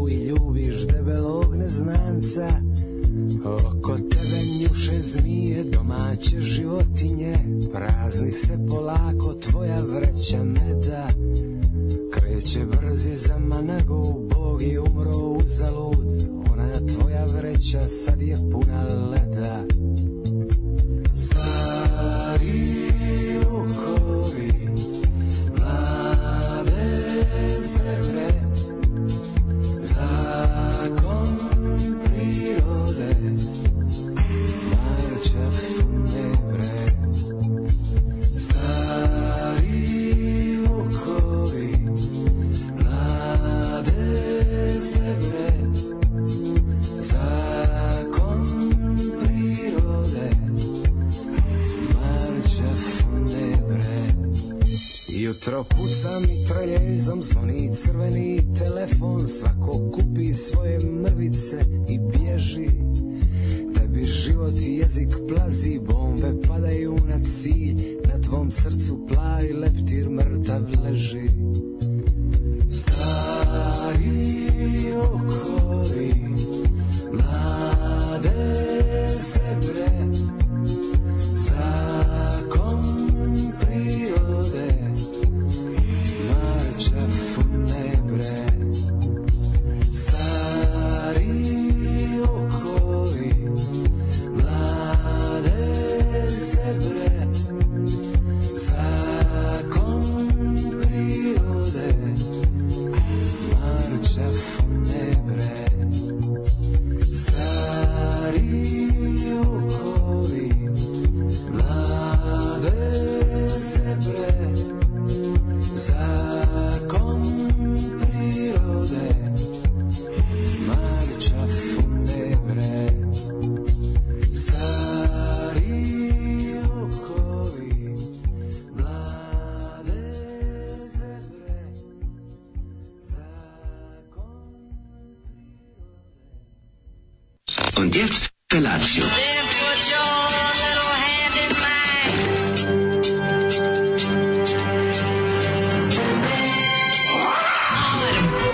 i ljubiš debelog neznanca. Oko tebe njuše zmije, domaće životinje, prazni se polako tvoja vreća meda. Kreće brzi za Managu, Bog je umro uzalud, ona tvoja vreća sad je puna leda. Stari vukovi, mlade zemlje, zakon prirode, marča funebre. Stari vukovi, mlade zemlje, zakon prirode, marča funebre. Jutro puca mitraljezom, zvoni crveni telefon, svako kupi svoje mrvice i bježi. Tebi život i jezik plazi, bombe padaju na cilj, na tvom srcu plavi leptir mrtav leži. Stari okovi, mlade zebre, zakon prirode, marča funebre. Stari okovi, mlade zebre, zakon prirode, marča funebre. Stari okovi, mlade zebre, zakon prirode, marča funebre. Stari okovi, mlade zebre, zakon prirode. Und jetzt Felatio.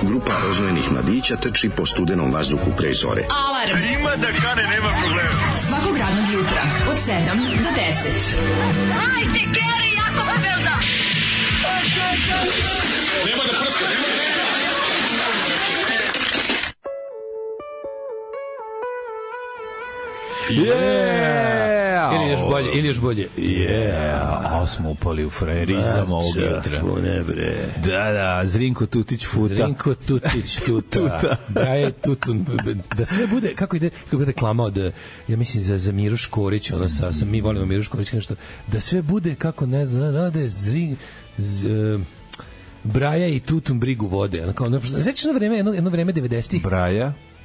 Grupa rozvojenih mladića trči po studenom vazduhu pre zore. Alarm! Ima da kane, nema problema. Svakog radnog jutra, od 7 do 10. Hajde, Geri, jako se velda! Nema da prska, nema da prska. Yeah! Ili još bolje. Yeah! Smo upali u frajerizam ovog jutra. Funebre. Da, Zrinko Tutić futa. Zrinko Tutić tuta. Braje tutun. Da sve bude, kako ide reklama od, ja mislim za Miru Škorić, ono sa mi volimo Miru Škorić, nešto, da sve bude, kako ne znam, rade Braja i tutun brigu vode. Znači jedno vreme 90-ih.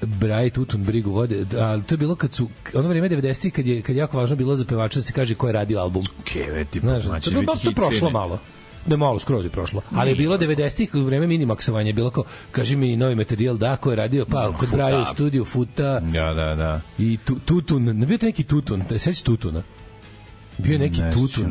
Braja i tutun brigu vode, ali to je bilo kad su ono vrijeme 90-ih kad je jako važno bilo za pevača da se kaže ko je radio album. Keve ti znači to prošlo malo. Ne, malo skroz je prošlo. Ali je bilo 90-ih u vreme minimaksovanja, bilo kao kaži mi novi materijal, da, ko je radio, pa kod Braja u studiju Futa. Da. I tutun, ne bio to neki tutun, da sećaš tutuna. Bio je neki tutun,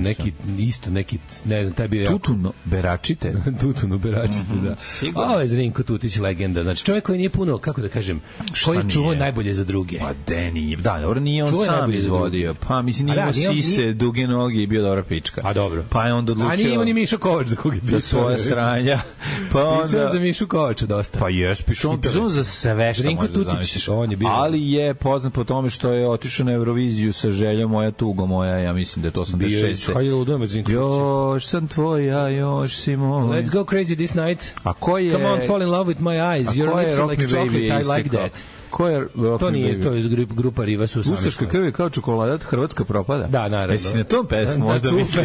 neki, ne znam, taj bio Tutuno Beračite. Tutuno Beračite, da. Ovo je Zrinko Tutić legenda. Znači, čovjek koji nije puno, kako da kažem, koji čuvao najbolje za druge. Pa Deni, da, dobro, nije on sam izvodio. Pa, mislim, nije imao sise, duge noge i bio dobra pička. A dobro. Pa je onda odlučio... A nije imao ni Mišo Kovač za koga je pisao. Za svoje sranja. Pa onda... Pisao za Mišu Kovača dosta. Pa jes, pisao za sve što može da zamisliš. Ali je poznat po tome što je otišao na Euroviziju sa željom Moja tugo moja, ja mislim da je to 86. Još sam tvoja, još si moj. Let's go crazy this night. A ko je... Come on, fall in love with my eyes. Your lips are like chocolate, I like that. Ko je to nije, to je grupa Riva su sami. Ustaška krv je kao čokolada, Hrvatska propada. Da, naravno. Jesi na tom pesmu možda misliš?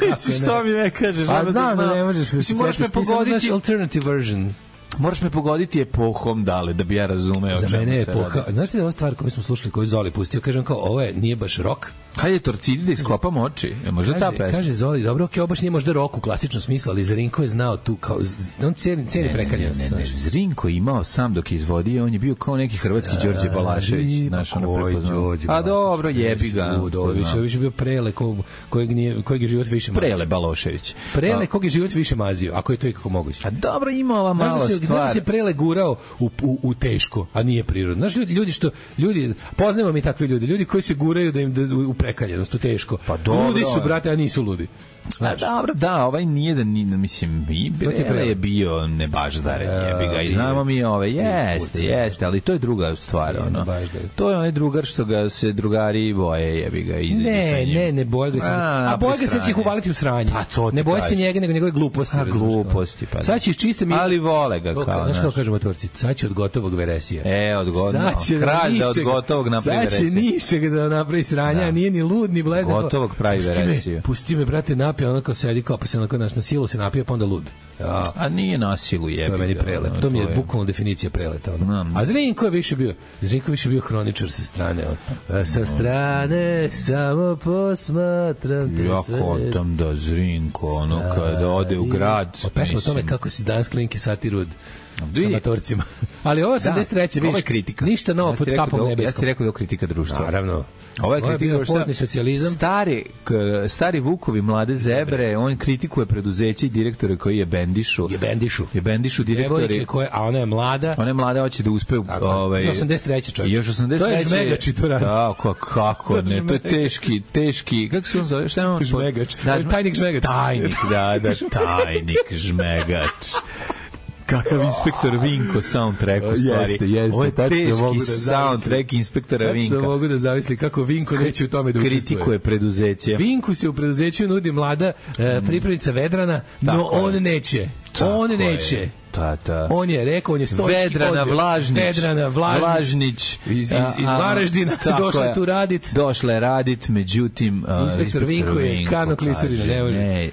Misliš što mi ne kažeš? A da, ne možeš. Mislim, moraš me pogoditi. Alternative version. Moraš me pogoditi epohom dale, da bi ja razumeo. Za mene je epoha. Znaš li da je ova stvar koju smo slušali, koju Zoli pustio, kažem kao, ovo je, nije baš rock, Hajde Torcidi da iskopam oči. Možda ta pesma. Kaže Zoli, dobro, ovo baš nije možda rock u klasičnom smislu, ali Zrinko je znao tu kao on ceni prekaljenost. Ne, Zrinko imao sam dok je izvodio, on je bio kao neki hrvatski Đorđe Balašević, naš ono prepoznao. A dobro, jebi ga. Više bio Prele kojeg je život više mazio. Prele Balošević. Prele kojeg je život više mazio, ako je to ikako moguće. A dobro, ima ova mala stvar. Znaš se Prele gurao u teško, a nije prirodno. Znaš, ljudi poznajemo mi takve ljudi koji se guraju da im u prekaljenost, u teško. Pa dobro, ludi su, brate, a nisu ludi. Znači. Dobro, da, ovaj nije da ni, mislim, i Prele je bio nebaždaren, jebi ga, i znamo mi jeste, ali to je druga stvar, ono. To je onaj drugar što ga se drugari boje, jebi ga, ne boje ga se. A boje ga se će ih uvaliti u sranje. Ne boje se njega, nego njegove gluposti. Gluposti, pa. Sad će iz čiste mi. Ali vole ga kao. Znaš kako kažemo Turci, sad će od gotovog veresija. Od gotovog. Kralj da od gotovog napravi veresiju. Sad će niščega da napravi sranja, nije ni lud, ni bled. Gotovog pravi veresiju. Pusti me, brate, napija, ono kao sedi, kao pa se na silu se napija, pa onda lud. A nije na silu, jebi. To je meni prelet. To mi je bukvalno definicija preleta. A Zrinko je više bio hroničar sa strane. Sa strane samo posmatram te sve. Jako tam da Zrinko, ono kada ode u grad. Pesma o tome kako si danas klinke satirud sa matorcima. Ali ovo 83. vidiš, kritika. Ništa novo pod kapom nebeskom. Ja ti rekao da je kritika društva. Naravno. Ovo je kritika pozni socijalizam. Stari Vukovi mlade zebre, on kritikuje preduzeće i direktore koji je bendišu. Je bendišu direktori. A ona je mlada. Ona je mlada, hoće da uspe. 83. čovjek. Još 83. To je žmegač to radi. Da, kako ne, to je teški. Kako se on zove? Šta je on? Žmegač. Tajnik žmegač. Tajnik žmegač. Kakav inspektor Vinko soundtrack u stvari. Jeste. Ovo je teški soundtrack inspektora Vinka. Tačno mogu da zavisli kako Vinko neće u tome da učestvuje. Kritikuje preduzeće. Vinku se u preduzeću nudi mlada pripravnica Vedrana, no on neće. On neće. On je rekao, on je stoički Vedrana Vlažnić iz Varaždina došla je radit, međutim inspektor Vinko je kano klisurina, ne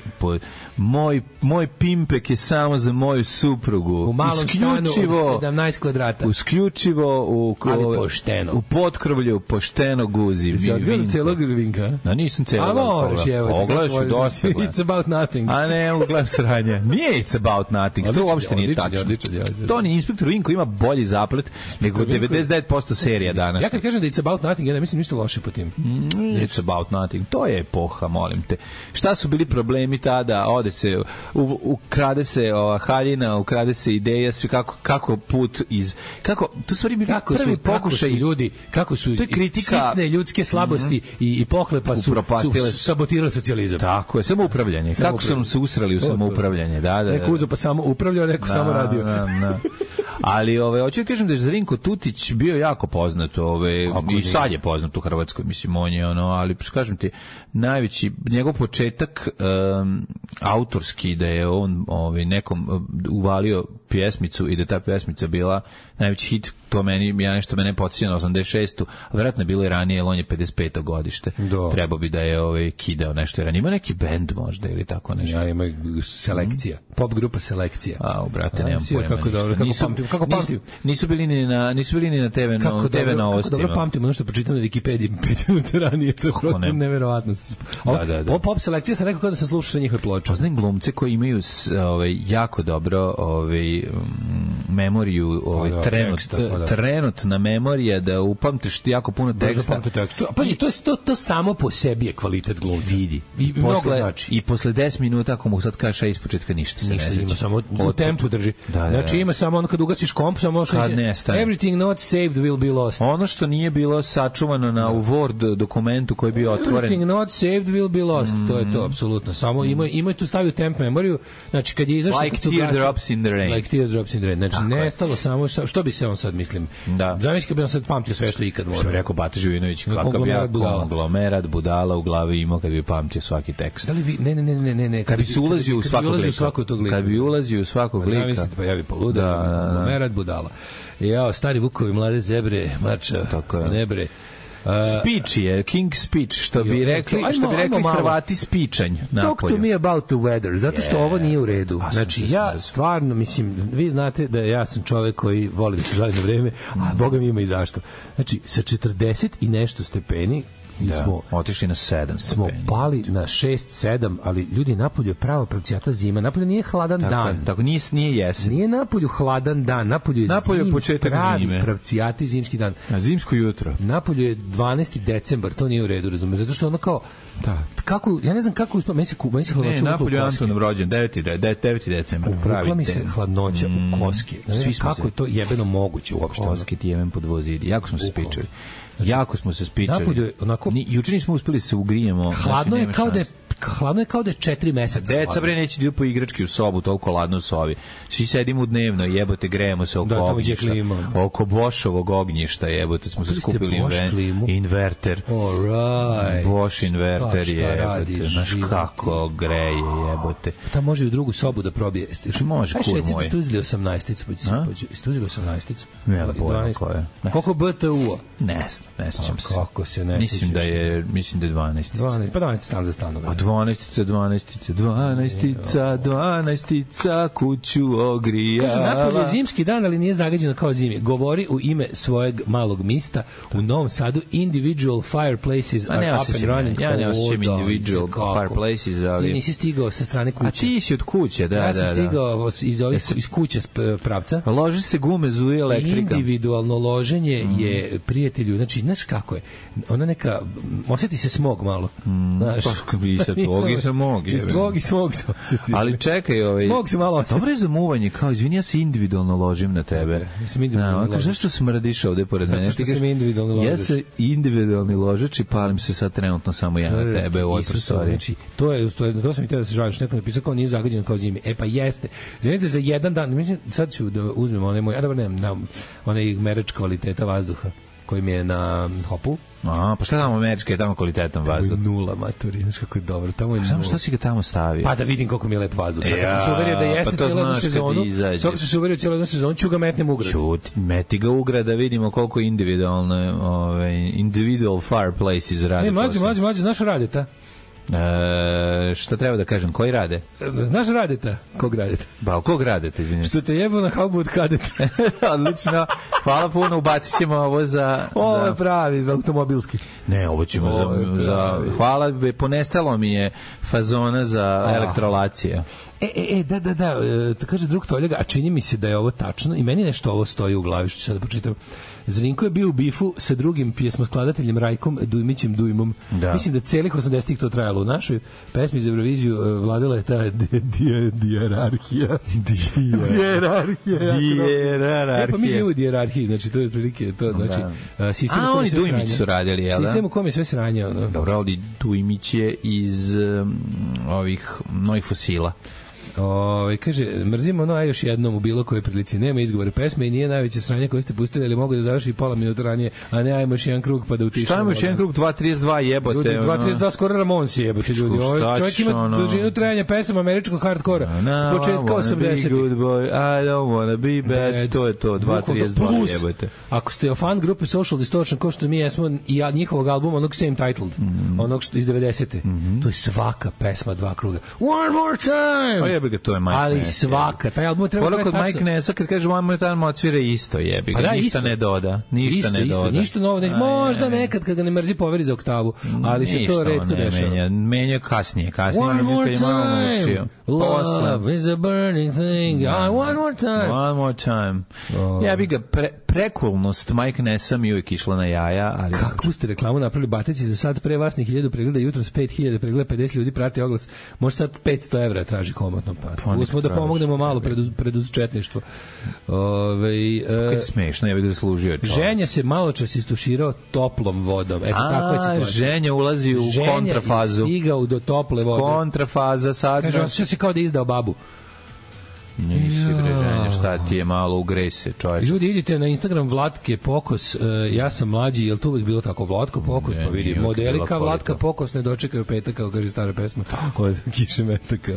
moj pimpek je samo za moju suprugu. U malom stanu od 17 kvadrata. Isključivo u potkrovlju pošteno guzi. Si odgledao celog Vinka? Nisam celog. A moraš, evo. Pogledaš u dosta. It's about nothing. A ne, gledam sranje. Nije It's about nothing. To uopšte nije tačno. To ni inspektor Vinko ima bolji zaplet nego 99% serija danas. Ja kad kažem da It's about nothing, ja ne mislim ništa loše po tim. It's about nothing. To je epoha, molim te. Šta su bili problemi tada? Ode se, ukrade se haljina, ukrade se ideja, sve kako put iz... to stvari bili prvi pokušaj ljudi, kako su sitne ljudske slabosti i pohlepa su sabotirali socijalizam. Tako je, samoupravljanje. Kako su nam se usrali u samoupravljanje. Neko uzo pa samo upravljao, neko samo radio. Ali hoću da kažem da je Zrinko Tutić bio jako poznat, i sad je poznat u Hrvatskoj, mislim, on je ali kažem ti, najveći njegov početak autorski, da je on nekom uvalio pjesmicu i da ta pjesmica bila najveći hit, to mene podsjeća na 86. a vjerojatno je bilo i ranije, jer on je 55. godište. Trebao bi da je kidao nešto ranije. Ima neki bend možda ili tako nešto. Ja, ima Selekcija. Pop grupa Selekcija. Brate, nemam pojma. Kako dobro, kako pamtim. Nisu bili ni na TV novostima. Kako dobro pamtim ono što pročitam na Wikipediji 5 minuta ranije, to je neverovatno. Pop Selekcija sam rekao kada sam slušao sve njihove ploče. Poznajem glumce koji imaju jako dobro memoriju, trenutna memorija, da upamtiš ti jako puno teksta. Pazi, to samo po sebi je kvalitet glumca. Vidi. I posle 10 minuta, ako mu sad kažeš ispočetka, ništa se ne seća. Ima samo u tempu drži. Znači ima samo ono kad ugasiš komp, samo everything not saved will be lost. Ono što nije bilo sačuvano u Word dokumentu koji je bio otvoren. Everything not saved will be lost. To je to, apsolutno. Samo ima tu stavio temp memoriju. Znači kad je izašao Like teardrops in the rain. Like teardrops in the rain. Znači nestalo samo što bi se on sad, mislim. Zamisli kad bi on sad pamtio sve što ikad što bi rekao Bata Živinović, kakav ja konglomerat budala u glavi imao kad bi pamtio svaki tekst. Da li vi ne kad bi se ulazio u svakog lika. Kad bi ulazio u svakog lika. Zamislite, pa ja bi poludao, konglomerat budala. Jao, stari Vukovi, mlade zebre, marča, nebre. Speech je, King Speech, što bi rekli Hrvati spičanj. Talk to me about the weather, zato što ovo nije u redu. Znači, ja stvarno, mislim, vi znate da ja sam čovek koji voli da se žali na vreme, a Boga mi ima i zašto. Znači, sa 40 i nešto stepeni, smo otišli na 7 smo pali na 6-7, ali ljudi, napolju je prava pravcijata zima, napolju nije hladan dan. Tako nije jesen. Nije napolju hladan dan, napolju je početak zime. Pravcijati zimski dan. Zimsko jutro. Napolju je 12. decembar, to nije u redu, razumeš, zato što ono kao kako, ja ne znam kako uspio, meni se hladnoća napolju je Antonov rođen, 9. decembar. Uvukla mi se hladnoća u koske. Kako je to jebeno moguće uopšte? Koske ti jebem pod vozidi. Jako smo se spičali. Jako smo se spičali. Napolju onako... Juče nismo uspeli se ugrijemo. Hladno je kao da je 4 meseca. Deca bre neće idu po igrački u sobu, toliko ladno u sobi. Svi sedimo dnevno, jebote, grejemo se oko ognjišta. Oko Bošovog ognjišta, jebote, smo se skupili inverter. Alright. Boš inverter, jebote. Znaš kako greje, jebote. Ta može i u drugu sobu da probije. Može, kur moj. Ste uzeli 18-icu? Ste uzeli 18-icu? Ne, pojma koje. Koliko BTU-a? Ne sjećam se. Kako se ne sjećaš? Mislim da je 12. Pa 12 stan za stanove. 12 kuću ogrijala. Kaže, napolje je zimski dan, ali nije zagađeno kao zimi. Govori u ime svojeg malog mista u Novom Sadu. Individual fireplaces are up and running. Ja ne osjećam individual fireplaces, ali... Ti nisi stigao sa strane kuće. A ti si od kuće, da. Ja sam stigao iz kuće pravca. Loži se gume, zuje elektrika. Individualno loženje je, prijatelju, znači, znaš kako je? Ona neka, osjeti se smog malo. Znaš, iz tvog i smog. Ali čekaj, smog se malo. Dobro je zamuvanje, kao izvini, ja se individualno ložim na tebe. Zašto smrdiš ovde pored mene? Ja se individualni ložač i palim se sad trenutno samo ja na tebe u ovoj prostoriji. To sam i teo da se žalim, što neko napisao kao nije zagađeno kao zimi. Pa jeste. Znači za jedan dan, mislim, sad ću da uzmem onaj moj, onaj merač kvaliteta vazduha koji mi je na Hopu. Pa šta tamo američki je tamo kvalitetan vazduh? Tamo je nula, maturi, znaš kako je dobro. Tamo je samo što si ga tamo stavio? Pa da vidim koliko mi je lep vazduh. Sad sam se uverio da jeste cijelu jednu sezonu. Sad sam se uverio cijelu jednu sezonu, ću ga metnem u grad. Meti ga u grad da vidimo koliko individual fireplaces rade. Mlađe, znaš Radeta? Šta treba da kažem, koji rade? Znaš Radeta? Kog Radeta? Kog Radeta, izvinjam. Što te jebo na haubu od kadeta. Odlično, hvala puno, ubacit ćemo ovo za... Ovo je pravi, automobilski. Ne, ovo ćemo za... Hvala, ponestalo mi je fazona za elektrolacija. Da, kaže drug Toljaga, a čini mi se da je ovo tačno i meni nešto ovo stoji u glavi, što ću sada počitam. Zrinko je bio u bifu sa drugim pjesmoskladateljem Rajkom Dujmićem Dujmom. Da. Mislim da celih 80-ih to trajalo. U našoj pesmi za Euroviziju vladala je ta dijerarhija. Pa mi živimo u dijerarhiji, znači to je otprilike to, znači sistem u oni Dujmić su radili, jel da? Sistem u kom je sve sranje. Dobro, ali Dujmić je iz ovih novih fosila. Kaže, mrzimo ono, a još jednom u bilo kojoj prilici. Nema izgovore pesme i nije najveće sranje koje ste pustili, ali mogu da završi pola minuta ranije, a ne ajmo još jedan krug pa da utišamo. Šta ajmo još jedan krug, 2.32 jebote. Ljudi, 2.32 skoro Ramonsi jebote, ljudi. Čovjek ima dužinu trajanja pesama američkog hardkora s početka 80-ih. Good boy, I don't wanna be bad. To je to, 2.32 jebote. Ako ste fan grupe Social Distortion, ko što mi jesmo, i njihovog albuma, onog Same Titled, onog iz 90-te, to je svaka pesma dva kruga. One more time! To je Mike ali Ness, svaka, taj album treba trajati tačno. Mike Nessa kad kaže one more time odsvira isto, jebi ga, ništa ne doda. Ništa novo, možda nekad kad ga ne mrzi poveri za oktavu, ali se to retko dešava. Menja kasnije. One more time, love is a burning thing, one more time. Jebi ga, prekulnost Mike Nessa mi uvijek išla na jaja, ali... Kako ste reklamu napravili Bateci za sad pre vas ni 1000 pregleda, jutros 5000 pregleda, 50 ljudi prati oglas, može sad 500 evra traži komotno, pa uspemo da pomognemo malo preduzetništvo. Kad je smešno, ja bih zaslužio čovjek. Ženja se malo čas istuširao toplom vodom. Eto, takva je situacija. Ženja ulazi u kontrafazu. Ženja stigao do tople vode. Kontrafaza sad. Kaže, osjeća se kao da je izdao babu. Nisi Ženja, šta ti je malo ugrej se, čovječ. Ljudi, idite na Instagram Vlatke Pokos, ja sam mlađi, je li to uvijek bilo tako? Vlatko Pokos, pa vidi, modelika Vlatka Pokos ne dočekaju petak, kao kaže stara pesma. Od kiše metaka.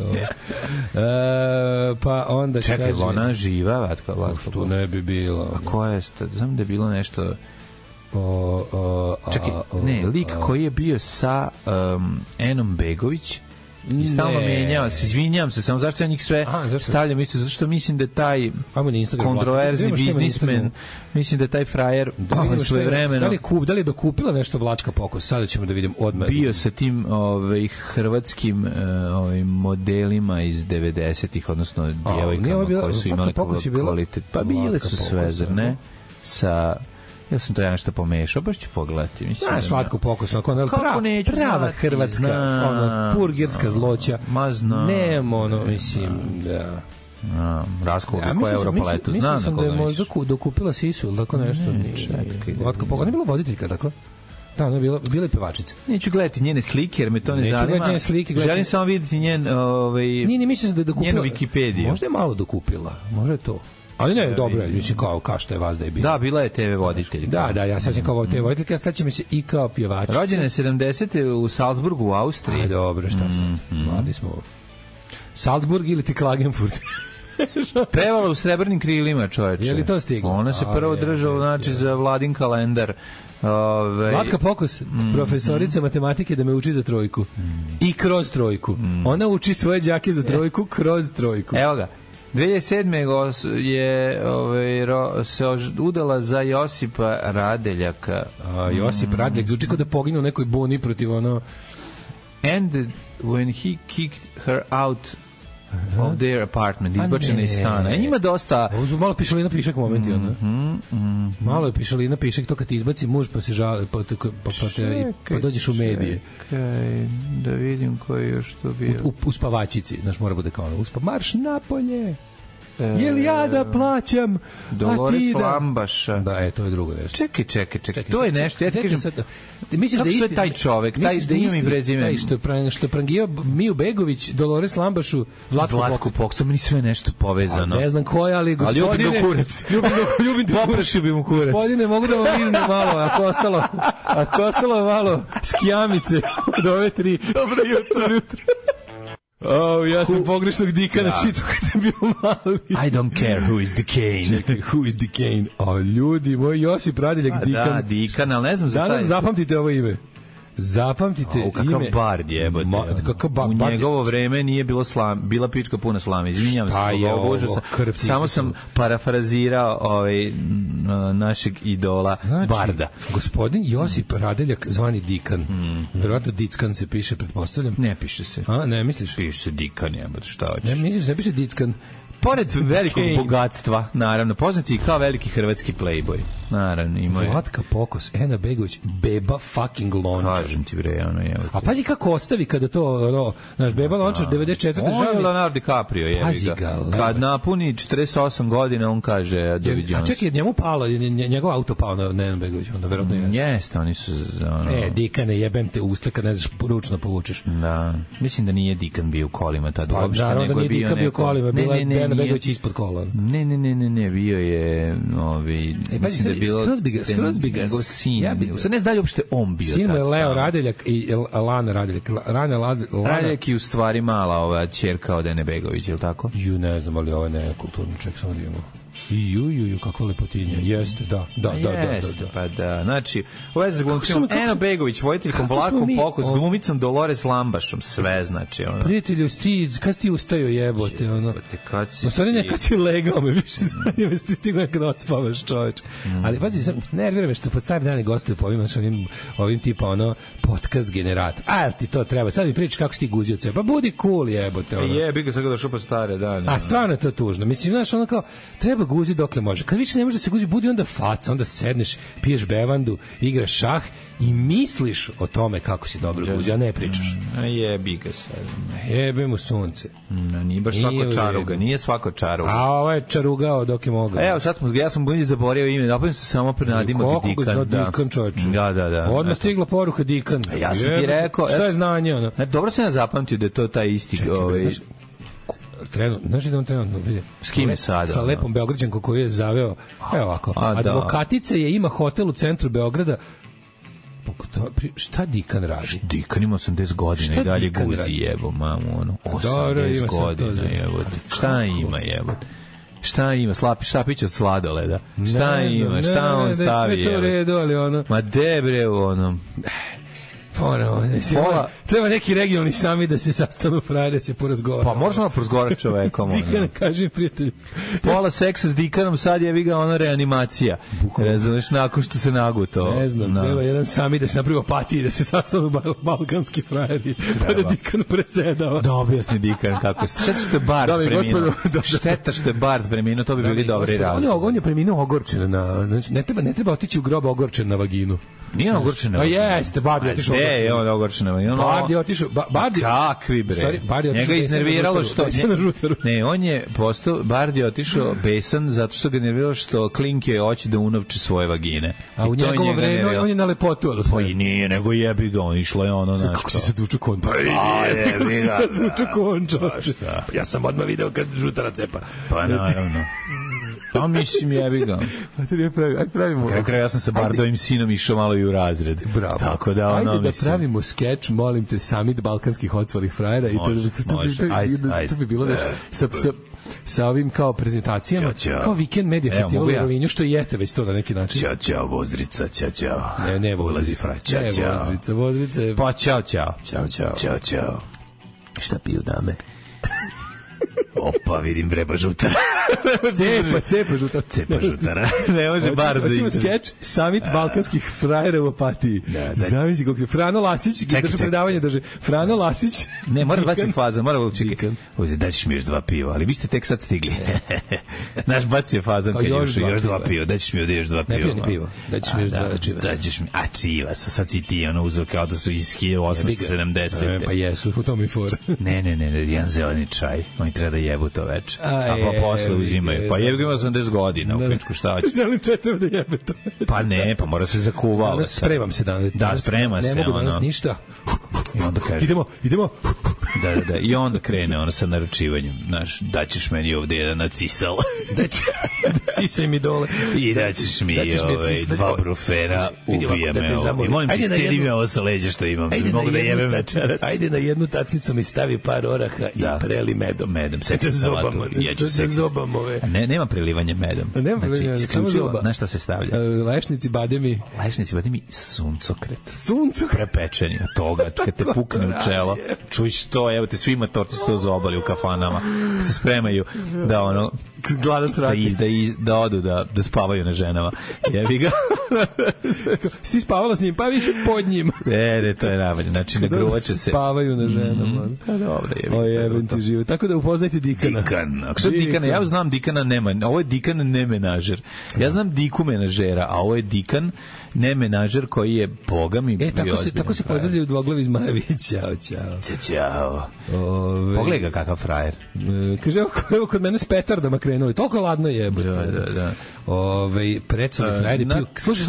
Pa onda će čekaj, ona živa Vlatka Pokos? Što ne bi bilo. A koja je, znam da je bilo nešto... Čekaj, ne, lik koji je bio sa Enom Begović I stalno menjao se, izvinjam se, samo zašto ja njih sve stavljam isto, zato što mislim da je taj kontroverzni biznismen, mislim da je taj frajer svoje vremeno. Da li je dokupila nešto Vlatka Pokos? Sada ćemo da vidim odmah. Bio sa tim hrvatskim modelima iz 90-ih, odnosno djevojkama koje su imale kvalitet. Pa bile su sve, zar ne? Sa... Ja sam to nešto pomešao, baš ću pogledati. Znaš, Vlatko Pokos, prava hrvatska, purgerska zloća. Nemo, mislim, da... Raskoga koja je Europaletu. Mislim sam da je možda dokupila Sisu ili tako nešto. Vlatko Pokos, ona je bila voditeljka, tako? Da, ona je bila pevačica. Neću gledati njene slike, jer me to ne zanima. Želim samo vidjeti njenu Wikipediju. Možda je malo dokupila, možda je to. Ali ne, dobro je, mislim kao što je vas da je bilo. Da, bila je TV voditelj. Da, ja sad ćem kao TV voditelj, a sad će mi se i kao pjevačica. Rođena je 70. u Salzburgu, u Austriji. Aj, dobro, šta sad? Mladi smo. Salzburg ili ti Klagenfurt? Pevala u Srebrnim krilima, čoveče. Je li to stiglo? Ona se prvo držala, znači, za Vladin kalendar. Vlatka Pokos, profesorica matematike da me uči za trojku. I kroz trojku. Ona uči svoje đake za trojku kroz trojku. Evo ga. 2007. je se udala za Josipa Radeljaka. Josip Radeljak zvuči kao da poginu u nekoj buni protiv ono... And when he kicked her out of their apartment, izbačena iz stana. Njima dosta... Ovo su malo pišalina pišak momenti, malo je pišalina pišak, to kad ti izbaci muž pa se žali, pa dođeš u medije. Čekaj, da vidim ko je još to bio. U spavačici, znaš, mora bude kao marš napolje. Je li ja da plaćam, Dolores Lambaša. Da, to je drugo nešto. Čekaj. To je nešto, ja ti kažem, misliš da je taj čovek, taj ime i prezime. Taj što je prangio Miju Begović, Dolores Lambašu, Vlatko Pokos. To mi sve nešto povezano. Ne znam ko je, ali gospodine... Ali ljubim do kurac. Ljubim do kurac. Poprašio bi mu kurac. Gospodine, mogu da vam liznem malo, ako ostalo malo skijamice od ove 3. Dobro jutro. Ja sam pogrešnog Dikana čitao kad sam bio mali. I don't care who is the Kane. Čekaj, who is the Kane? Ljudi, moj Josip Radeljak Dikan. Da, Dikan, ali ne znam za taj. Zapamtite ovo ime. Zapamtite ime. Kakav bard jebote. U njegovo vreme nije bilo bila pička puna slame. Izvinjavam se. Samo sam parafrazirao našeg idola Barda. Gospodin Josip Radeljak zvani Dikan. Verovatno Dickan se piše, pretpostavljam. Ne piše se. A, ne misliš? Piše se Dikan, jebote, šta hoćeš? Ne misliš, ne piše Dickan. Pored velikog bogatstva, naravno, poznati i kao veliki hrvatski playboy. Naravno, ima je. Vlatka Pokos, Ena Begović, Beba fucking Lončar. Kažem ti bre, ono je. A pazi kako ostavi kada to, naš Beba Lončar, 94. On je Leonardo DiCaprio, jebi ga. Kad napuni 48 godina, on kaže doviđenja. A čekaj, njemu palo, njegov auto pao na Ena Begović, onda verovatno je. Jeste, oni su... Dikane, jebem te usta kad ne znaš, ručno povučeš. Da, mislim da nije Dikan bio u kolima tada. Pa naravno da nije Dikan bio u kolima, bila je Ena Begović ispod kola. Ne, bio je mislim da je bilo skroz bi ga njegov sin. Sad ne znam uopšte on bio. Sin mu je Leo Radeljak i Lana Radeljak. Radeljak je u stvari mala ova ćerka od Ene Begović, je li tako? Ne znam, ali ovo je nekulturni ček, samo da imamo. Ju, kakva lepotinja. Jeste, da. Pa da, znači, u vezi s glumicom Eno Begović, voditeljkom Vlatkom Pokos, glumicom Dolores Lambašom, sve znači, ono. Prijatelju, kad si ti ustajo jebote, ono. Kad si... Kad si legao, me više zanima, si ti stigo nekad odspavaš, čoveč. Ali, pazi, sam nervira me što pod stari dane gostuju po ovim tipa, ono, podcast generator. A, ti to treba, sad mi pričaš kako si ti guzio ceo, pa budi cool jebote, ono. Jebi ga sad ga došao po stare dane. A stvarno je to tužno, mislim, znaš, ono kao, treba guzi dokle može. Kad više ne može da se guzi, budi onda faca, onda sedneš, piješ bevandu, igraš šah i misliš o tome kako si dobro guzi, a ne pričaš. Jebi ga sad. Jebe mu sunce. Nije baš svako čaruga, nije svako čaruga. A ovo je čarugao dok je mogao. Evo, sad ja sam bolje zaboravio ime, napravim se samo prenadimak Dikan. Dikan, čovječe. Da. Odmah stigla poruka Dikan. Ja sam ti rekao... Šta je znanje, ono? Dobro sam ja zapamtio da je to taj isti... Znaš da on trenutno vidi? S kim je sada? Sa lepom Beograđankom koju je zaveo. Evo ovako. Advokatica je ima hotel u centru Beograda. Šta Dikan radi? Dikan ima 80 godina i dalje guzi jebo, mamu, ono. 80 godina jebo. Šta ima jebo? Šta ima? Štapić od sladoleda. Šta ima? Šta on stavi? Sve to redu, ali ono... Ma de bre, ono... Treba neki regionalni sami da se sastanu frajere, se porazgovara. Pa možemo porazgovarati čovekom. Dikan, kažem prijatelju. Pola seksa s Dikanom, sad je viga ona reanimacija. Razumeš, nakon što se naguto. Ne znam, treba jedan sami da se napravi opatiji, da se sastanu balkanski frajeri, pa da Dikan predsedava. Da objasni Dikan kako ste. Šteta što je Bard preminuo. Šteta što je Bard preminuo, to bi bili dobri razlog. On je preminuo ogorčen znači ne treba otići u grob ogorčen na vaginu. Nije ogorčen na vaginu. Jeste, Bard je otišao. Ne, je on ogorčen na vaginu. Bard je otišao. Kakvi bre. Njega iznerviralo što... Ne, on je postao, Bard je otišao besan zato što ga nerviralo što klinke hoće da unovče svoje vagine. A u njegovo vreme on je na lepotu. Pa i nije, nego jebi ga, on išlo je ono našto. Kako si se tuču kon? Pa jebi ga. Kako si se tuču kon, čoče. Ja sam odmah video kad žutara cepa. Pa naravno. Pa mislim, jebi ga. Ajde pravimo. Kraj, ja sam sa Bardovim sinom išao malo i u razred. Bravo. Tako da ono, ajde da pravimo skeč, molim te, summit balkanskih odsvalih frajera i to bi bilo da sa ovim kao prezentacijama, kao Weekend Media Festival u Rovinju, što jeste već to na neki način. Ćao, Vozdrica, ćao. Ne, ulazi fraj, ćao. Vozdrica. Pa ćao. Ćao. Šta piju dame? Opa, vidim vreba žutara. Cepa žutara. Ne može bar da hoćemo skeč Summit balkanskih frajera u Opatiji. Zamisli kako je Frano Lasić, drži predavanje, Frano Lasić. Ne, mora baciti faza, mora čekati. Daćeš mi još 2 piva, ali vi ste tek sad stigli. Naš baci je fazan kad još 2 piva. Daćeš mi još 2 piva. Ne pijem ni pivo. Daćeš mi još 2 čivasa. Daćeš mi, čivasa, sad si ti ono uzeo kao da su iz 1870. Pa jesu, u tom i for. Ne, jedan zeleni čaj. Oni treba da jebu to večer. A pa posle uzimaju. Pa jebi ga ima 80 godina, u pičku šta će. Zeleni čaj treba da jebe to. Pa ne, pa mora se zakuvao. Spremam se danas. Da, sprema se. Ne mogu danas ništa. I onda kaže... Idemo. Da. I onda krene ono sa naručivanjem. Znaš, daćeš meni ovde jedan nacisal. Sisaj mi dole. I daćeš mi 2 brufera, ubije me ovo. I molim ti, scedi mi ovo sa leđa što imam. Mogu da jebem večeras. Ajde na jednu tacnicu mi stavi par oraha i preli medom. Seksa salatu. Zobam ove. Nema prelivanja medom. Nema prelivanja, samo zoba. Na šta se stavlja? Lešnici, bademi, suncokret. Prepečeni od toga, kad te pukne u čelo. Čuj što, evo te svi matorci su to zobali u kafanama. Kad se spremaju da ono... Gladac radi. Da odu, da spavaju na ženama. Jebi ga. Si spavala s njim, pa više pod njim. Ne, to je najbolje. Znači, ne gruvaće se. Spavaju na ženama. Dobro, jebi. O, jebem ti život. Tako da upoznajte Dikana. Ako što Dikana, ja znam Dikana nema. Ovo je Dikan ne menažer. Ja znam Diku menažera, a ovo je Dikan ne menažer koji je bogam i tako se pozdravljaju dvoglavi zmajevi. Ćao. Pogledaj ga kakav frajer. Kaže, evo kod mene s petardama krenuli. Toliko ladno je. Da. Precoli flajeri piju.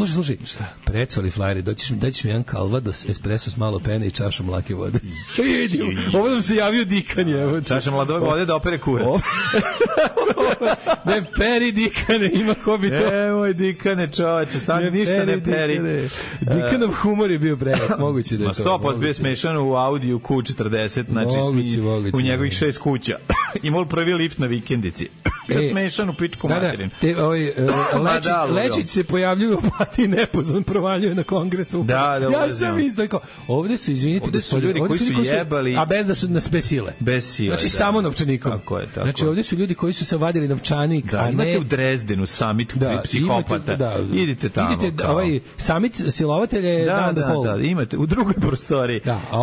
Slušaj. Precoli flajeri. Daćeš mi jedan Calvados, espresso s malo pene i čašu mlake vode. Ovo nam se javio Dikan je. Čaša mladog vode da opere kurac. Ne peri Dikane, ima ko bi to. Moj Dikane, čoveče, stani ništa ne peri. Dikanov humor je bio prejak, moguće da je to. 100% bio smešan u Audiju Q40, znači u njegovih 6 kuća. Imao prvi lift na vikendici. Bio smešan u pičku materin. Lečić se pojavljuju u Opatiji nepozvan, provaljuje na kongresu. Ja sam isto kao, ovde su, izvinite, ovde su ljudi koji su jebali, a bez da su bez sile. Znači samo novčanikom. Tako je. Znači ovde su ljudi koji su se vadili novčanik, a ne... Imate u Drezdenu summit psihopata. Idite tamo. Ovaj summit silovatelja je dan do pol. Da, imate u drugoj prostoriji. Da, a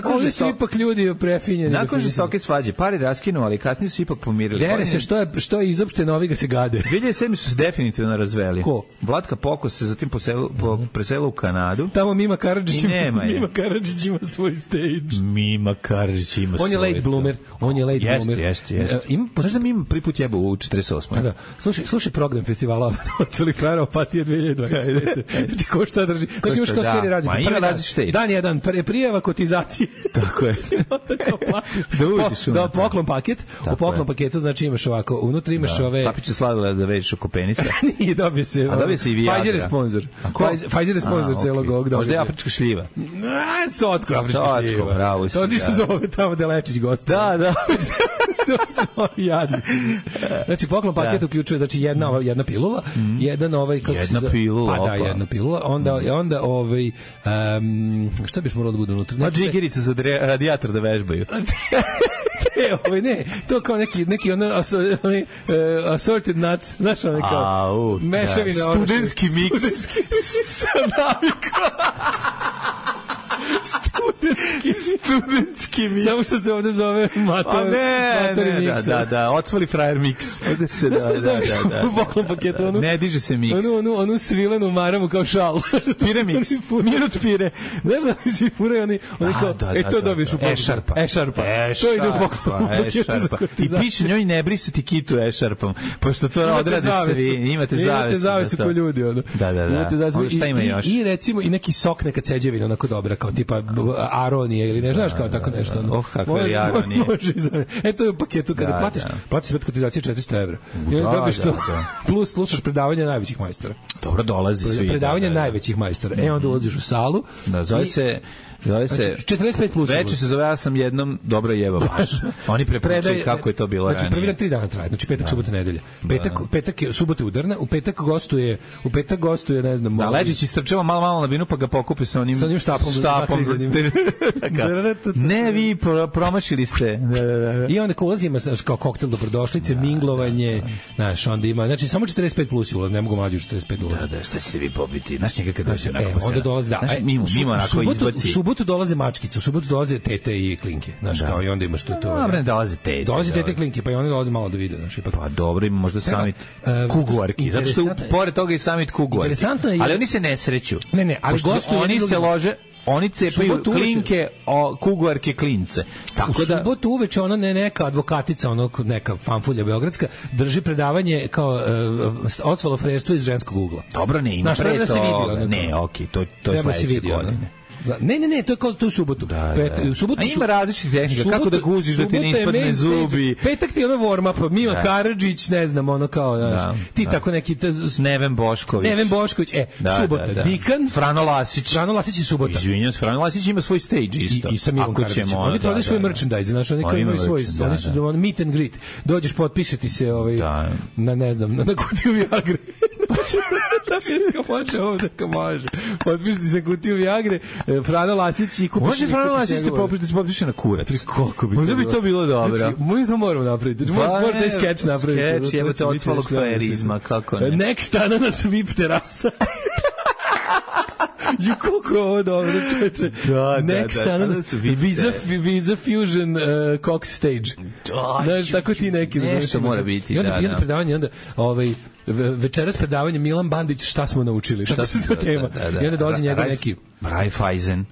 ovde su ipak ljudi prefinjeni. Nakon žestoke svađe, pari raskinuo, ali kasnije su ipak pomirili. Dere se što je izopšteno, ovi ga se gade. 2007 su se definitivno razveli. Ko? Vlatka Pokos se zatim preselila u Kanadu. Tamo Mima Karadžić ima svoj stage. Mima Karadžić ima svoj. On je late bloomer. Jeste. Znaš da Mima prvi put jeba u 48. Da. Slušaj program festivala Odsvalih frajera Opatija 2025. Znači ko šta drži. Znači imaš kao serije različite. Dan jedan, prijava kotizacije. Tako je. Da poklon paket. U poklon paketu znači imaš ovako, unutra imaš ove... Sapiće sladila da veš oko penisa. Nije, dobije se. A dobije se i Viagra. Pfizer je sponsor. Pfizer je sponsor celog ovog događaja. Možda je afrička šljiva. Sotko afrička šljiva. Bravo. To ti se zove tamo da Lečić gost. Da. To smo jadni. Znači, poklon paket uključuje, znači, jedna pilula, jedan jedna pilula, pa da, jedna pilula, onda šta biš moralo da bude unutra? Ma džigerica za radijator da vežbaju. Ne, to kao neki assorted nuts, znaš, ono kao mešavina. Studentski miks sa navikom. Studentski mix. Samo što se ovde zove matori mix. Da, otvori frajer mix. U poklon paketu ne diže se mix. Onu svilenu maramu kao šal. Pire mix. Minut pire. Znaš da mi svi furaju oni kao, to dobiješ u poklon. E-šarpa. To ide u poklon paketu. I piše njoj ne brisati kitu e-šarpom, pošto to odrade svi. Imate zavesu ko ljudi. Da. Šta ima još? I recimo i neki sok, neka ceđevina onako dobra, kao tipa aronije ili ne znaš kao tako nešto. Kako je aronije. To je u paketu kada platiš sve kotizacije 400 evra. I onda dobiš to. Plus slušaš predavanje najvećih majstora. Dobro, dolazi svi. Predavanje najvećih majstora. Onda ulaziš u salu. Da, zove se 45 plus. Veče se zove, ja sam jednom dobro jebao baš. Oni prepričaju kako je to bilo ranije. Znači, prvi dan 3 dana traje. Znači, petak, subota, nedelja. Petak je, subota je udarna, u petak gostuje, ne znam... Da, Leđić istrčava malo na binu, pa ga pokupi sa onim štapom. Ne, vi promašili ste. I onda ko ulazi, ima kao koktel dobrodošlice, minglovanje, znaš, onda ima, znači, samo 45 plus je ulaz, ne mogu mlađi 45 ulaz. Da, šta ćete vi pobiti? Znaš njega kada će onda dolazi, da. Mimo onako izbaci. U subotu dolaze mačkice, u subotu dolaze tete i klinke, znaš, kao i onda imaš to. Dobre, dolaze tete. Dolaze tete klinke, pa i oni dolaze malo da vide, znaš, ipak. Pa dobro, ima možda summit kuguarki, zato što pored toga i summit kuguarki. Interesantno je. Ali oni se ne sreću. Ne, ali gostuju oni se lože. Oni cepaju klinke, kuguarke klince. Tako da subotu uveče ona neka advokatica, neka fanfulja beogradska, drži predavanje kao odsvalofrejstvo iz ženskog ugla. Dobro, ne, ima pre toga. Ne, okej, to je sledeće godine. Ne, to je kao tu subotu. U subotu. A ima različitih tehnika, kako da guziš da ti ne ispadne zubi. Petak ti je ono warm up, Mila Karadžić, ne znam, ono kao, ti tako neki Neven Bošković, subota, Dikan, Frano Lasić i subota. Izvinjam se, Frano Lasić ima svoj stage isto. I sa Milom Karadžićem. Oni prodaju svoj merchandise, znači oni kao imaju svoj, oni su meet and greet. Dođeš, potpišeti se na, ne znam, na kutiju Viagre. Može. Potpišiti se kutiju Viagre, Frano Lasić i kupiš. Može Frano Lasić da se potpiše na kurac. Možda bi to bilo dobro. Mi to moramo napraviti. Moramo taj skeč napraviti. Skeč, evo te odsvalog frajerizma, kako ne. Nek stana na svip terasa. Koliko je ovo dobro, čoveče. Next stana Visa Fusion Cox Stage. Znaš, tako ti neki. Nešto mora biti. I onda predavanje, onda večeras predavanje Milan Bandić, šta smo naučili, šta se to tema. I onda dolazi njega neki Raiffeisen.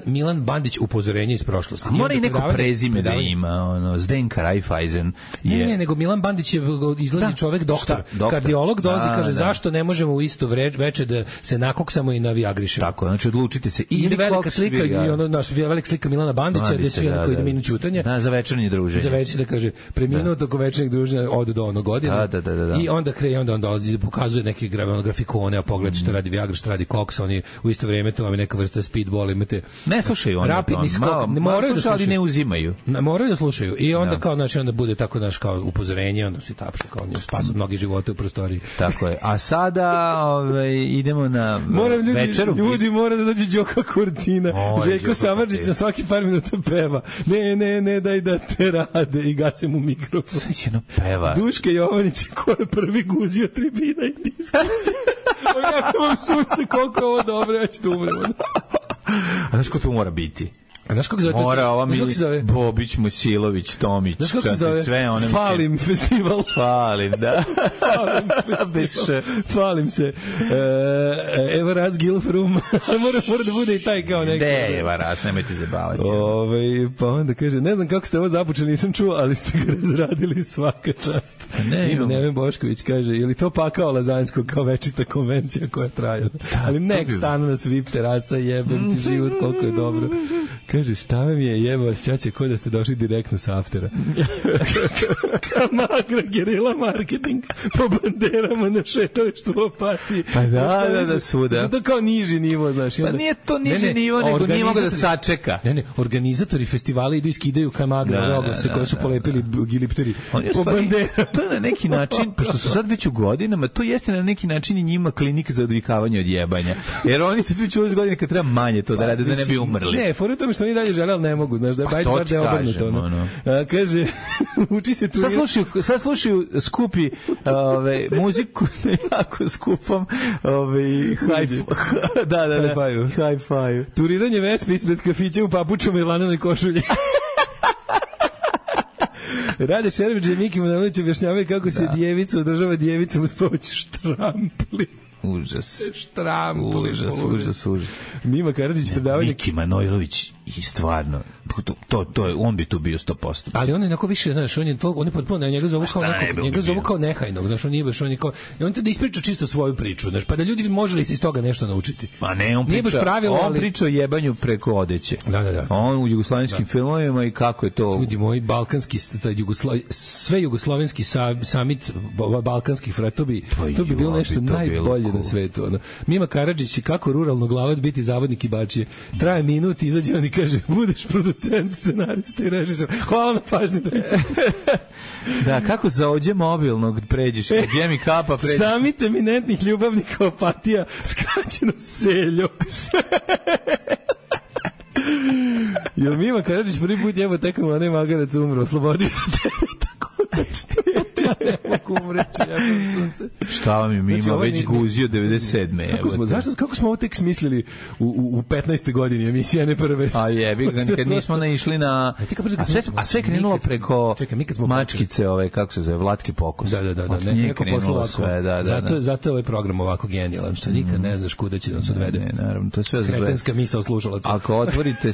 Milan Bandić, upozorenje iz prošlosti. A mora i neko prezime da ima, Zdenka Raiffeisen. Ne, nego Milan Bandić je izlazi čovek doktor, kardiolog, dolazi, kaže zašto ne možemo u isto veče da se nakoksamo i navijagrišemo. Tako, znači odlučite se. Ili velika slika, i ono naš velika slika Milana Bandića, gde svi onako ide minut ćutanja. Da, za večernje druženje. Za večernje, da kaže, preminuo toko večernjeg druženja od do ono godine. Da. I onda on dolazi, pokazuje neke grafikone, a pogled što radi Viagra, što radi koks, oni u isto vrijeme to vam je neka vrsta speedball, imate ne slušaju oni rapidni skok, ne moraju da slušaju, ali ne uzimaju. Moraju da slušaju i onda kao znači onda bude tako naš kao upozorenje, onda se tapšu kao oni spasu mnogi živote u prostoriji. Tako je. A sada idemo na večeru. Ljudi mora da dođe Đoka Kurtina. Željko Samardžić na svaki par minuta peva. Ne, daj da te rade i gasem u mikrofon. Svećeno peva. Duška Jovanić ko je prvi guzio tribina i diskusija. Kako vam sunce, koliko je ovo dobro, ja ću tu umrem. A znaš ko to mora biti? A znaš kako zove? Mora ova mi Bobić, Mojsilović, Tomić, sve one. Falim festival. Falim, da. Falim se. Evo raz Gilfrum. Mora da bude i taj kao neki. Evo raz, nemojte zabavati. Pa onda kaže, ne znam kako ste ovo započeli, nisam čuo, ali ste ga razradili svaka čast. Neven Bošković kaže, je li to pakao Lazanjskog kao večita konvencija koja traja? Ali nek stanu na svip terasa, jebem ti život, koliko je dobro. Kaže, šta mi je jebo osjećaće ko da ste došli direktno sa aftera. Kamagra, gerila marketing, po banderama na šetalištu u Opatiji. Pa da, svuda. To kao niži nivo, znaš. Pa nije to niži nivo, nego nije mogo da sačeka. Ne, organizatori festivala idu i skidaju Kamagra, oglase koje su polepili gilipteri po banderama. To je na neki način, pošto su sad već u godinama, to jeste na neki način i njima klinika za odvikavanje od jebanja. Jer oni se već u godine kad treba manje to da rade, da ne bi umrli. Ne, fora tome što oni dalje žele, ali ne mogu, znaš, da je bajt bar da je obrnuto. Ono. Kaže, uči se tu... Sad slušaju skupi muziku na jako skupom hi-fi. Turiranje Vespe ispred kafića u papučama i lanenoj košulji. Rade Šerević i Miki Manojlović objašnjavaju kako se djevica održava djevicom uz pomoć štrampli. Užas. Štrampli. Užas. Mima Karadžić predavanje... Miki Manojlović i stvarno, on bi tu bio 100%. Ali on je onako više, znaš, on je potpuno, njega zovu kao nehajnog, znaš, on je baš, on je kao, i on te da ispriča čisto svoju priču, znaš, pa da ljudi može li se iz toga nešto naučiti. Pa ne, on priča o jebanju preko odeće. Da. On u jugoslovenskim filmovima i kako je to... Ljudi moji, balkanski, sve jugoslovenski samit balkanskih frata, to bi bilo nešto najbolje na svetu. Ono. Mima Karadžić, kako ruralno glavac biti zavodnik i bačije. Traje minut, izađe on i kaže, budeš producent, scenarista i režisor. Hvala na pažnji. Da, kako za ođe mobilnog pređeš, gdje mi kapa pređeš. Samit eminentnih ljubavnika Opatija, skraćeno Seljo. Jel Mima Karadžić prvi put jebo tekamo, a ne Magarac umro, oslobodio se tebe, tako ja ne mogu umreći, ja sam sunce. Šta vam je Mima već guzio 97. Kako smo ovo tek smislili u 15. godini emisija, ne prve? A jebi, kad nismo naišli na... A sve krenulo preko mačkice, kako se zove, Vlatke Pokos. Da, neko poslalo sve, zato je ovaj program ovako genijalan, što nikad ne znaš kuda će da se odvede. Ne, naravno, to je sve kretenska misao slušalaca. Ako otvorite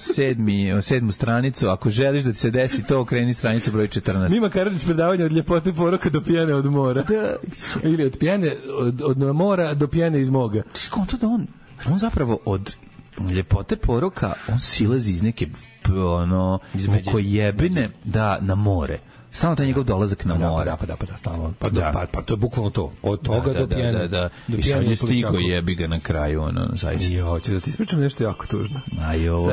sedmu stranicu, ako želiš da ti se desi to, okreni stranicu broj 14. Mima Karadžić predavanje od ljepote poroka do pijane od mora. Ili od pijane od mora do pijane iz moga. Ti skonto da on zapravo od ljepote poroka, on silazi iz neke vukojebine na more. Stalno taj njegov dolazak na more. Da, stalno. Pa to je bukvalno to. Od toga do pijene. I sad je stigo jebi ga na kraju, zaista. Jo, ću da ti ispričam nešto jako tužno.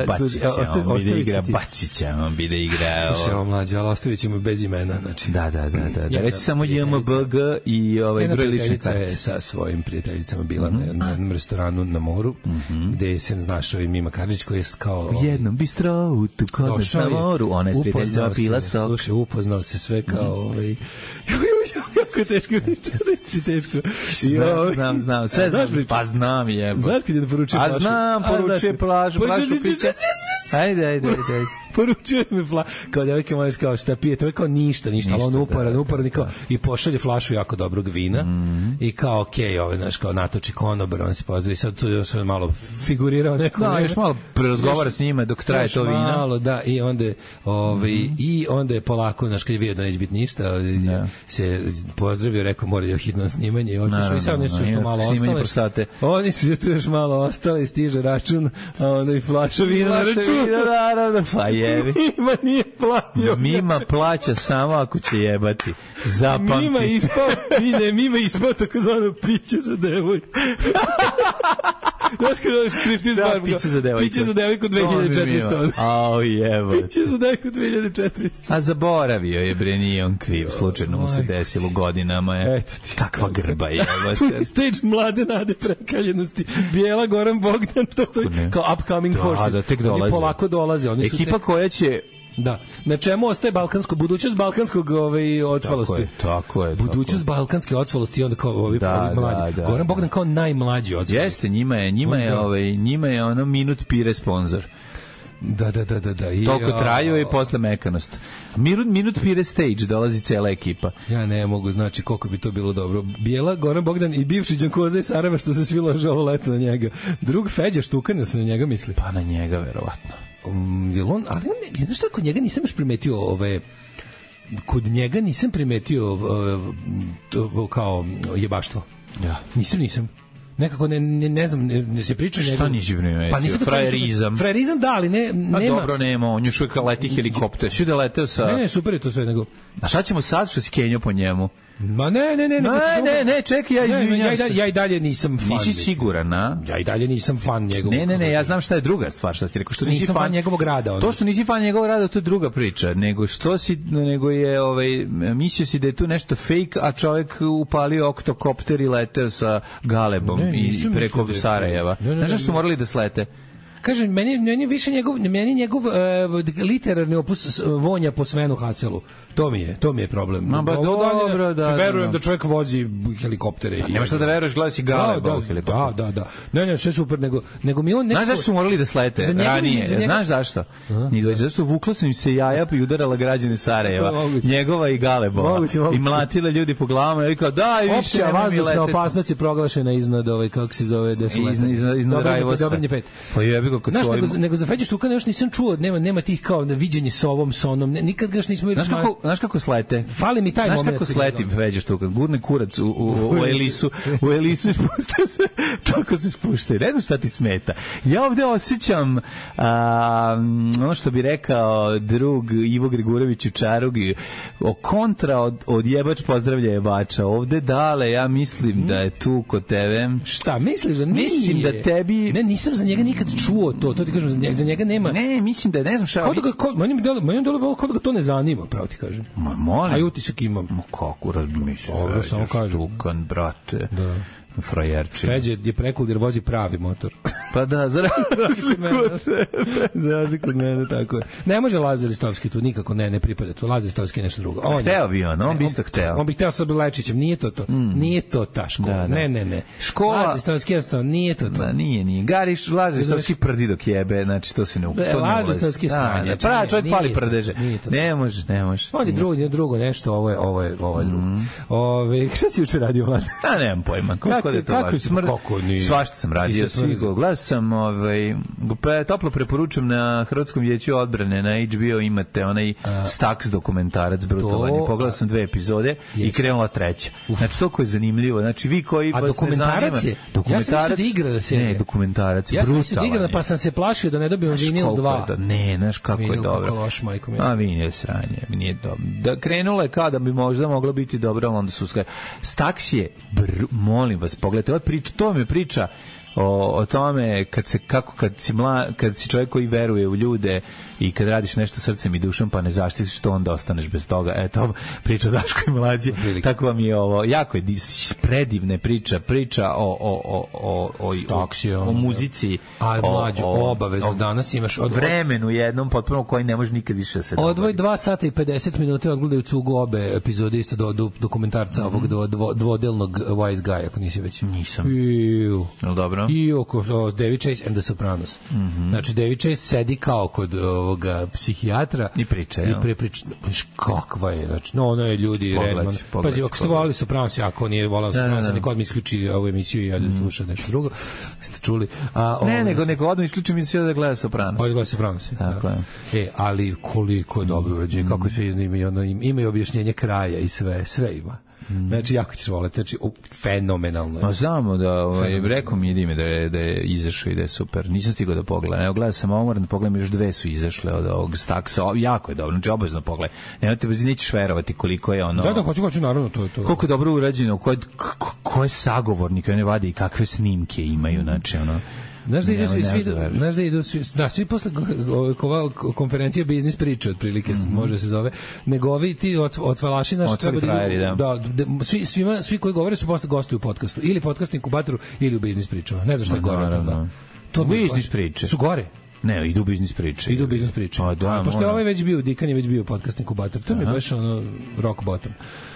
Bačića, on bi da igra Bačića, on bi da igra... Slušaj, ovo mlađe, ali ostavit ćemo bez imena. Da. Reci samo JMBG i broj lične karte. Je sa svojim prijateljicama bila na jednom restoranu na moru, gde se našao i Mima Karadžić, koji je kao... U jednom bistroutu kod nas na moru, ona je s prijateljicama pila sok. Slušaj, upoznao se sve kao jako teško znam sve znam, pa znam jebo. Znaš kad je da poručuje plažu? A znam, poručuje plažu pića. Ajde. Poručuje mi kao devojke moje kao šta pije, to je kao ništa, ali on uporan i pošalje flašu jako dobrog vina i kao okej, znaš, kao natoči konobar, on se pozdravi, sad tu još malo figurirao neko. Da, još malo prerazgovara s njima dok traje to vina. Malo, da, i onda je polako, znaš, kad je vidio da neće biti ništa, se pozdravio, rekao mora je hitno snimanje i otišao i sad nešto što malo ostale. Oni su tu još malo ostale, stiže račun, a onda i flaša vina na račun. Naravno, pa jebi. Mima nije platio. Mima plaća samo ako će jebati. Zapamti. Mima ispao takozvano piće za devojku. Znaš kada je striptiz bar? Piće za devojku. Piće za devojku 2400. Au jebo. Piće za devojku 2400. A zaboravio je, bre, nije on kriv. Slučajno mu se desilo godinama. Eto ti. Kakva grba je. Stage mlade nade prekaljenosti. Bijela, Goran Bogdan, to kao upcoming forces. Da, tek dolaze. Oni polako dolaze. Ekipa koja će... Da. Na čemu ostaje budućnost balkanskog otvalosti? Tako je. Budućnost balkanske otvalosti i onda kao ovi mlađi. Goran Bogdan kao najmlađi otvalosti. Jeste, njima je ono minut pire sponsor. Da. Toliko traju i posle mekanost. Minut pire stage, dolazi cela ekipa. Ja ne mogu, znači koliko bi to bilo dobro. Bijela, Goran Bogdan i bivši Đankoza i Sarajeva što se svi lože ovo leto na njega. Drug Feđa Štukana se na njega misli. Pa na njega, verovatno. Ali jedno što kod njega nisam još primetio kod njega nisam primetio kao jebaštvo. Ja. Nisam. nekako ne znam, ne se priča njegov. Šta nisi primetio? Pa nisam frajerizam da, ali nema. Pa dobro, nema, on još uvijek leti helikopter. Svi da leteo sa... Ne, super je to sve, nego... A šta ćemo sad što si kenjao po njemu? Ma ne, čekaj, ja izvinjam se. Ja i dalje nisam fan. Nisi siguran, a? Ja i dalje nisam fan njegovog. Ne, ja znam šta je druga stvar, šta ti rekao, što nisi fan njegovog rada. Onda. To što nisi fan njegovog rada, to je druga priča, nego je mislio si da je tu nešto fake, a čovjek upalio oktokopter i leteo sa Galebom i preko Sarajeva. Znaš što su morali da slete? Kažem, meni više njegov literarni opus vonja po Svenu Haselu. To mi je problem. No, ba dobro, da. Verujem da čovjek vozi helikoptere. Nema šta da veruješ, gledaj si Galeba u helikopteru. Da. Ne, sve super, nego mi on nekako... Znaš zašto su morali da slete ranije? Znaš zašto? Zašto vukla su im se jaja i udarala građane Sarajeva. Njegova i Galebova. I mlatila ljudi po glavama i kao, da, i više opća vazdušna opasnost je proglašena iznad, kako se zove, iznad Rajvosa. Pa jebi ga, nego za Feđu Štukana još nisam čuo, nema tih kao viđenje s ovom, s onom, nikad ga još nismo... Znaš kako slete? Fali mi taj moment. Znaš kako sleti Feđa Štukan? Gurne kurac u Elisu spušta se, tako se spuštaju. Ne znam šta ti smeta. Ja ovde osjećam ono što bi rekao drug Ivo Grigurević u Čarugi, kontra od jebač pozdravlja jebača. Ovde dale, ja mislim da je tu kod tebe. Šta, misliš da nije? Mislim da tebi... Ne, nisam za njega nikad čuo to ti kažem, za njega nema... Ne, mislim da ne znam šta... Meni delo kao da ga to ne zanima, pravo ti kažem. Ma molim. A utisak imam. Ma kako, razbimi se. Ovo samo kažem. Štukan, brate. Da. Frajerčina. Feđe je prekul jer vozi pravi motor. Pa da, za razliku od mene, tako je. Ne može Lazar Istovski tu, nikako ne pripada tu. Lazar Istovski je nešto drugo. Hteo bi on bi isto hteo. On bi hteo sa Lečićem, nije to. Nije to ta škola. Ne. Škola... Lazar Istovski jednostavno, nije to. Da, nije. Gariš, Lazar Istovski prdi dok jebe, znači to se ne ulazi. Lazar Istovski je sranje. Pa čovjek pali prdeže. Ne može. On je drugo nešto, ovo je drugo. Šta si juče radio, Vlada? Nemam pojma. Kako smrd? Svašta sam radio. Gledao sam, toplo preporučujem na Hrvatskom vijeću odbrane, na HBO imate onaj Stax dokumentarac brutalni. Pogledao sam 2 epizode i krenula 3. Znači, toliko je zanimljivo. Znači, vi koji vas ne zanima... Ja sam mislio da igra da se... Ne, dokumentarac, brutalan. Ja sam mislio da igra, pa sam se plašio da ne dobijem vinil 2. Ne, znaš kako je dobro. Vinil sranje, nije dobro. Da krenulo je kada bi možda moglo biti dobro, onda su skaj. Stax je, molim vas, pogledajte, to mi je priča o tome kad si čovjek koji veruje u ljude i kad radiš nešto srcem i dušom pa ne zaštitiš to, onda ostaneš bez toga. Eto, priča Daško i Mlađi. Tako vam je ovo. Jako je predivne priča o muzici. A Mlađu, obavezno. Danas imaš vremenu jednom potpuno koji ne može nikad više se odvoj 2 sata i 50 minuta odgledaju cugu obe epizode isto do dokumentarca ovog dvodelnog Wise Guy, ako nisi već. Nisam. Dobro. I oko David Chase and the Sopranos. Znači, David Chase sedi kao kod ovoga psihijatra i priča. Kakva je, znači, ono je ljudi Redman. Pazi, ako ste volali Sopranos, ako nije volao Sopranos, neko odmah isključi ovu emisiju i da sluša nešto drugo. Ste čuli? Nego odmah isključi emisiju da gleda Sopranos. Gleda Sopranos. Tako je. Ali koliko je dobro urađeno, kako sve imaju objašnjenje kraja i sve ima. Znači, jako ćeš voleti, znači, fenomenalno je. Ma znamo da, rekao mi je da je izašao i da je super. Nisam stigao da pogledam. Evo, gledao sam moram da pogledam, još 2 su izašle od ovog Staxa. Jako je dobro, znači, obavezno pogledaj. Nećeš verovati koliko je ono... Da, hoću, naravno, to je to. Koliko je dobro urađeno, koje sagovornike one vade i kakve snimke imaju, znači, ono... Znaš da idu svi posle konferencije biznis priče otprilike može se zove, nego ovi ti otvalaši naš treba svi koji govore su posle gostuju u podcastu ili podcast inkubatoru ili u biznis pričama. Ne znam šta je gore od toga. To biznis priče su gore. Ne, idu biznis priče. Pa da, pošto je ovaj već bio, Dikan je već bio podcast inkubator. To mi je baš ono rock bottom.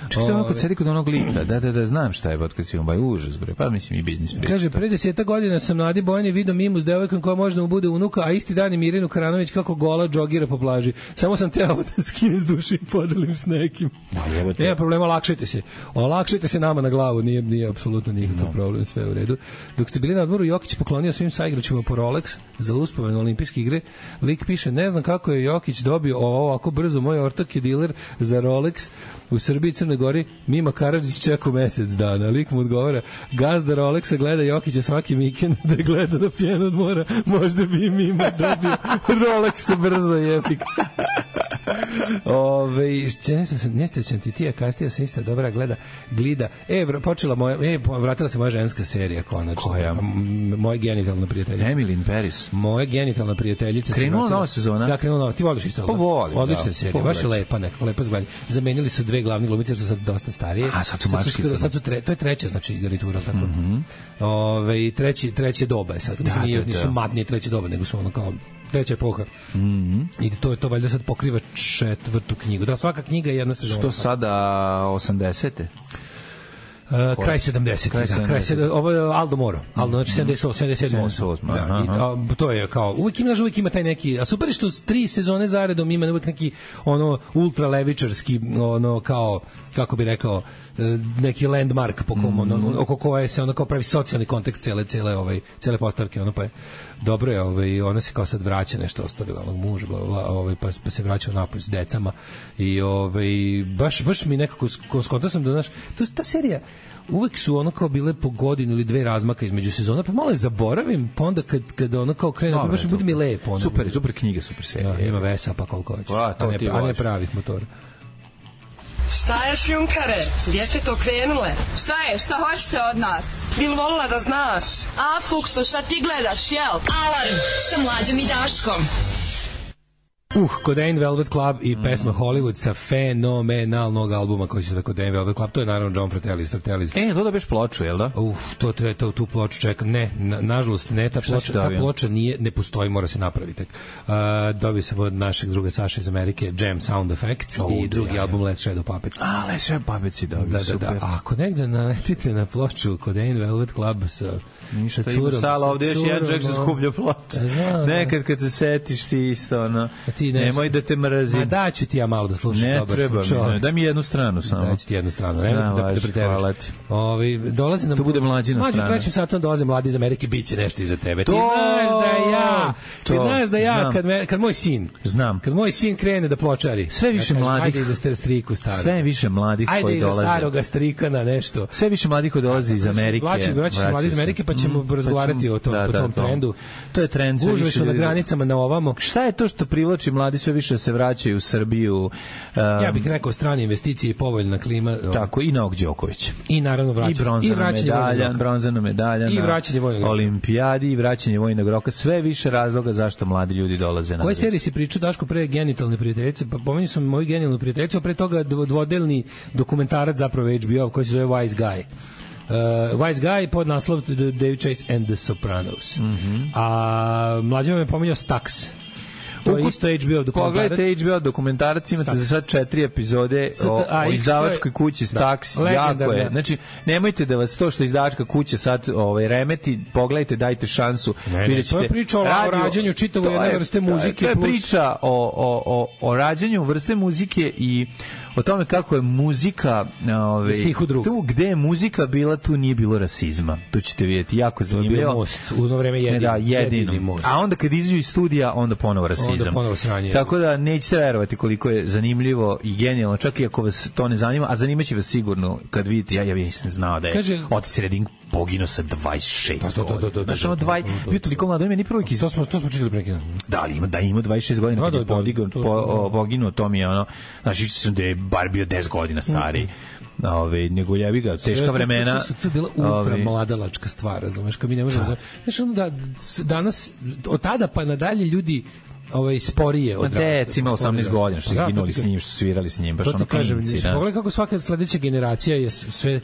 Čekaj, ono kad sedi kod onog lika, da, znam šta je podcast inkubator, užas, bre, pa mislim i biznis priče. Kaže, pre 10 godina sam na Adi Bojani video mimu s devojkom koja možda mu bude unuka, a isti dan je Mirinu Karanović kako gola džogira po plaži. Samo sam teo da skinem s duše i podelim s nekim. Nema problema, olakšajte se nama na glavu, nije apsolutno nikakav problem, sve u redu. Dok ste bili na odmoru, Jokić poklonio svim saigračima po Rolex za uspomenu olimpijske igre. Lik piše, ne znam kako je Jokić dobio ovako brzo, moj ortak je diler za Rolex u Srbiji i Crnoj Gori, Mima Karadžić čekao mesec dana. Lik mu odgovara, gazda Rolexa gleda Jokića svaki vikend da gleda na pjenu od mora, možda bi i Mima dobio Rolexa brzo i epika. Nešto sam ti tija kastija sam ista dobra glida. Počela moja, vratila se moja ženska serija konačno. Koja? Moja genitalna prijateljica. Emily Paris. Moja genitalna prijateljica. Krenula nova sezona? Da, krenula nova. Ti voliš isto? Pa volim. Odlična serija, baš je lepa, nekako lepa zgledanje. Zamenili su dve glavne glumice, što su sad dosta starije. A sad su mački. To je treća, znači garnitura, tako. Treće doba je sad. Nisu matnije treće doba, nego su ono kao treća epoha. I to valjda sad pokriva 4. knjigu. Da, svaka knjiga je jedna sezona. Što sada 80-te? Kraj 70. Ovo je Aldo Moro. Znači 77. To je kao, uvijek ima taj neki, a super je što 3 sezone zaredom ima uvijek neki ono ultra levičarski, ono kao, kako bi rekao, neki landmark po kom, oko koje se ono kao pravi socijalni kontekst cele postavke, ono pa je dobro je, ona se kao sad vraća, nešto ostavila onog muža, pa se vraća napolj s decama i baš mi nekako skontao sam da, znaš, ta serija uvek su ono kao bile po godinu ili 2 razmaka između sezona, pa malo je zaboravim, pa onda kad ono kao krene, pa baš bude mi lepo. Super knjiga, super serija. Ima vesa, pa koliko hoće. A ne pravih motora. Šta je šljunkare? Gdje ste to krenule? Šta je? Šta hoćete od nas? Bil volila da znaš? A, Fukso, šta ti gledaš, jel? Alarm sa Mlađom i Daškom. Codaine Velvet Club i pesma Hollywood sa fenomenalnog albuma koji se zove Codaine Velvet Club. To je naravno John Fratellis. To da biš ploču, jel da? Tu ploču čekam. Ne, nažalost ne, ta ploča ne postoji, mora se napraviti. Dobio sam od našeg druga Saša iz Amerike Jam Sound Effects i drugi album Let's Shadow Puppets. Let's Shadow Puppets si dobio, super. Da. Ako negde naletite na ploču Codaine Velvet Club sa curom. Sala, ovdje još jedan čovjek se skuplja ploča. Nekad kad se setiš ti isto, ono, nemoj da te mrazim. Ma daću ti ja malo da slušam. Ne treba mi, daj mi jednu stranu samo. Daću ti jednu stranu, nemoj da preteraš. Dolazi nam... To bude mlađina strana. Mlađi trećim satom dolaze mladi iz Amerike, bit će nešto iza tebe. Ti znaš da ja, kad moj sin, kad moj sin krene da pločari, sve više mladih, ajde iza striku staro. Sve više mladih koji dolaze. Ajde iza staroga strikana nešto. Sve više mladih koji dolaze iz Amerike. Vraćaju se mladi iz Amerike, pa ćemo razgovarati o tom trendu. To je trend. Gužve su na granicama na ovamo. Šta je to što privlači mladi sve više se vraćaju u Srbiju? Ja bih rekao strane investicije i povoljna klima. Tako, i Novak Đoković. I naravno vraćanje. I bronzana medalja i vraćanje vojnog olimpijadi i vraćanje vojnog roka. Sve više razloga zašto mladi ljudi dolaze na. Koje serije si pričao, Daško, pre genitalne prijateljice? Pa pomenuo sam moju genitalnu prijateljicu, a pre toga dvodelni dokumentarac zapravo HBO koji se zove Wise Guy. Wise Guy pod naslov David Chase and the Sopranos. A mlađe me pomenuo Stax. To je isto HBO dokumentarac. Pogledajte HBO dokumentarac, imate za sad 4 epizode o izdavačkoj kući Stax, jako je. Znači, nemojte da vas to što izdavačka kuća sad remeti, pogledajte, dajte šansu. To je priča o rađanju čitavo jedne vrste muzike. To je priča o rađanju vrste muzike i o tome kako je muzika tu gde je muzika bila, tu nije bilo rasizma. Tu ćete vidjeti, jako zanimljivo. To je bio most, u ono vreme jedini most. A onda kad izađu iz studija, onda ponovo rasizam. Tako da nećete verovati koliko je zanimljivo i genijalno, čak i ako vas to ne zanima, a zanimaće vas sigurno kad vidite, ja nisam znao da je Otis Redding poginuo sa 26 godina. Znaš, ono bio toliko mlado, ima ni prvo To smo čitali prekida. Da, ali ima 26 godina kad je poginuo, to mi je ono, znači sam da je bar bio 10 godina stariji. Nego jebi ga, teška vremena. To je bila ultra mladalačka stvar, razumeš, kad mi ne možemo... Znaš, ono da danas, od tada pa nadalje ljudi sporije od deci ima 18 godina što izginuli s njim, što svirali s njim, baš ono klinci. Pogledaj kako svaka sledeća generacija je sve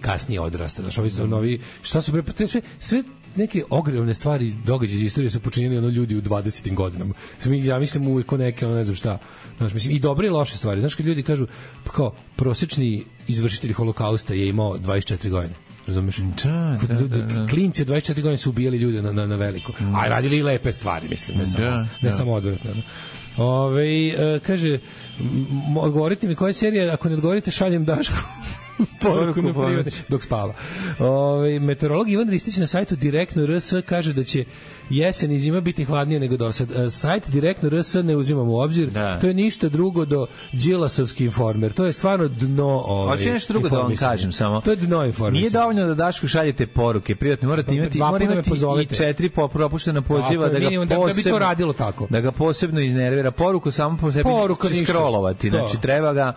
kasnije odrasta. Znači, ovi novi, šta su sve neke ogromne stvari, događaje iz istorije su počinili ljudi u 20. godinama. Ja mislim uvijek neke, ne znam šta. Znači, mislim, i dobre i loše stvari. Znaš, kad ljudi kažu, kao, prosječni izvršitelj holokausta je imao 24 godine. Razumeš? Da. Klinci od 24 godine su ubijali ljude na veliko. A radili i lepe stvari, mislim, ne samo odvratno. Kaže, odgovorite mi koja serija, ako ne odgovorite, šaljem Dašku. Poruku na privatni, dok spava. Meteorolog Ivan Ristić na sajtu Direktno RS kaže da će jesen i zima biti hladnije nego do sad. Sajt Direktno RS ne uzimamo u obzir. To je ništa drugo do Đilasovski informer. To je stvarno dno hoće nešto drugo da vam kažem samo. To je dno informer. Nije dovoljno da Dašku šaljete poruke. Privatno morate imati i 4 propuštena poziva da bi to radilo tako. Da ga posebno iznervira. Poruku samo po sebi će scrollovati. Znači treba da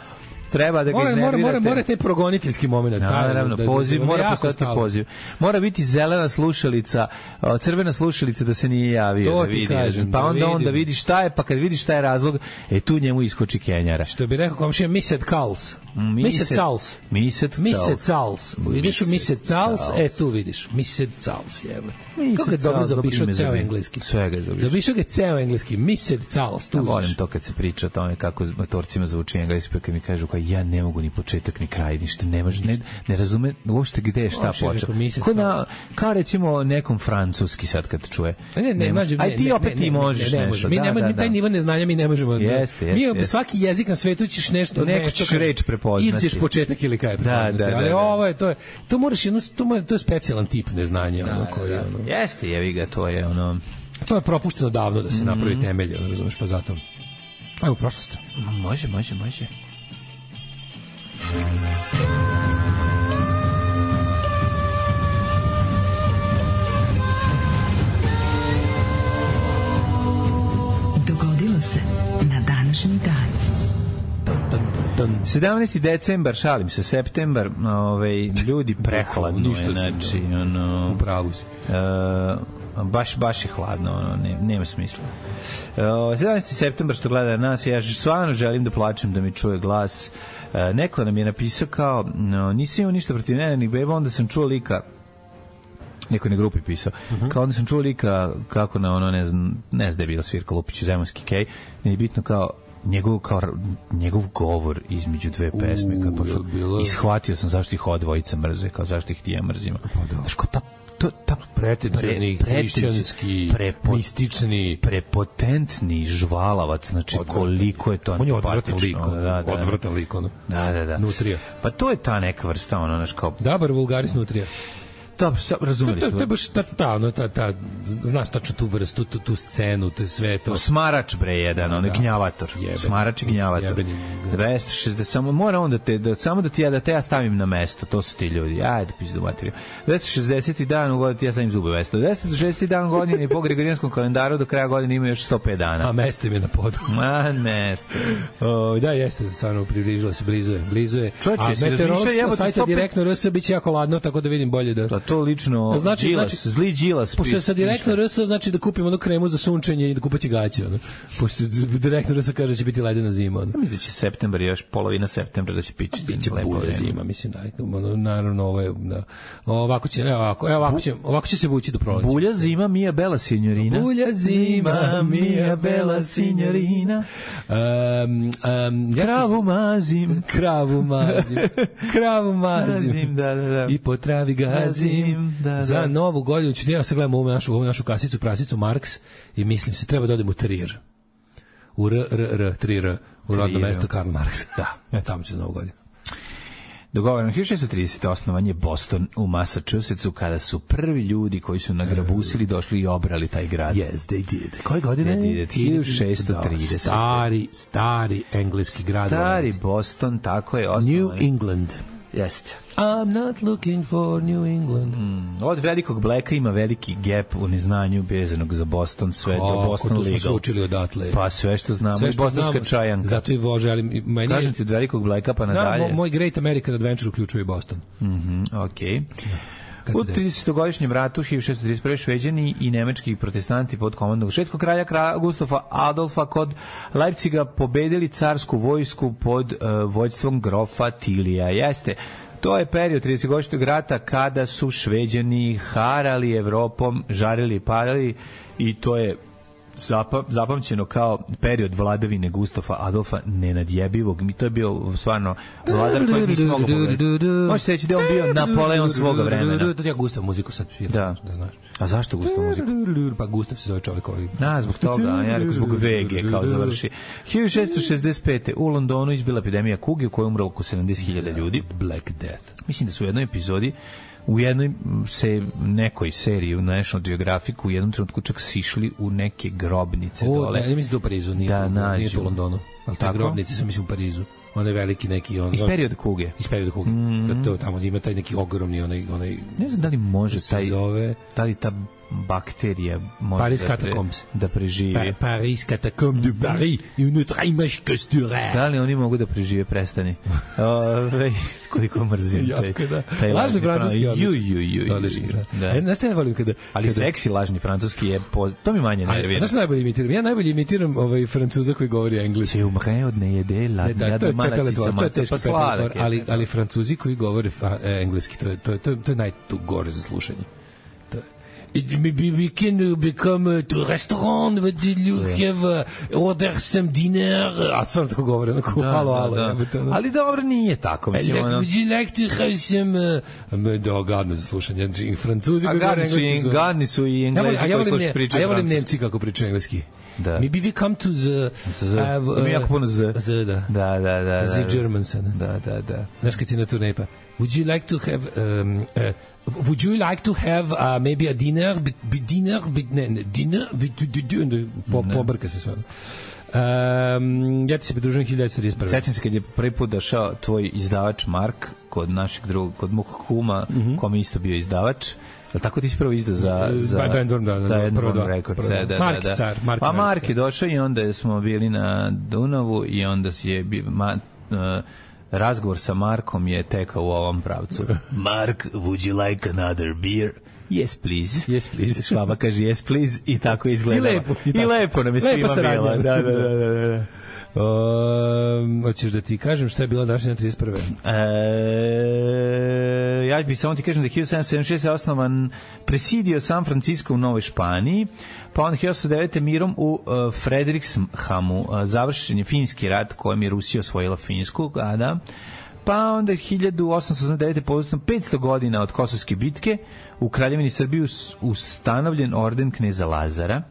ga iznervirate. Mora taj progoniteljski moment. Naravno, poziv, mora postati poziv. Mora biti zelena slušalica, crvena slušalica da se nije javio. Da vidi, pa onda vidi šta je, pa kad vidi šta je razlog, tu njemu iskoči Kenjara. Što bi rekao komšija, Mised Kals. Mised Cals. Ideš u Mised Cals, tu vidiš. Mised Cals, jebote. Kako je dobro zaobišao ceo engleski. Svega je zaobišao ga ceo engleski. Mised Cals. Volim to kad se priča o tome kako motorcima zvuči engleski, kad mi kažu kao ja ne mogu ni početak ni kraj, ništa ne može, ne razume uopšte gde je šta počeo. Kao recimo nekom francuski sad kad čuje. Aj ti opet ti možeš nešto. Mi taj nivo neznanja mi ne možemo. Mi svaki jezik na svetu ćeš nešto reč prepoznati. Ili ćeš početak ili kraj prepoznati. Ali ovo je, to moraš to je specijalan tip neznanja. Jeste, jevi ga, to je ono... To je propušteno davno da se napravi temelj, razumeš, pa zato. Ajmo, prošlost. Može. Dogodilo se na današnji dan. 17. decembar, šalim se, septembar, ljudi prehladno, znači, u pravu si. Baš je hladno, nema smisla. 17. septembar što gleda nas, ja stvarno želim da plačem, da mi čuje glas. Neko nam je napisao kao, nisam imao ništa protiv nenanih beba, onda sam čuo lika, neko na grupi pisao, kao onda sam čuo lika kako na ono, ne znam da je bila svirka Lupić u Zemunski kej, nije bitno kao njegov govor između dve pesme, i shvatio sam zašto ih ova dvojica mrze, kao zašto ih ti ja mrzimo. Znaš, kao ta pretencijni, hrišćanski, mistični, prepotentni žvalavac, znači koliko je to on je odvratan lik, da. Nutrija. Pa to je ta neka vrsta, ono, znaš, kao... Dobar vulgaris nutrija. Dobro, razumeli smo. To je baš znaš tačno tu vrstu, tu scenu, to je sve to. Smarač bre jedan, on je gnjavator. Smarač i gnjavator. 260, samo mora onda samo da te ja stavim na mesto, to su ti ljudi. Ajde, pizdu materiju. 260. dan u godini ti ja stavim zube mesto. 260. dan godine i po gregorijanskom kalendaru do kraja godine ima još 105 dana. A mesto im je na podu. Mesto. Da, jeste, stvarno približilo se, blizu je. A meteorologska sajta Direktno RS biće jako ladno, tako da vidim bolje da... To lično, znači, zli Đilas. Pošto je sa Direktno RS, znači da kupimo onu kremu za sunčenje i da kupaće gaće. Pošto Direktno RS kaže da će biti ledena zima. Ja mislim da će septembar, još polovina septembra da će pičiti. Biće bulja zima, mislim da. Naravno, ovo je... Ovako će se vući do proleća. Bulja zima, mia bella signorina. Bulja zima, mia bella signorina. Kravu mazim. Da. I po travi gazim. Za novu godinu ću ja se gledam ovu našu kasicu, prasicu Marks i mislim se treba da odem u Trier. U Trier, u rodno mesto Karl Marx. Da, tamo će za novu godinu. Dogovoreno, 1630. osnovan je Boston u Massachusettsu, kada su prvi ljudi koji su nagrabusili došli i obrali taj grad. Yes, they did. Koje godine? 1630. Stari engleski grad. Stari Boston, tako je osnovan. New England. Jeste. I'm not looking for New England. Od velikog Blacka ima veliki gap u neznanju vezanog za Boston, sve do Boston Legal. Kako smo se učili odatle. Pa sve što znamo, i bostonska čajanka. Zato i želim... Kažem ti od velikog Blacka pa nadalje. Moj Great American Adventure uključuje Boston. Okej. U 30-godišnjem ratu 1631. Šveđani i nemački protestanti pod komandom švedskog kralja Gustafa Adolfa kod Leipciga pobedili carsku vojsku pod vođstvom grofa Tilija. Jeste, to je period 30-godišnjeg rata kada su Šveđani harali Evropom, žarili i parali, i to je zapamćeno kao period vladavine Gustava Adolfa Nenadjebivog. Mi to je bio stvarno vladar koji nisi mogao pogledati. Može se reći da je on bio Napoleon svoga vremena. Ja Gustav muziku sad sviram, da znaš. A zašto Gustav muziku? Pa Gustav se zove čovjek ovaj. Zbog toga, ja rekao zbog VG kao završi. 1665. u Londonu izbila epidemija kuge u kojoj umrlo oko 70.000 ljudi. Black Death. Mislim da su u jednoj epizodi u jednoj nekoj seriji u National Geographic u jednom trenutku čak sišli u neke grobnice dole. Ja mislim da u Parizu, nije to u Londonu. Ali te grobnice su mislim u Parizu. Onaj veliki neki iz perioda kuge. Kad to tamo ima taj neki ogromni onaj ne znam da li može taj da li ta bakterija može da preživi. Paris catacombe de Paris une autre image costureuse. Da li oni mogu da prežive? Prestani. Koliko mrzim taj lažni francuski odlični. Znaš šta ja volim kada... Ali seksi lažni francuski je... To mi manje nervira. Znaš šta najbolje imitiram? Ja najbolje imitiram Francuza koji govori engleski. Se umre od ne jede, ladnja do malacica maca, pa sladak. Ali Francuzi koji govore engleski, to je najgore za slušanje. We can become to restaurant, would you have order some dinner? A stvarno tako govore, onako halo. Ali dobro, nije tako. Would you like to have some... gadno za slušanje. Francuzi koji govore engleski. Gadni su i englesi koji slušaju pričaju. A ja volim Nemci kako pričaju engleski. Maybe we come to the... Mi jako puno z. Da. The Germans. Da. Znaš kad si na turnej pa... Would you like to have... would you like to have maybe a dinner pobrka se sve. Ja ti se pridružujem 1931. Sećam se kad je prvi put došao tvoj izdavač Mark kod našeg drugog, kod mog kuma, kome isto bio izdavač. Tako ti si prvo izdao za Bandworm Records. Pa Mark je došao i onda smo bili na Dunavu i onda je razgovor sa Markom je tekao u ovom pravcu. Mark, would you like another beer? Yes, please. Švaba kaže yes, please i tako izgledalo. I lepo nam je svima bilo. Da. Hoćeš da ti kažem šta je bila današnja 31. Ja bih samo ti kažem da je 1776 osnovan presidio San Francisco u Novoj Španiji, pa onda 1809. mirom u Frederikshamu završen je finski rat kojem je Rusija osvojila Finsku, pa onda 1889. povodom 500 godina od Kosovske bitke u Kraljevini Srbiji ustanovljen orden kneza Lazara.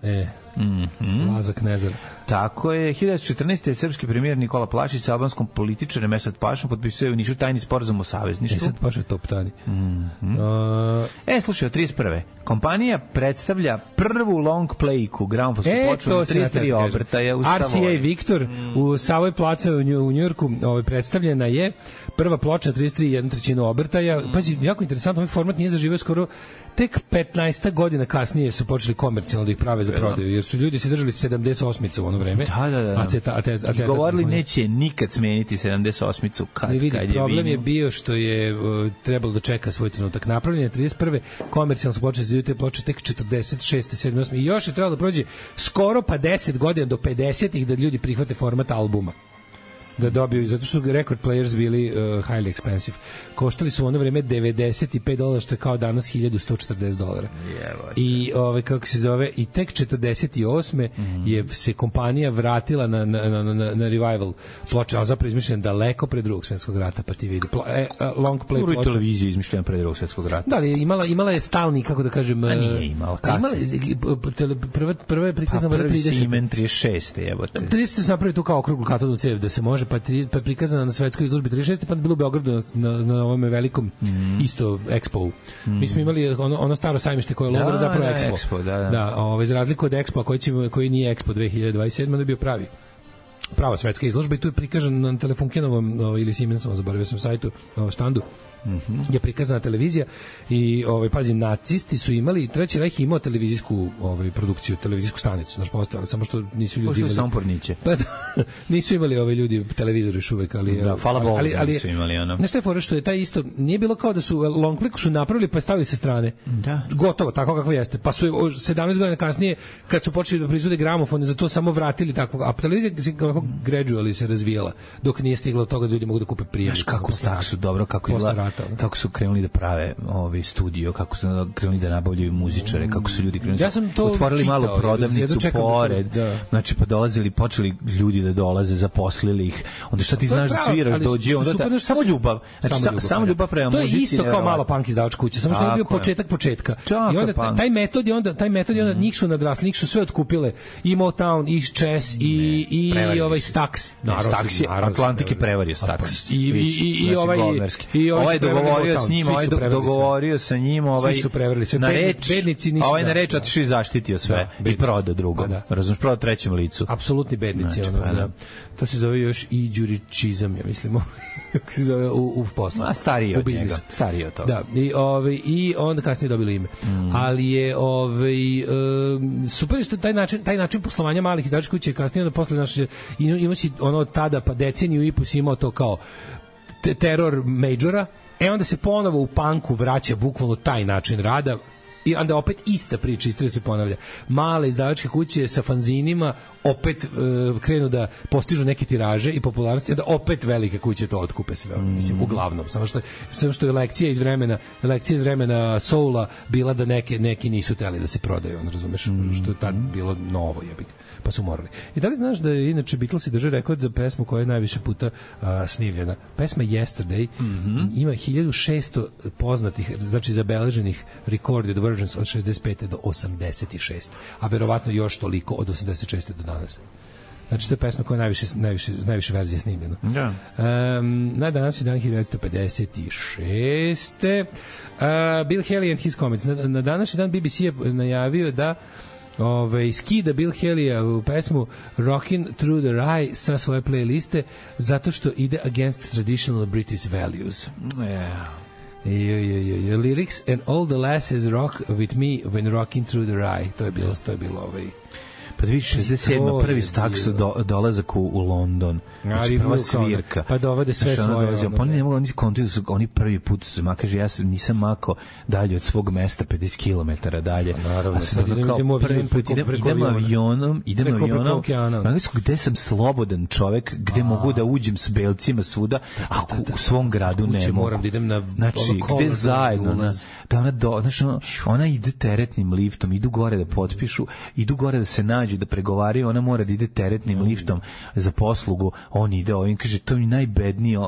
Laza Knezar. Tako je, 1914. je srpski premijer Nikola Plašić sa albanskom političarem Esad Pašom potpisuje u Nišu tajni sporazum o savezništvu. Esad Paša je top tani. Slušaj, od 31. kompanija predstavlja prvu long playku gramofonsku ploču na 33 obrtaja u Savoji. RCA Victor u Savoj placa u Njujorku predstavljena je prva ploča na 33 1/3 obrtaja. Pazi, jako interesantno, ovaj format nije zaživio skoro tek 15 godina kasnije su počeli komercijalno da ih prave za prodaju, jer su ljudi se držali 78-ica u ono vreme. Da. Govorili neće nikad smeniti 78-icu kad je problem je bio što je trebalo da čeka svoj trenutak. Napravljene 31. komercijalno su počeli za te ploče tek 46. 7. 8. i još je trebalo da prođe skoro pa 10 godina do 50-ih da ljudi prihvate format albuma. Da dobiju, zato što su record players bili highly expensive. Koštali su u ono vreme $95, što je kao danas $1140. I kako se zove, i tek 48. je se kompanija vratila na revival ploče, a zapravo izmišljen daleko pre Drugog svjetskog rata, pa ti vidi. Long play ploče. Televizija izmišljena pre Drugog svjetskog rata. Da, ali imala je stalni, kako da kažem... A nije imala. Prva je prikazana... Prvi Simen 36. jebote. 30. su napravili tu kao okruglu katodnu cev da se može, pa je prikazana na svetskoj izložbi 36. pa bilo u Beogradu na ovom velikom isto Expo. Mi smo imali ono staro sajmište koje je logo zapravo Expo. Da, za razliku od Expo koji nije Expo 2027, ono je bio prava svetska izložba i tu je prikažan na Telefunkenovom ili Siemensovom, zaboravio sam sajtu, štandu, je prikazana televizija i pazi, nacisti su imali, Treći Rajh imao televizijsku produkciju, televizijsku stanicu, znaš, postojala, samo što nisu ljudi imali samporniće. Pa nisu imali ljudi televizor još uvek, ali hvala Bogu da nisu imali ono. Nešto je fora što je taj isto, nije bilo kao da su long click su napravili pa stavili sa strane. Da. Gotovo, tako kako jeste. Pa su 17 godina kasnije kad su počeli da proizvode gramofone, za to samo vratili tako, a televizija samo gradually se razvijala, dok nije stiglo do toga da ljudi mogu da kupe prijemnik. Znaš kako su dobro, kako su krenuli da prave studio, kako su krenuli da nabavljaju muzičare, kako su ljudi krenuli, otvorili malu prodavnicu pored, znači pa počeli ljudi da dolaze, zaposlili ih, onda šta ti znaš da sviraš, dođi, onda samo ljubav, znači samo ljubav prema muzici. To je isto kao malo punk izdavačka kuća, samo što je bio početka. I onda taj metod je onda njih su nadrasli, njih su sve otkupile, i Motown, i Chess, i ovaj Stax. Stax je, Atlantik je prevario Stax. I ovaj dogovorio s njim, dogovorio sa njim, svi su prevarili sve. Bednici nisu. Ovaj na reč otišao i zaštitio sve i prodao drugom. Razumeš, prodao trećem licu. Apsolutni bednici. To se zove još i đuričizam, ja mislimo. u poslu. Stariji od njega. Stariji od toga. Da, i onda kasnije dobili ime. Ali je super što taj način poslovanja malih izdavačkih kuća kasnije onda posle ima si ono tada pa deceniju i po si imao to kao teror majora, onda se ponovo u punku vraća bukvalno taj način rada i onda opet ista priča, isto se ponavlja. Male izdavačke kuće sa fanzinima opet krenu da postižu neke tiraže i popularnosti, da opet velike kuće to otkupe sve. Mislim, uglavnom. Samo što je lekcija iz vremena soula bila da neki nisu teli da se prodaju, razumeš, što je tad bilo novo, jebik, pa su morali. I da li znaš da je inače Beatlesi drže rekord za pesmu koja je najviše puta snimljena? Pesma Yesterday ima 1600 poznatih, znači zabeleženih recorded versions od 65. do 86. A verovatno još toliko od 86. do danas. Znači, to je pesma koja je najviše verzije snimljena. Da. Na danas je dan 1956. Bill Haley and His Comets. Na današnji dan BBC je najavio da skida Bill Haley u pesmu Rockin' Through the Rye sa svoje playliste zato što ide against traditional British values. Lyrics and all the lasses rock with me when rocking through the rye. To je bilo pa 2067. prvi Stax dolazak u London. Znači prva svirka. Pa dovode sve svoje. Pa oni ne mogu, oni prvi put su kaže, ja nisam mako dalje od svog mesta 50 km dalje. Naravno, a sad idemo avionom, gde sam slobodan čovek, gde mogu da uđem s belcima svuda, a u svom gradu ne mogu. Moram da idem na znači, gde zajedno, ona ide teretnim liftom, idu gore da potpišu, idu gore da se nađu, da pregovaraju, ona mora da ide teretnim liftom za poslugu, on ide ovim, kaže, to mi najbednije,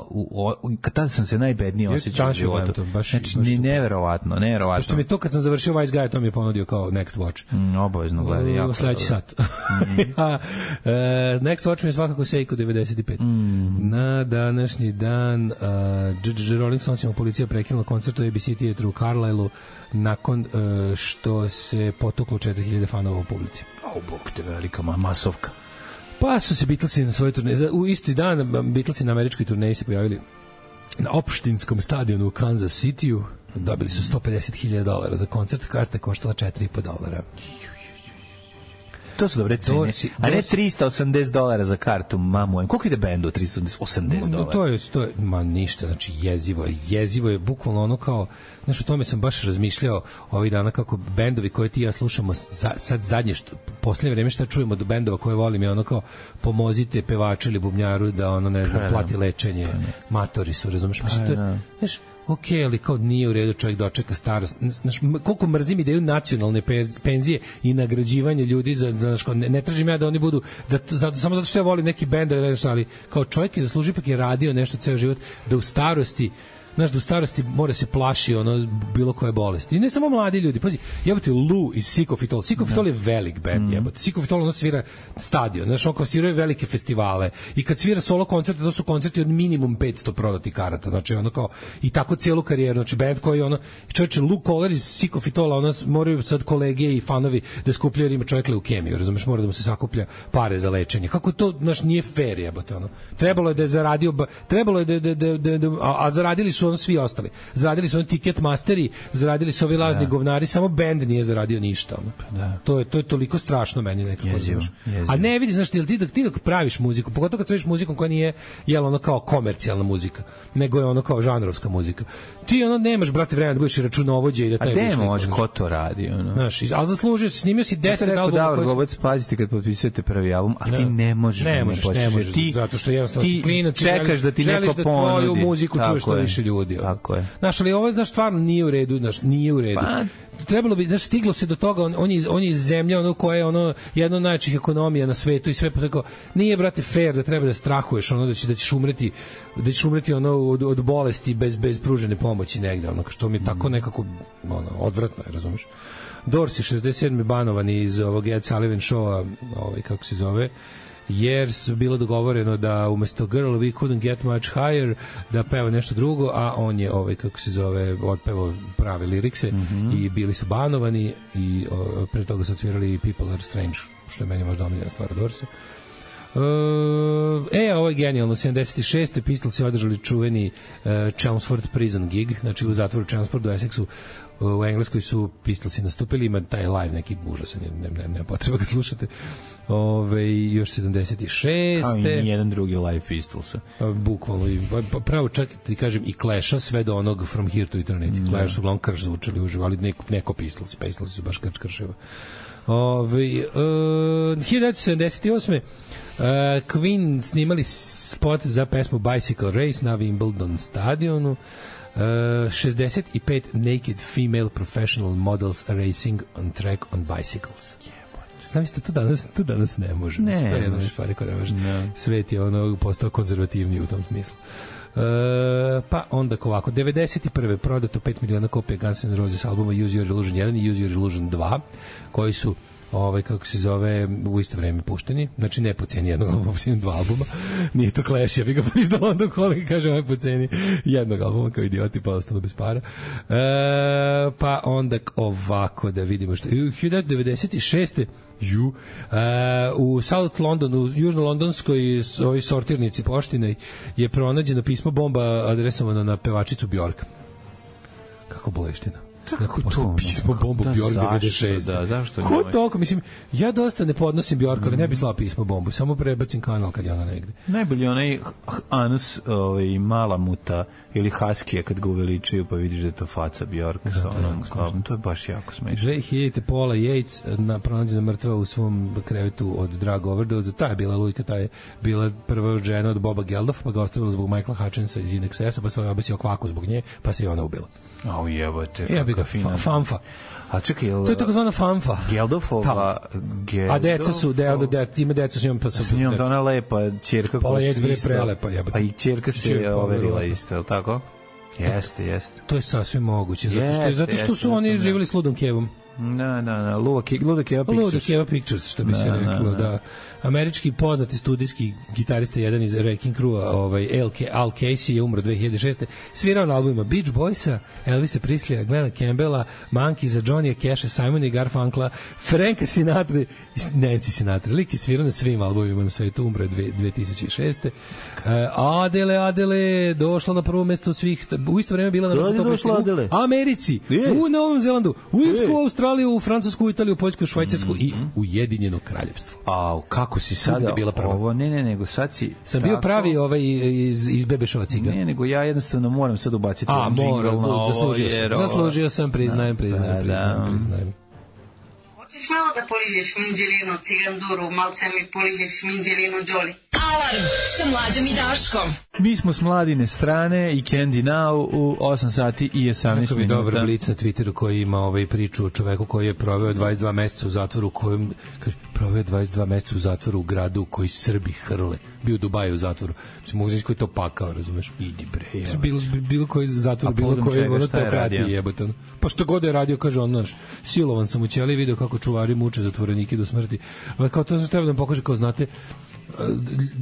tada sam se najbednije osjećao u životu. Znači, neverovatno. Pošto mi to kad sam završio Vice Guy, to mi je ponudio kao Next Watch. Obavezno gledaj, jako. Sledeći sat. Next Watch mi je svakako Seiko 95. Na današnji dan Rolling Stonesima policija prekinula koncert u ABC Theatre u Carlisle nakon što se potuklo 4000 fanova u publici. Bog te, velika masovka. Pa su se Beatlesi na svojoj turneji, u isti dan Beatlesi na američkoj turneji se pojavili na opštinskom stadionu u Kansas Cityu, dobili su $150,000 za koncert, karta je koštala $4,5. To su dobre cene. A ne $380 za kartu, mamu. Koliko ide bendu $380? To je, ma ništa, znači jezivo je bukvalno ono kao, znaš, o tome sam baš razmišljao ovih dana kako bendovi koje ti ja slušamo sad zadnje, posljednje vreme šta čujemo do bendova koje volim je ono kao pomozite pevaču ili bubnjaru da ono, ne znam, plati lečenje, matori su, razumeš, mislim, to je, znaš, ok, ali kao nije u redu čovjek dočeka starost. Znaš, koliko mrzim ideju nacionalne penzije i nagrađivanje ljudi ne tražim ja da oni budu samo zato što ja volim neki bend, ali kao čovjek je zaslužio, ipak je radio nešto ceo život, da u starosti, znaš, da u starosti mora se plaši ono bilo koje bolesti. I ne samo mladi ljudi. Pazi, jebote, Lou iz Sick of It All. Sick of It All je velik band, jebote. Sick of It All ono svira stadion. Znaš, on kao sviraju velike festivale. I kad svira solo koncerte, to su koncerti od minimum 500 prodati karata. Znači, ono kao, i tako cijelu karijeru. Znači, band koji ono, čovječe, Lou Kohler iz Sick of It All, ono, moraju sad kolege i fanovi da skupljaju, jer ima čovjek leukemiju, razumeš, mora da mu se sakuplja pare za lečenje. Kako to, znaš, nije fair, jebote, ono. Trebalo je da je zaradio, a zaradili su su ono svi ostali. Zaradili su oni Ticketmasteri, zaradili su ovi lažni govnari, samo bend nije zaradio ništa. To je toliko strašno meni nekako. A ne vidiš, znaš, ti dok praviš muziku, pogotovo kad praviš muzikom koja nije ono kao komercijalna muzika, nego je ono kao žanrovska muzika. Ti ono nemaš, brate, vremena da budeš računovođe i da taj budeš. A može, ko to radi? Znaš, ali zaslužio si, snimio si 10 albuma. Davor Gobac, pazite kad potpisujete prvi album, a ti ne možeš. Ne možeš, zato što jednostavno si klinac, čekaš da ti neko ponudi. Tvoju muziku čuješ što više ljudi. Tako je. Znaš, ali ovo, znaš, stvarno nije u redu, nije u redu. Trebalo bi, znaš, stiglo se do toga, on je iz zemlje, ono koja je ono jedna od najjačih ekonomija na svetu i sve tako, nije, brate, fair da treba da strahuješ, ono da ćeš umreti ono od bolesti bez pružene pomoći negde, ono što mi je tako nekako ono odvratno je, razumeš? Doors je 67. banovan iz ovog Ed Sullivan showa, kako se zove, jer su bilo dogovoreno da umesto Girl We Couldn't Get Much Higher da peva nešto drugo, a on je kako se zove, otpevao prave lirikse i bili su banovani i pre toga su odsvirali People Are Strange, što je meni možda omiljena stvar od Dorsa. Ovo je genijalno. 76. Pistols je održali čuveni Chelmsford Prison gig, znači u zatvoru Chelmsford u Essexu u Engleskoj su Pistolsi nastupili, ima taj live neki užasan, nema potreba ga slušate. Još 76. Kao i jedan drugi live Pistolsa. Bukvalno, pravo čak ti kažem i Clash-a sve do onog From Here to Eternity. Clash su uglavnom krš zvučali uživo, ali neko Pistolsi su baš krševa. 1978. Queen snimali spot za pesmu Bicycle Race na Wimbledon stadionu. 65 naked female professional models racing on track on bicycles. Znam isto, to danas ne može. To je jedna od stvari koja ne može. Svet je postao konzervativniji u tom smislu. Pa onda ovako, 91. prodato 5 miliona kopija Guns N' Roses albuma Use Your Illusion 1 i Use Your Illusion 2, koji su kako se zove, u isto vreme pušteni, znači ne po ceni jednog albuma, po ceni 2 albuma, nije to Clash, ja bih ga priznala onda kolega, kažem, po ceni jednog albuma, kao idioti, pa ostalo bez para. Pa onda ovako, da vidimo što, 1996. U South Londonu, u južno-londonskoj sortirnici poštine je pronađeno pismo bomba adresovano na pevačicu Bjork. Kako boleština. Kako to pismo bombu Bjork 96. Zašto ne? Ko toliko? Mislim, ja dosta ne podnosim Bjork, ali ne bi slao pismo bombu, samo prebacim kanal kad je ona negde. Najbolji onaj anus Malamuta ili Haskija kad ga uveličaju, pa vidiš da je to faca Bjork sa onom kao, to je baš jako smešno. 2000. Paula Yates pronađena mrtva u svom krevetu od drug overdose. Ta je bila lujka, ta je bila prva žena od Boba Geldof, pa ga ostavila zbog Michaela Hutchinsa iz In Excessa, pa se ovaj obesio kvaku zbog nje, pa se i ona ubila. Au jebote, kako fina. Fanfa. A čekaj, to je takozvana fanfa. Geldofova... A deca su, ima deca s njom, pa s njom da ona lepa ćerka koja su isto... prelepa, jebote. Pa i ćerka se overila isto, je li tako? Jeste. To je sasvim moguće, zato što su oni živjeli s Ludom Kevom. Luda Keva Pictures, što bi se reklo, da. Američki poznati studijski gitarista, jedan iz Wrecking Crew, Al Casey je umro 2006. Svirao na albumima Beach Boysa, Elvisa Presleya, Glena Campbella, Monkeesa, Johnny Casha, Simona i Garfunkla, Franka Sinatra i Nancy Sinatra. Lik je svirao na svim albumima na svetu, umro 2006. Adele, došla na prvo mesto svih, u isto vreme bila na u Americi, u Novom Zelandu, u Irsku, Australiju, u Francusku, Italiju, Poljsku, Švajcarsku i Ujedinjeno kraljevstvo. Kako si sada ovo, nego sad si sam bio pravi iz Bebešova ciga. Ne, nego ja jednostavno moram sad ubaciti džingl na ovo. Zaslužio sam, priznajem. Hoćeš malo da poližeš minđelinu, ciganduru, malce mi poližeš minđelinu, Đoli. Alarm sa Mlađom i Daškom. Mi smo s Mladine strane i Candy Now u 8 sati i 18 minuta. Neko dobar blic na Twitteru koji ima priču o čoveku koji je proveo 22 meseca u zatvoru, kojem kaže, proveo 22 meseca u zatvoru u gradu koji Srbi hrle. Bio u Dubaju u zatvoru. Mislim, mogu znači koji to pakao, razumeš? Idi bre. Bilo koji zatvor, bilo koji ono teokratije jebote. Pa što god je radio, kaže on, znaš, silovan sam u ćeliji, video kako čuvari muče zatvorenike do smrti. Ali kao to znači treba da vam pokaže, kao znate,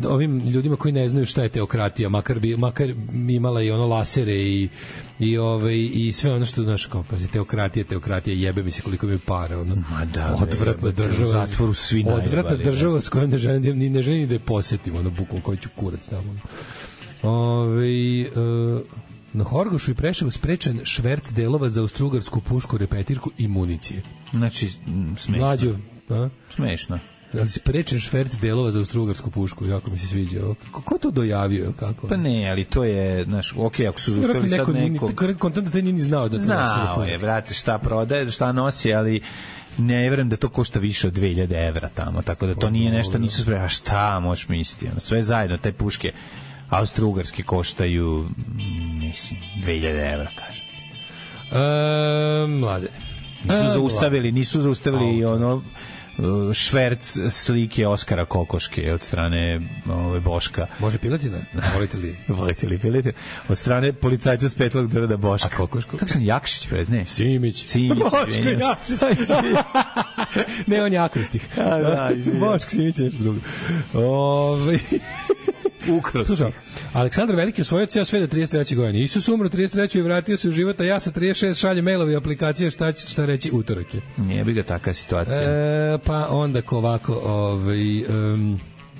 ovim ljudima koji ne znaju šta je teokratija, makar imala i ono lasere i sve ono što, znaš, kao, teokratija, jebe mi se koliko mi je para, ono, odvratna država, u zatvoru svi najebali, odvratna država s kojom ne želim da je posetim, ono, bukom koji ću kurac tamo. Na Horgošu i Preševu sprečen šverc delova za austrougarsku pušku, repetirku i municije. Znači, smešno. Mlađo, smešno. Sprečen šverc delova za austrougarsku pušku, jako mi se sviđa. Ko to dojavio? Kako? Pa ne, ali to je, znaš, okej, ako su zaustavili sad nekog... Kontent da te nije ni znao da se znao je, brate, šta prodaje, šta nosi, ali ne verujem da to košta više od 2000 evra tamo, tako da to nije nešto, nisu spremni, a šta možeš misliti? Sve zajedno, te puške austrougarske koštaju, mislim, 2000 evra, kažem. Mlade. Nisu zaustavili ono šverc slike Oskara Kokoške od strane Boška. Može piletina? Volite li piletina? Od strane policajca s Petlog drda Boška. A Kokoško? Kako sam Jakšić, ne? Simić. Boško Jakšić. Ne, on je akrostih. Boško Simić je nešto drugo. Ukrostih. Aleksandar Veliki osvojio ceo sve do 33. godine. Isus umro 33. i vratio se u život, a ja sa 36 šaljem mailove i aplikacije šta reći utorak je. Nije bi ga taka situacija. Pa onda ovako,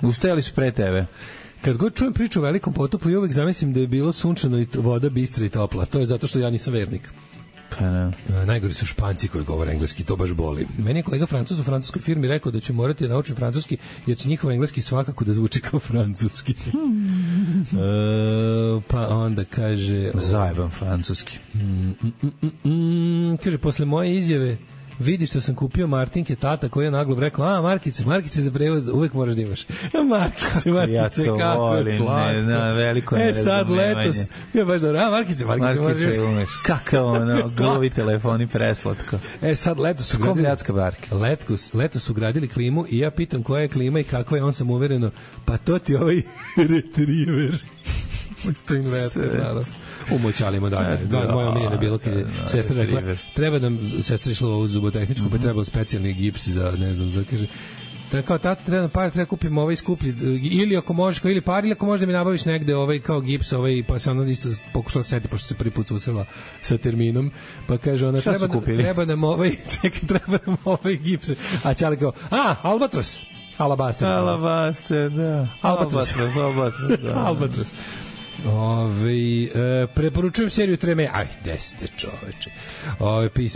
ustajali su pre tebe. Kad god čujem priču o Velikom potopu i uvek zamislim da je bilo sunčano i voda bistra i topla. To je zato što ja nisam vernik. Pa ne. Najgori su Španci koji govore engleski, to baš boli. Meni je kolega Francuz u francuskoj firmi rekao da ću morati da naučim francuski, jer će njihov engleski svakako da zvuči kao francuski. Pa onda kaže... Zajeban francuski. Kaže, posle moje izjave vidi što sam kupio Martinke, tata koji je naglo rekao, markice za prevoz uvek moraš da imaš. Markice, ja kako volim, slatko. Veliko sad letos, ja baš dobro, markice umeš. Kakav ono, gluvi telefoni, preslatko. Sad letos su gradili klimu i ja pitam koja je klima i kakva je, on sam uvereno, pa to ti ovaj retriever. To inverter, naravno. Umoćalimo dalje. Moja omiljena bilo kad je sestra rekla, treba nam, sestra išla u zubotehničku, pa treba specijalni gips za, ne znam, za, kaže, kao tata, treba kupim ovaj skuplji, ili ako možeš, ili par, ili ako možeš da mi nabaviš negde ovaj kao gips, pa se ona isto pokušala seti, pošto se prvi put susrela sa terminom, pa kaže ona, treba nam ovaj gips, a Ćale kao, Albatros. Alabaster, da. Albatros. Preporučujem seriju Treme. Desite čoveče.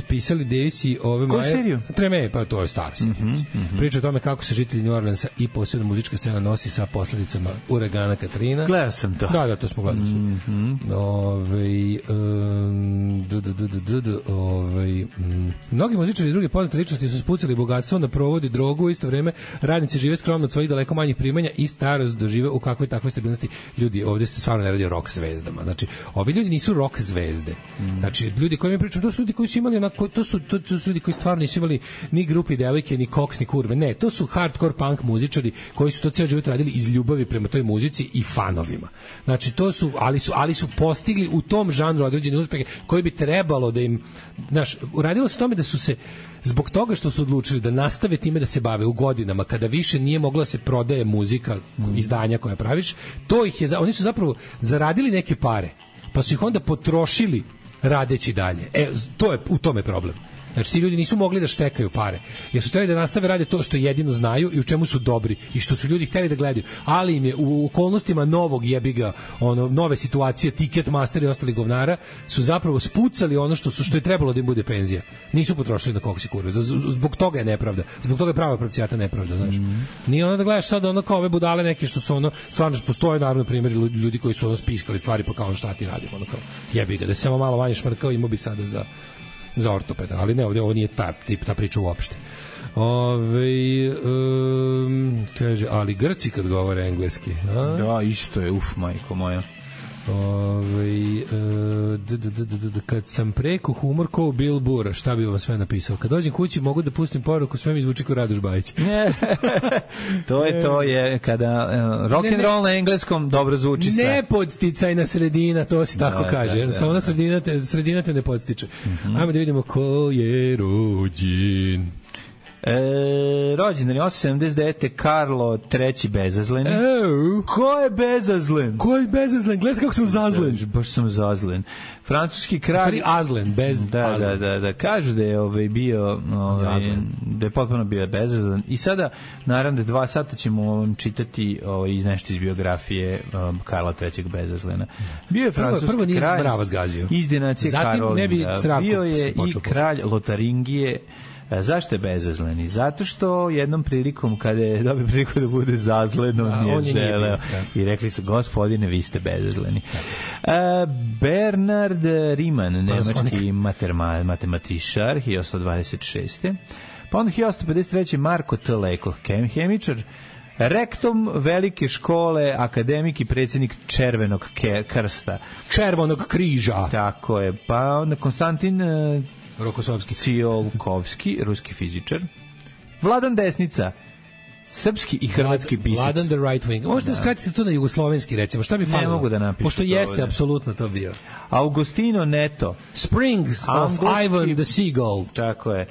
Pisali Davisi ove Koju seriju? Treme, pa to je stara serija. Priča o tome kako se žitelji New Orleansa i posebno muzička scena nosi sa posledicama uragana Katrina. Gledao sam to. Da, to smo gledali. Mnogi muzičari i druge poznate ličnosti su spucali bogatstvo na provodi drogu, u isto vreme radnici žive skromno od svojih daleko manjih primanja i starost dožive u kakvoj takvoj stabilnosti. Ljudi, ovde se stvarno ne radi o rock zvezdama. Znači, ovi ljudi nisu rock zvezde. Znači, ljudi koji mi pričaju, to su ljudi koji su imali onako, to su ljudi koji stvarno nisu imali ni grupi devojke, ni koks, ni kurve. Ne, to su hardcore punk muzičari koji su to ceo život radili iz ljubavi prema toj muzici i fanovima. Znači, to su, ali su postigli u tom žanru određene uspehe koji bi trebalo da im, znaš, uradilo se tome da su se zbog toga što su odlučili da nastave time da se bave u godinama kada više nije mogla da se prodaje muzika, izdanja koja praviš, to ih je, oni su zapravo zaradili neke pare, pa su ih onda potrošili radeći dalje. U tome je problem. Znači, ti ljudi nisu mogli da štekaju pare, jer su hteli da nastave rade to što jedino znaju i u čemu su dobri i što su ljudi hteli da gledaju, ali im je u okolnostima novog jebiga, nove situacije, Ticketmaster i ostali govnara su zapravo spucali ono što je trebalo da im bude penzija. Nisu potrošili na koks i kurve. Zbog toga je nepravda. Zbog toga je prava pravcijata nepravda, znaš. Nije ono da gledaš sad ono kao ove budale neke što su stvarno postoje naravno primjeri ljudi koji su spiskali stvari pa kao šta ti radimo, kao jebiga, da se samo malo manje šmrkao imao bi sada za ortopeda, ali ne, ovo nije ta priča uopšte. Kaže, ali Grci kad govore engleski. Da, isto je, majko moja. Kad sam preko humor ko Bill Burr, šta bi vam sve napisao? Kad dođem kući mogu da pustim poruku, sve mi zvuči kao Radoš Bajić. To je kada rock and roll na engleskom dobro zvuči sve. Nepodsticajna sredina, to se tako kaže. Jednostavno sredina te ne podstiče. Ajmo da vidimo ko je rođen. Rođendan je 879. Karlo III. Bezazleni. Ko je Bezazlen? Ko je Bezazlen? Gledaj kako sam zazlen. Baš sam zazlen. Francuski kralj... Stvari Azlen, bez Azlen. Da. Kažu da je bio... da je potpuno bio bezazlen. I sada, naravno, 2 sata ćemo vam čitati iz nešto iz biografije Karla III. Bezazlena. Bio je francuski kralj... Prvo nije brava zgazio. Iz dinacije Karolina. Bio je i kralj Lotaringije. Zašto je bezazleni? Zato što jednom prilikom, kada je dobio priliku da bude zazlen, on je želeo. I rekli su, gospodine, vi ste bezazleni. Bernard Riemann, nemački matematičar, 1826. Pa onda 1853. Marko T. Leko, hemičar, rektom velike škole, akademik i predsjednik Červenog krsta. Červenog križa. Tako je. Pa onda Konstantin Rokosovski. Cijolkovski, ruski fizičar. Vladan Desnica, srpski i hrvatski pisac. Vladan the right wing. Možete skratiti to na jugoslovenski, recimo. Šta bi falilo? Ne mogu da napišu. Pošto jeste apsolutno to bio. Augustino Neto. Springs of Ivan the Seagull. Tako je.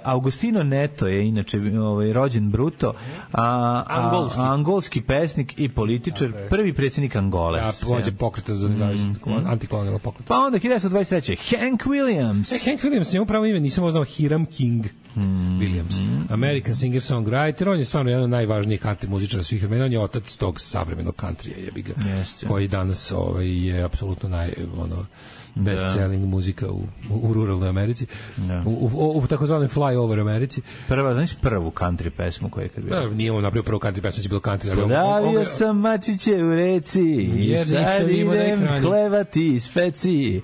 Augustino Neto je inače rođen bruto, angolski pesnik i političar, prvi predsjednik Angole. Vođa pokreta za nezavisnost, antikolonijalnog pokreta. Pa onda 1923. Hank Williams. Hank Williams, njemu pravo ime, nisam znao, Hiram King Williams. American singer-songwriter, on je stvarno jedan od najvažnijih country muzičara svih vremena, on je otac tog savremenog countrya, jebi ga, koji danas je apsolutno best-selling muzika u ruralnoj Americi, u takozvanoj fly-over Americi. Prvu country pesmu koja je kad bila? Nije on napravio prvu country pesmu, će bilo country. Podavio sam mačiće u reci i sad idem hlevati iz peci.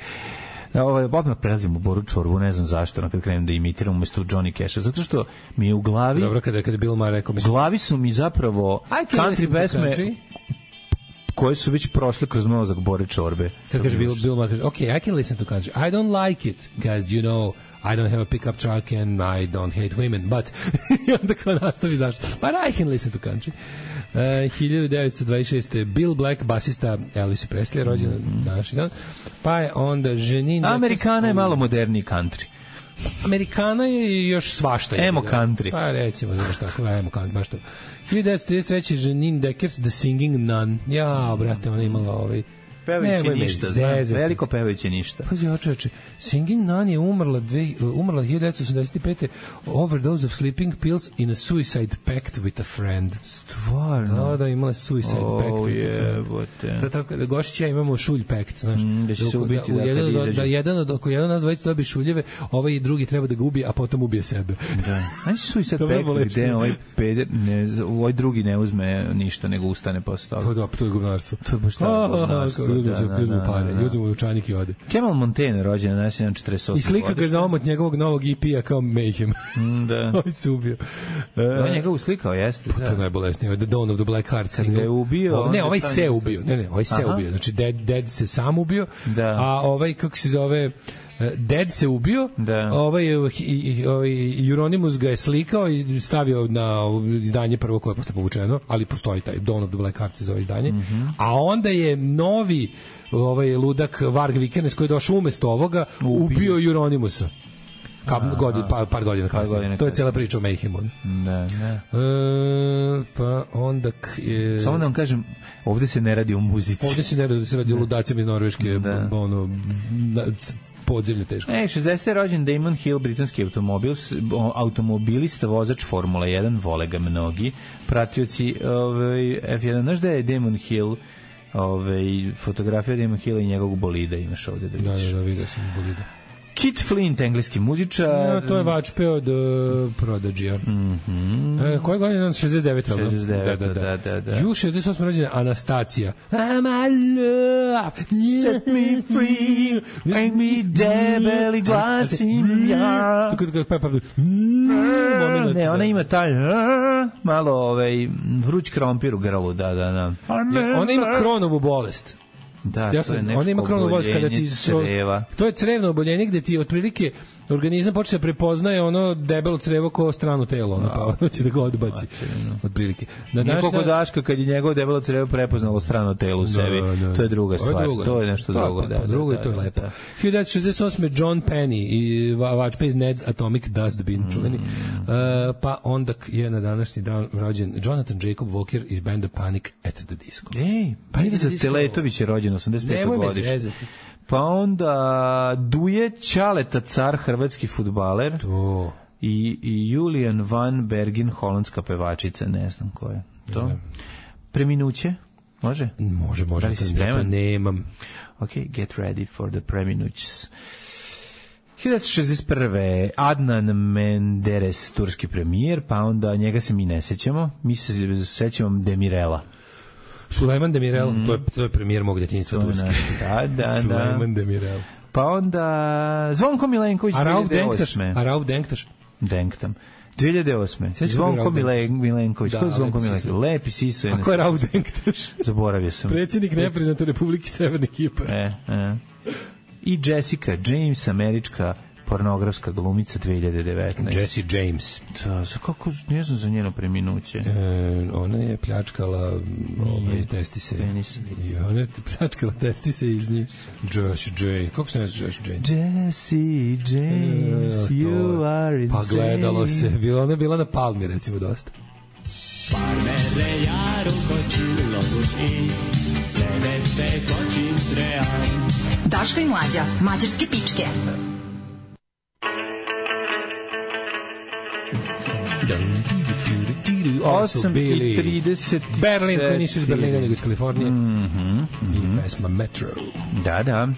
Odmah prelazim u Boru Čorbu, ne znam zašto, kad krenem da imitiram umesto Johnny Cash-a, zato što mi je u glavi... Dobro, kada Bill Maher rekao... U glavi su mi zapravo country pesme koje su već prošle kroz mozak Bore Čorbe. Kad kaže Bill Maher, okay, I can listen to country. I don't like it, because, you know, I don't have a pickup truck and I don't hate women, but... I onda kao nastavi zašto. But I can listen to country. 1926. Bill Black, basista Elvisa Presley, rođen današnji dan. Pa je onda Janine... Amerikana je malo moderniji country. Amerikana je još svašta. Emo country. Pa recimo, znaš tako, emo country, baš to. 1933. Janine Deckers, The Singing Nun. Ja, brate, ona imala pevajući ništa, veliko pevajući ništa. Pa ja, čoveče, Singing Nun je umrla 1985. Overdose of sleeping pills in a suicide pact with a friend. Stvarno? Da, imala suicide pact with a friend. To tako, da Gošić ja imamo šulj pact, znaš. Da će se ubiti ako jedan od dvojica dobije šuljeve, ovaj drugi treba da ga ubije, a potom ubije sebe. Da. Znači suicide pact gde ovaj drugi ne uzme ništa, nego ustane posle toga. To je gubnarstvo. To je baš tako. Uzmu dučanik i ode. Kemal Montaigne rođen na 48. I slika ga za omot njegovog novog EP-a kao Mayhem. Da. Ovo se ubio. On njega uslikao, jeste. To je najbolesnije. The Dawn of the Black Heart single. Kad ga je ubio... Ne, ovaj se ubio. Ovaj se ubio. Znači, Dead se sam ubio, a ovaj, kako se zove... Dead se ubio, ovaj Euronymous ga je slikao i stavio na izdanje prvo koje je posle povučeno, ali postoji taj Dawn of the Black Heart se zove izdanje, a onda je novi ludak Varg Vikernes koji je došao umesto ovoga ubio Euronymousa. Par godina kasnije. To je cijela priča o Mayhemu. Ne. Pa onda... Samo da vam kažem, ovde se ne radi o muzici. Ovde se ne radi, se radi o ludacima iz Norveške, podzemlje teško. 60. rođen Damon Hill, britanski automobilista, vozač Formula 1, vole ga mnogi pratioci F1. Znaš da je Damon Hill, fotografija Damon Hilla i njegovog bolida imaš ovde da vidiš. Da, vidio sam bolida. Kit Flint, engleski muzičar. To je vačpe od Prodigy-a. Koje godine? 69. 69, da. 68. rođena Anastacija. I'm a love, set me free, make me debeli glasim ja. Ne, ona ima taj malo vruć krompir u grlu, da. Ona ima Kronovu bolest. Da, to je nešto oboljenje creva. To je crevno oboljenje gde ti otprilike organizam počne prepoznaje ono debelo crevo kao strano telo, ono, pa hoće da ga odbaci. Otprilike. Niko kod Daška kad je njegovo debelo crevo prepoznalo strano telo u sebi, to je druga stvar. To je nešto drugo. Drugo je to je lepo. 1968. John Penny i vačpa iz Ned's Atomic Dustbin, čuveni. Pa onda je na današnji dan rođen Jonathan Jacob Walker iz benda Panic at the Disco. Panic Teletović je rođen 85. godišnje. Pa onda Duje Ćaleta, car, hrvatski fudbaler. To. I Julian Van Bergen, holandska pevačica, ne znam ko je to. Preminuće? Može? Može. Da li si spreman? Nemam. Ok, get ready for the preminućs. 1961. Adnan Menderes, turski premijer, pa onda njega se mi ne sećamo. Mi se sećamo Demirela. Sulejman Demirel, to je premijer mog djetinjstva turski. Da. Sulejman Demirel. Pa onda Zvonko Milenković 2008. A Rauf Denktaš? Denktam. 2008. Zvonko Milenković. Ko je Zvonko Milenković? Lepi siso. A ko je Rauf Denktaš? Zaboravio sam. Predsjednik nepriznate Republike Severne Kipar. I Jessica James, američka pornografska glumica 2019. Jessie James. Da, kako, ne znam za njeno preminuće. Ona je pljačkala testise. Penis. I ona je pljačkala testise iz njih. Jessie James. Kako se ne zna Jessie James? Jessie James, you are insane. Pa gledalo se. Ona je bila na Palmi, recimo, dosta. Parmere jaru kočilo duš i levete kočin trean. Daško i Mlađa, mađarske pičke. 8:30 Berlin, koji nisu iz Berlina nego iz Kalifornije. I pesma Metro. Da.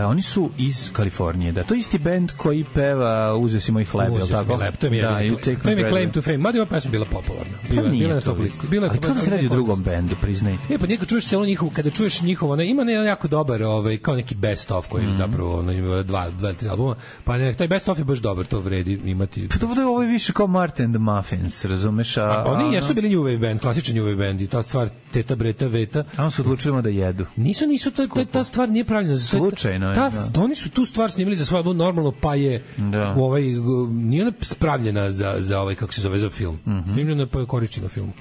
Oni su iz Kalifornije, da. To je isti bend koji peva Uzeo si moj hleb, je li tako? To mi je Claim to Fame. Mada je ova pesma bila popularna. Bila na top listi. Ali kako se radi u drugom bendu, priznaj? Pa njega čuješ celo njihovo, kada čuješ njihovo, ima jako dobar, kao neki best of koji zapravo ima dva, tri albuma, pa taj best of je baš dobar, to vredi imati. Pa to je ovo više kao Martin and the Muffins, razumeš? Oni jesu bili New Wave band, klasičan New Wave band i ta stvar Teta Breta Veta. A on su odlučili da jedu. Nisu, ta stvar nije pravilna. Slučajno je. Oni su tu stvar snimili za svoj album normalno, pa je nije ona spravljena za ovaj, kako se zove, za film. Filmljena pa je korišćena filmu.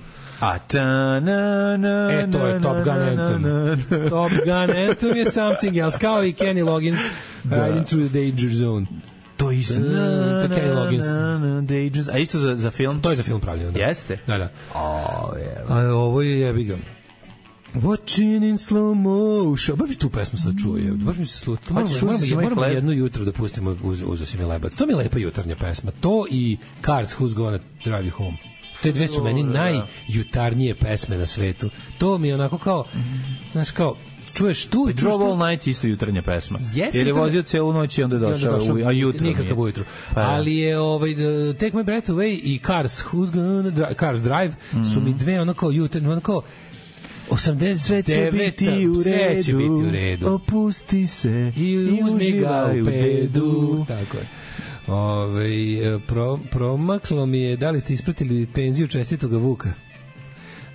To je Top Gun Anthem. Top Gun Anthem je something else, kao i Kenny Loggins Riding Through the Danger Zone. To je isto. Kenny Loggins. A isto za film? To je za film pravljeno. Jeste? Da. A ovo je jebiga. Watching in slow motion. Baš mi tu pesmu sad čuje. Baš mi se sluta. Moramo jedno jutro da pustimo Uzeo si mi lebac. To mi je lepa jutarnja pesma. To i Cars, Who's Gonna Drive You Home. Te dve su meni najjutarnije pesme na svetu. To mi je onako kao, znaš, kao, čuješ tu i Drove All Night isto jutarnja pesma. Jer je vozio celu noć i onda je došao, a jutro nikakav ujutru. Ali je Take My Breath Away i Cars Drive su mi dve ono kao jutarnje, ono kao 89. Sve će biti u redu. Opusti se i uzmi ga u pedu. Tako je. Promaklo mi je da li ste ispratili penziju čestitoga Vuka.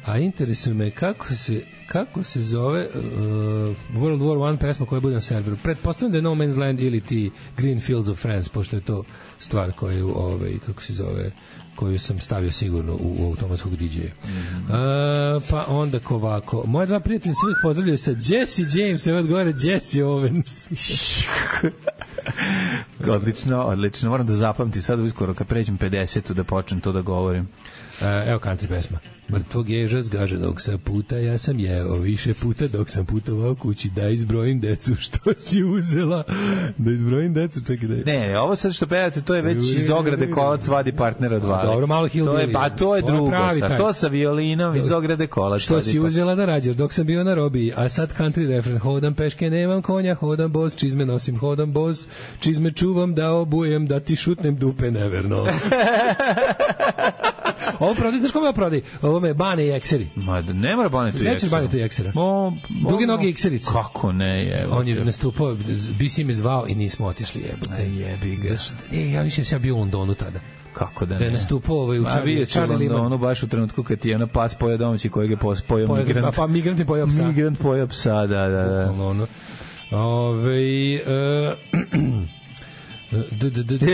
A interesuje me kako se zove World War I pesma koja bude na serveru. Pretpostavljam da je No Man's Land ili ti Green Fields of France, pošto je to stvar koju kako se zove, koju sam stavio sigurno u automatskog DJ-a. Pa onda ovako. Moje dva prijatelja se uvijek pozdravljaju sa Jesse James, evo odgovore Jesse Owens. Odlično. Moram da zapamtim sad uskoro kad pređem 50 da počnem to da govorim. Evo country pesma. Mrtvog ježa zgaženog sa puta, ja sam jeo više puta dok sam putovao kući, da izbrojim decu što si uzela. Da izbrojim decu, čekaj da... Ne, ovo sad što pevate, to je već iz ograde Kolac vadi partnera dva. Dobro, malo Hillbilly. Pa to je drugo, to sa violinom iz ograde Kolac. Što si uzela da rađaš dok sam bio na robiji, a sad country refren, hodam peške, nemam konja, hodam boss, čizme nosim, hodam boss, čizme čuvam da obujem, da ti šutnem dupe neverno. Ovo prodaj, znaš kome ovo prodaj? Ovo me Bane i Ekseri. Ma da ne mora Bane tu Ekseri. Sveći Bane tu i Eksera. Duge noge Ekserice. Kako ne, je. On je nastupao, BC me zvao i nismo otišli, jebote. Jebi ga. Ja više sam bio u Londonu tada. kako da ne. Da je nastupao u Charlie Liman. Ono baš u trenutku kad je ona pas pojao domaći kojeg je pojao migrant. Pa migrant je pojao psa. Migrant pojao psa, da.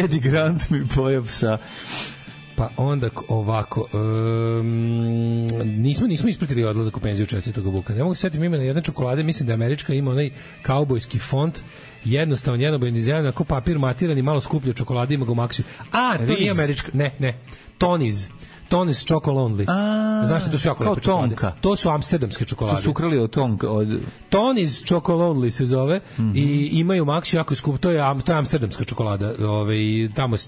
Eddie Grant mi pojao psa. Pa onda ovako, nismo ispratili odlazak u penziju 4. Vuka. Ne mogu se setiti imena jedne čokolade, mislim da Američka ima onaj kaubojski font, jednostavan, jednobojan dizajn, ako papir matiran i malo skuplje čokolade, ima ga u Maxiju. To nije Američka, ne. Tony's Choco Lonely. Znaš što to su jako lepe čokolade? To su amsterdamske čokolade. To su ukrali od Tonka. Tony's Choco Lonely se zove i imaju Maxi jako skup. To je amsterdamska čokolada.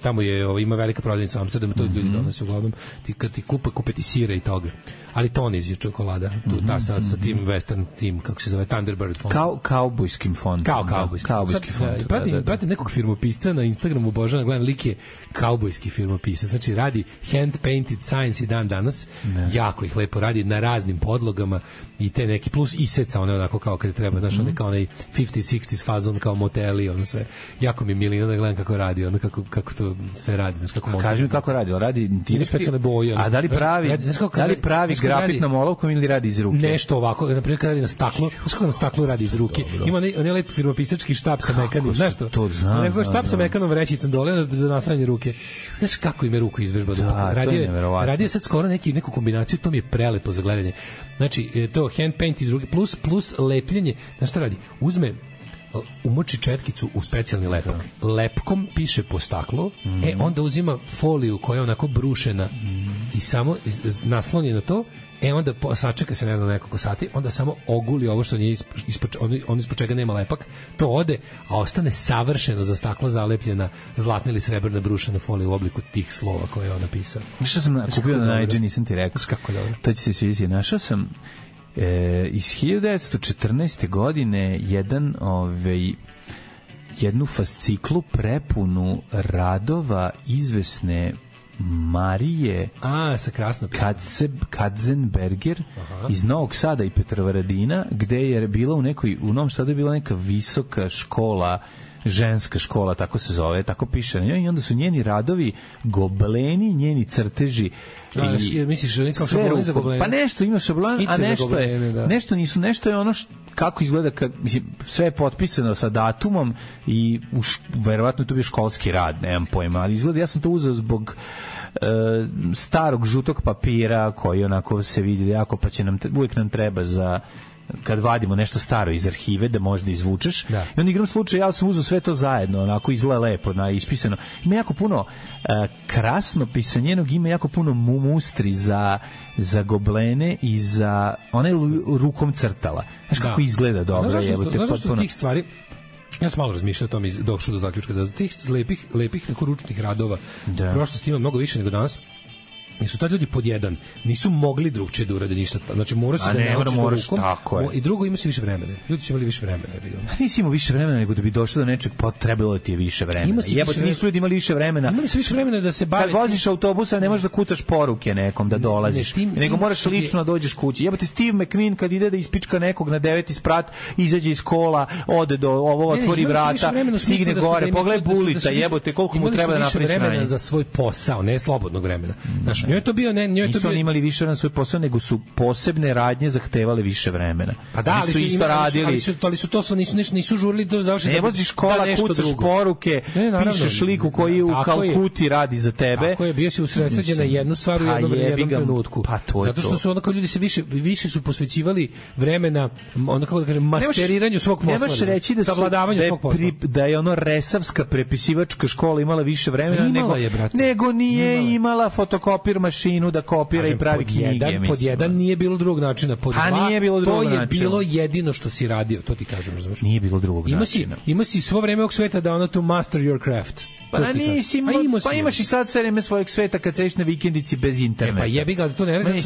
Tamo je ima velika prodavnica u Amsterdamu, to ljudi donose uglavnom. Kad ti kupe ti sira i toga. Ali Tony's je čokolada. Ta sa tim western tim, kako se zove, Thunderbird font. Kaubojskim font. Kaubojski font. Pratim nekog firmopisca na Instagramu, Božana, gledam, lik je kaubojski firmopisac. Znači radi hand painted signs i dan danas. Jako ih lepo radi na raznim podlogama i te neki plus iseca, one onako kao kad treba, znaš, one kao onaj 50s, 60s fazon, kao moteli, ono sve. Jako mi milina da gledam kako radi, ono kako to sve radi, znaš, kako kaži mi kako radi, radi specijalne boje. A da li pravi grafitnom olovkom ili radi iz ruke? Nešto ovako, na primjer kad radi na staklu, znaš kako na staklu radi iz ruke. Ima onaj lep firmopisački štap sa mekanim, znaš to? Neko štap sa mekanom vrećicom dole za nasranje ruke. Znaš kako im je ruku izvežba. Radio sad skoro neku kombinaciju, to mi je prelepo za gledanje. Znači, to hand paint iz ruke plus lepljenje. Znaš šta radi? Umoči četkicu u specijalni lepak. Lepkom piše po staklu, onda uzima foliju koja je onako brušena i samo nasloni na to, onda sačeka se, ne znam, nekoliko sati, onda samo oguli ovo što nije ispod čega nema lepak, to ode, a ostane savršeno za staklo zalepljena zlatna ili srebrna brušena folija u obliku tih slova koje je on napisao. Što sam kupio na Najdži, nisam ti rekao. Kako dobro. To će se svidjeti. Našao sam iz 1914. godine jednu fasciklu prepunu radova izvesne Marije sa krasno Katzenberger iz Novog Sada i Petrovaradina, gde je bila u Novom Sadu je bila neka visoka škola, ženska škola, tako se zove, tako piše na njoj, i onda su njeni radovi gobleni, njeni crteži. Misliš kao šabloni za goblene? Pa nešto ima šablon, a nešto je ono kako izgleda, sve je potpisano sa datumom i verovatno to bio školski rad, nemam pojma, ali izgleda, ja sam to uzeo zbog starog žutog papira koji onako se vidi jako, pa će uvijek nam treba za kad vadimo nešto staro iz arhive da možda izvučeš. I onda igram slučaj, ja sam uzeo sve to zajedno, onako izgleda lepo, ispisano. Ima jako puno krasnopisanjenog, ima jako puno mustri za goblene i za ona je rukom crtala. Znaš kako izgleda dobro. Znaš što tih stvari, ja sam malo razmišljao o tome i došao do zaključka da tih lepih ručnih radova prošlosti ima mnogo više nego danas. Nisu tad ljudi pod jedan, nisu mogli drugčije da urade ništa. Znači mora se da naučiš rukom. I drugo, ima se više vremena. Ljudi su imali više vremena. Nisi imao više vremena nego da bi došao do nečeg, trebalo da ti je više vremena. Jebote, nisu ljudi imali više vremena. Imali su više vremena da se bave. Kad voziš autobusa ne možeš da kucaš poruke nekom da dolaziš, nego moraš lično da dođeš kući. Jebote, Steve McQueen kad ide da ispička nekog na 9. sprat, izađe iz kola, ode do ovo, otvori vrata, stigne gore, pogledaj Bulita, jebote, koliko mu treba da napravi vremena za svoj posao, ne slobodnog vremena. Njoj to bio nisu oni imali više na svoj posao, nego su posebne radnje zahtevale više vremena. A da, ali su isto radili. Ali su to nisu žurili do završetka. Ne voziš kola, kucaš poruke, pišeš liku koji u Kalkuti radi za tebe. Tako je, bio si usredsređen na jednu stvar u jednom trenutku. Zato što su onako ljudi se više su posvećivali vremena, onda kako da kažem, masteriranju svog posla. Nemaš reći da je ono resavska prepisivačka škola imala više vremena nego nije imala fotokopir mašinu da kopira i pravi knjige. Pod jedan nije bilo drugog načina. Pod dva, to je bilo jedino što si radio. To ti kažem, razumiješ? Nije bilo drugog načina. Ima si svo vreme ovog sveta da ono to master your craft. Pa imaš i sad sve vreme svojeg sveta kad sediš na vikendici bez interneta. Pa jebi ga, to ne radi,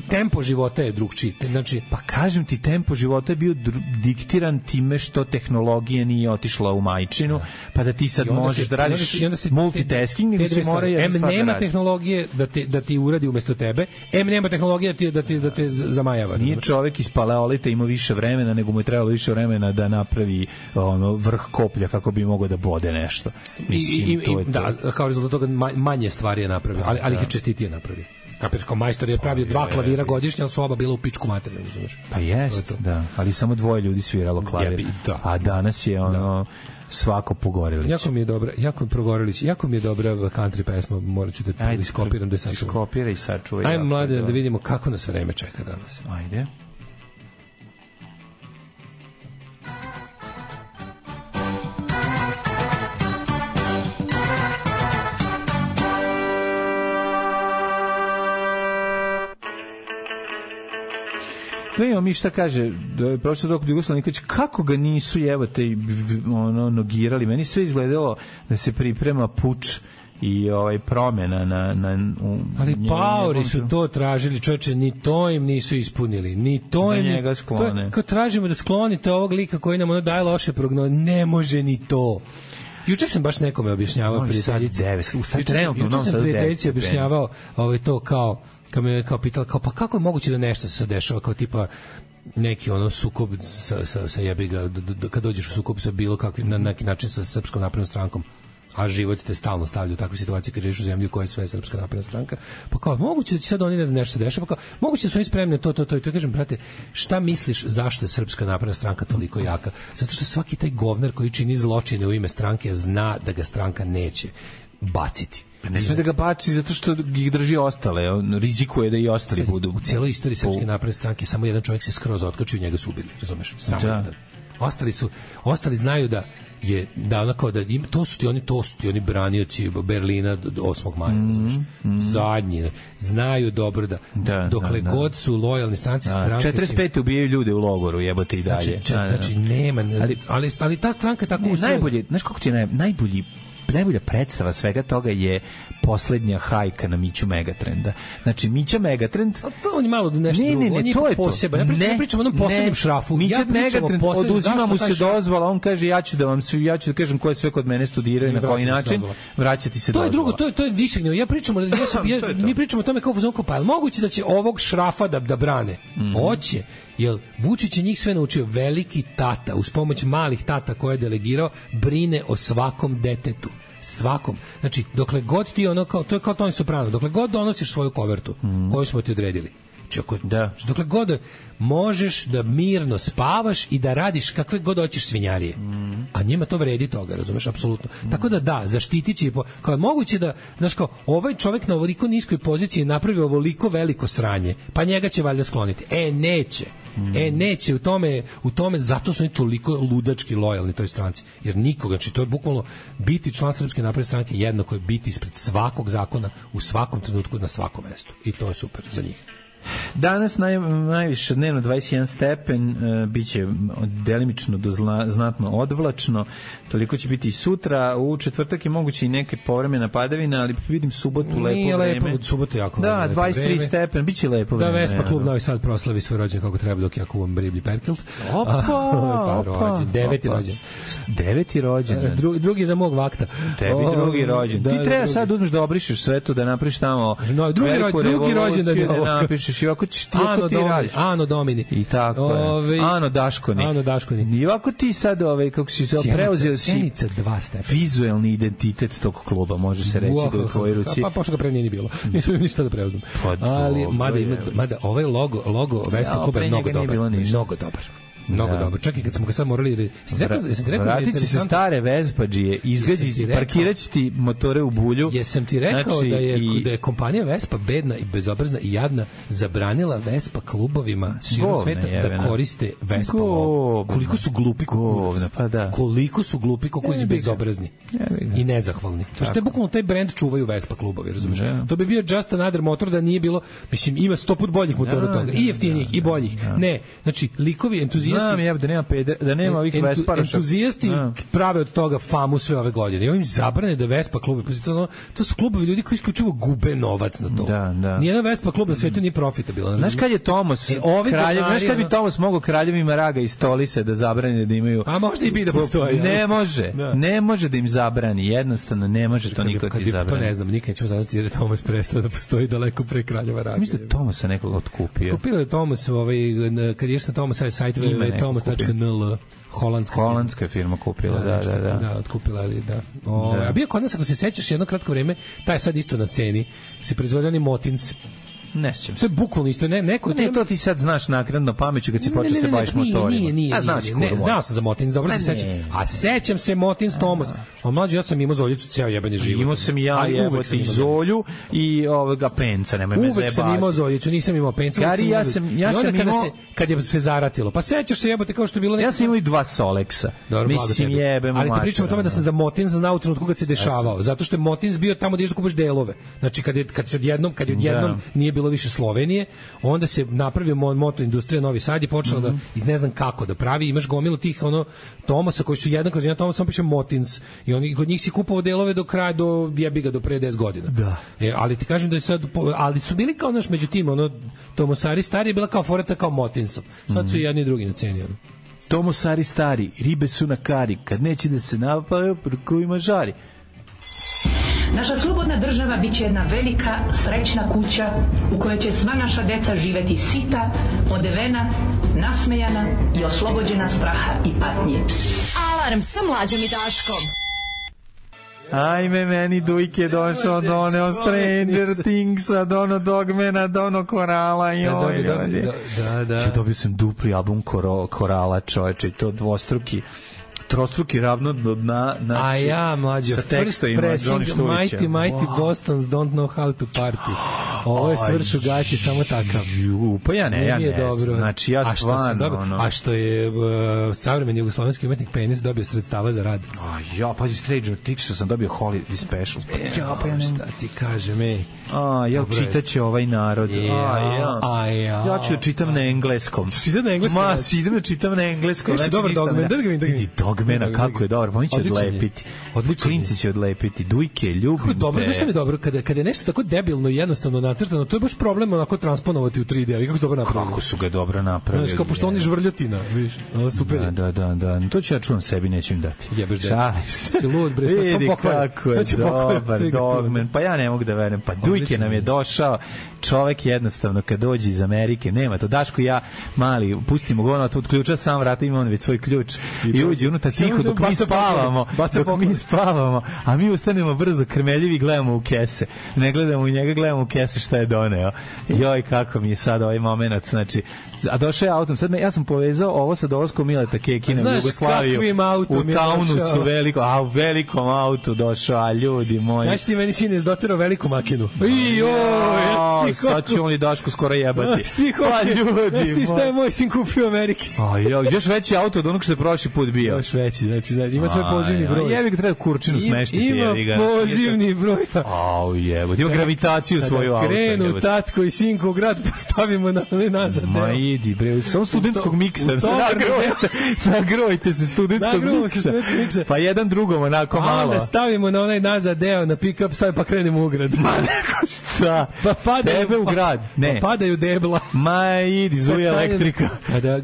tempo života je drugčiji. Znači, pa kažem ti, tempo života je bio diktiran time što tehnologija nije otišla u majčinu, pa da ti sad možeš da radiš multitasking, nego se mora jedna stvar da radiš. Nema tehnologije da ti uradi umesto tebe, nema tehnologije da te zamajava. Nije čovek iz paleolita imao više vremena, nego mu je trebalo više vremena da napravi vrh koplja kako bi mogao da bode nešto. Mislim, Da, kao rezultat toga manje stvari je napravio, ali ih je čestitije napravio. Kapiraš, kao majstor je pravio 2 klavira godišnje, ali su oba bila u pičku materiju, znaš. Pa jest, da, ali samo 2 ljudi sviralo klavir. A danas je ono svako Pogorelić. Jako mi je dobra country pesma, morat ću da iskopiram da sad. Iskopiraj i sačuvaj. Ajmo mlade da vidimo kako nas vreme čeka danas. Ajde. Vidimo mi šta kaže profesor dr. Jugoslav Nikolić, kako ga nisu nogirali. Meni sve izgledalo da se priprema puč i promjena ali paori su to tražili, čoveče, ni to im nisu ispunili, ni to im njega sklone. Kad tražimo da sklonite ovog lika koji nam daje loše prognoze, ne može ni to. Juče sam baš nekome objašnjavao prijateljici objašnjavao to kao kad me pitala, pa kako je moguće da nešto se dešava, kao tipa neki sukob sa jebiga, kad dođeš u sukob sa bilo kakvim, na neki način sa Srpskom naprednom strankom, a život te stalno stavlja u takve situacije kad živiš u zemlji u kojoj je sve Srpska napredna stranka, pa kao, moguće da će sad oni ne znam nešto se dešava, pa kao, moguće da su oni spremni to, i to kažem, brate, šta misliš zašto je Srpska napredna stranka toliko jaka? Zato što svaki taj govnar koji čini zločine u ime stranke zna da ga stranka neće baciti. Ne sme da ga baci zato što ih drži ostale, on rizikuje da i ostali budu. U cijeloj istoriji Srpske napredne stranke samo jedan čovjek se skroz otkačio i njega su ubili, razumeš? Samo jedan. Ostali znaju da je to su ti oni branioci Berlina 8. maja, razumeš? Zadnji znaju dobro da dokle god su lojalni stranci stranke 45 ubijaju ljude u logoru, jebote i dalje. Znači nema, ali ta stranka tako ustrojena. Najbolje, znaš kako ti je najbolja predstava svega toga je poslednja hajka na Miću Megatrenda. Znači, Mića Megatrend... A to on je malo nešto drugo, on je poseban. Ja pričam o onom poslednjem šrafu. Mića Megatrend, oduzima mu se dozvala, on kaže, ja ću da kažem ko je sve kod mene studirao i na koji način, vraćati se dozvala. To je drugo, to je više gnjevo. Mi pričamo o tome kao fuzonko, pa je moguće da će ovog šrafa da brane? Hoće. Jer Vučić je njih sve naučio. Veliki tata, uz pomoć malih tata koje je delegirao, brine o svakom detetu. Svakom. Znači, dokle god ti to je kao Toni Soprano, dokle god donosiš svoju kovertu koju smo ti odredili. Dokle god možeš da mirno spavaš i da radiš kakve god hoćeš svinjarije. A njima to vredi toga, razumeš, apsolutno. Tako da, zaštitit će, kao je moguće da, znaš, kao, ovaj čovjek na ovoliko niskoj poziciji napravio ovoliko veliko sranje, pa njega će valjda skloniti. Neće, u tome, zato su oni toliko ludački lojalni toj stranci. Jer nikoga, znači to je bukvalno biti član Srpske napredne stranke jednako je biti ispred svakog zakona, u svakom trenutku, na svakom mestu. I to je super za njih. Danas najviše dnevno 21 stepen, biće delimično do znatno odvlačno, toliko će biti i sutra, u četvrtak je moguće i neke povremena padavina, ali vidim subotu lepo vreme. Nije lepo, subotu jako da, 23 stepen, biće lepo vreme. Da, Vespa klub Novi Sad proslavi svoj rođen kako treba dok ja kuvam Riblji Perkilt. Opa! Deveti rođen. Drugi za mog vakta. Tebi drugi rođen. Ti treba sad uzmeš da obrišeš sve to, da napriš tamo drugi rođen da napišeš i ovako ti radiš. Ano Domini. I tako je. Ano Daškoni. I ovako ti sad, kako si se preuzeo si vizuelni identitet tog kluba, može se reći da u tvojoj ruci. Pa pošto ga pre nije ni bilo. Nisam ništa da preuzmem. Ali, mada ovaj logo Vespa kluba je mnogo dobar. Mnogo dobro. Čak i kad smo ga sad morali... Vratit će se stare Vespadžije, parkirat će ti motore u bulju. Jesam ti rekao da je kompanija Vespa bedna i bezobrazna i jadna zabranila Vespa klubovima širom sveta da koriste Vespa logo. Koliko su glupi kukurac. Koliko su glupi kukurac bezobrazni i nezahvalni. To što je bukvalno taj brend čuvaju Vespa klubovi, razumiješ? To bi bio just another motor da nije bilo, mislim, ima 100 put boljih motora od toga. I jeftinijih i boljih. Ne, znači, likovi entuzijasti. Znam, da nema ovih Vesparaša. Entuzijasti prave od toga famu sve ove godine. I ovim zabrane da Vespa klubi, to su klubovi ljudi koji isključivo gube novac na to. Nijedan Vespa klub na svetu nije profitabilan. Znaš kad je Tomos kraljev, znaš kad bi Tomos mogao kraljevima Raga i Stolise da zabrani da imaju... A možda i bi da postoji. Ne može da im zabrani, jednostavno ne može to niko ti zabrani. To ne znam, nikad ćemo zaznati jer je Tomos prestao da postoji daleko pre kraljeva Raga. Mislim da Tomosa nekog otkupio. Kupio je Tomos, kad ješ na Tomosa sajt www.tomos.nl holandska firma kupila, da, otkupila, ali da. A bio kod nas, ako se sećaš, jedno kratko vreme, taj je sad isto na ceni, se proizvode oni Motins. Ne sjećam se. To je bukvalno isto, to ti sad znaš naknadno pameću kad si počeo se baviš motorima. Nije. Znao sam za Motins, dobro se sećam. A sećam se Motins Tomos. A mlađe, ja sam imao Zoljicu ceo jebanje život. Imao sam i ja i Zolju i ovoga Penca, nemoj me zajebati. Uvek sam imao Zoljicu, nisam imao Penca. Gari, ja sam imao... Kad je se zaratilo, pa sećaš se jebote kao što je bilo... Ja sam imao i 2 Soleksa. Mislim, jebemo mača. Ali ti pričam o tome da sam za Motins znao u trenutku kad se dešavao. Zato što je Motins bio tamo gdje kupaš delove. Znači, kad odjednom nije bilo više Slovenije, onda se napravio moto industrija Novi Sad i počela da iz ne znam kako da pravi, imaš gomilu tih Tomosa koji su jedan kroz jedan Tomas, on piše Motins i oni kod njih si kupovao delove do kraja do pre 10 godina. Da. Ali ti kažem da je sad, ali su bili kao naš među tim, Tomosari stari je bila kao foreta kao Motinsom. Sad su i jedni i drugi na ceni. Tomosari stari, ribe su na kari, kad neće da se napaju, prkovima žari. Naša slobodna država bit će jedna velika, srećna kuća u kojoj će sva naša deca živeti sita, odevena, nasmejana i oslobođena straha i patnje. Alarm sa Mlađom i Daškom. Ajme, meni Dujke došao do one Stranger Thingsa, do ono Dogmana, do ono Korala. Da. Dobio sam dupli album Korala, čoveče, i to trostruki ravno do dna, znači, a ja, mlađo, sa tekstovima Johnny Šturića. Mighty Bostons don't know how to party. Ovo je svršu gaći, samo takav. Pa ja ne dobro. Znači, ja stvarno... A što je savremeni jugoslovenski umetnik Penis dobio sredstava za rad. Ja, pa Stranger Thingsa sam dobio Holiday Special. Pa ja ne... Šta ti kažem, čitaće ovaj narod. Ja ću čitam na engleskom. Čitam na engleskom? Idem da čitam na engleskom. Dobar Dogman, da ga vidim. Dogmana, kako je dobro, pa mi će odlepiti. Klinci će odlepiti. Dujke, ljubim te. Dobro, nešto mi je dobro, kada je nešto tako debilno i jednostavno nacrtano, to je baš problem onako transponovati u 3D. Kako su dobro napravili? Kako su ga dobro napravili. Znaš, kao pošto oni žvrljotina, viš, super je. Da. To ću ja čuvam sebi, neću im dati. Jebeš šalim se. Si lud, bre, vidi kako je dobar Dogman. Pa ja ne mogu da verujem. Pa Dujke nam je došao. Čovek jednostavno kad dođe iz Amerike, nema to. Daško i ja mali, pustimo go, tu odključa sam vrata, ima on već svoj ključ i uđe unutra tiho dok mi spavamo, a mi ustanemo brzo krmeljivi i gledamo u kese. Ne gledamo u njega, gledamo u kese šta je doneo. Joj, kako mi je sad ovaj moment, znači, a došao je autom. Sad ja sam povezao ovo sa dolaskom Mileta Kekina u Jugoslaviju. U Taunusu veliko, u velikom autu došao, a ljudi moji. Znaš ti meni sine doterao veliku makinu. Sad će on i Daško skoro jebati. Znaš ti šta je moj sin kupio u Ameriki? Još veći auto od onog što je prošli put bio. Još veći, znači ima svoj pozivni broj. Jebi ga, treba Kurčinu smeštiti. Ima pozivni broj. Jebo, ima gravitaciju svoju auto. Krenu tatko i sinko u grad, postavimo nazad. Ma idi bre, samo studentskog miksa. Nagrojte se studentskog miksa. Pa jedan drugom onako malo. Onda stavimo na onaj nazad deo, na pick-up stavi pa krenemo u grad. Ma neko šta? Pa padaju u grad. Ne. Pa padaju debla. Ma idi, zuje elektrika.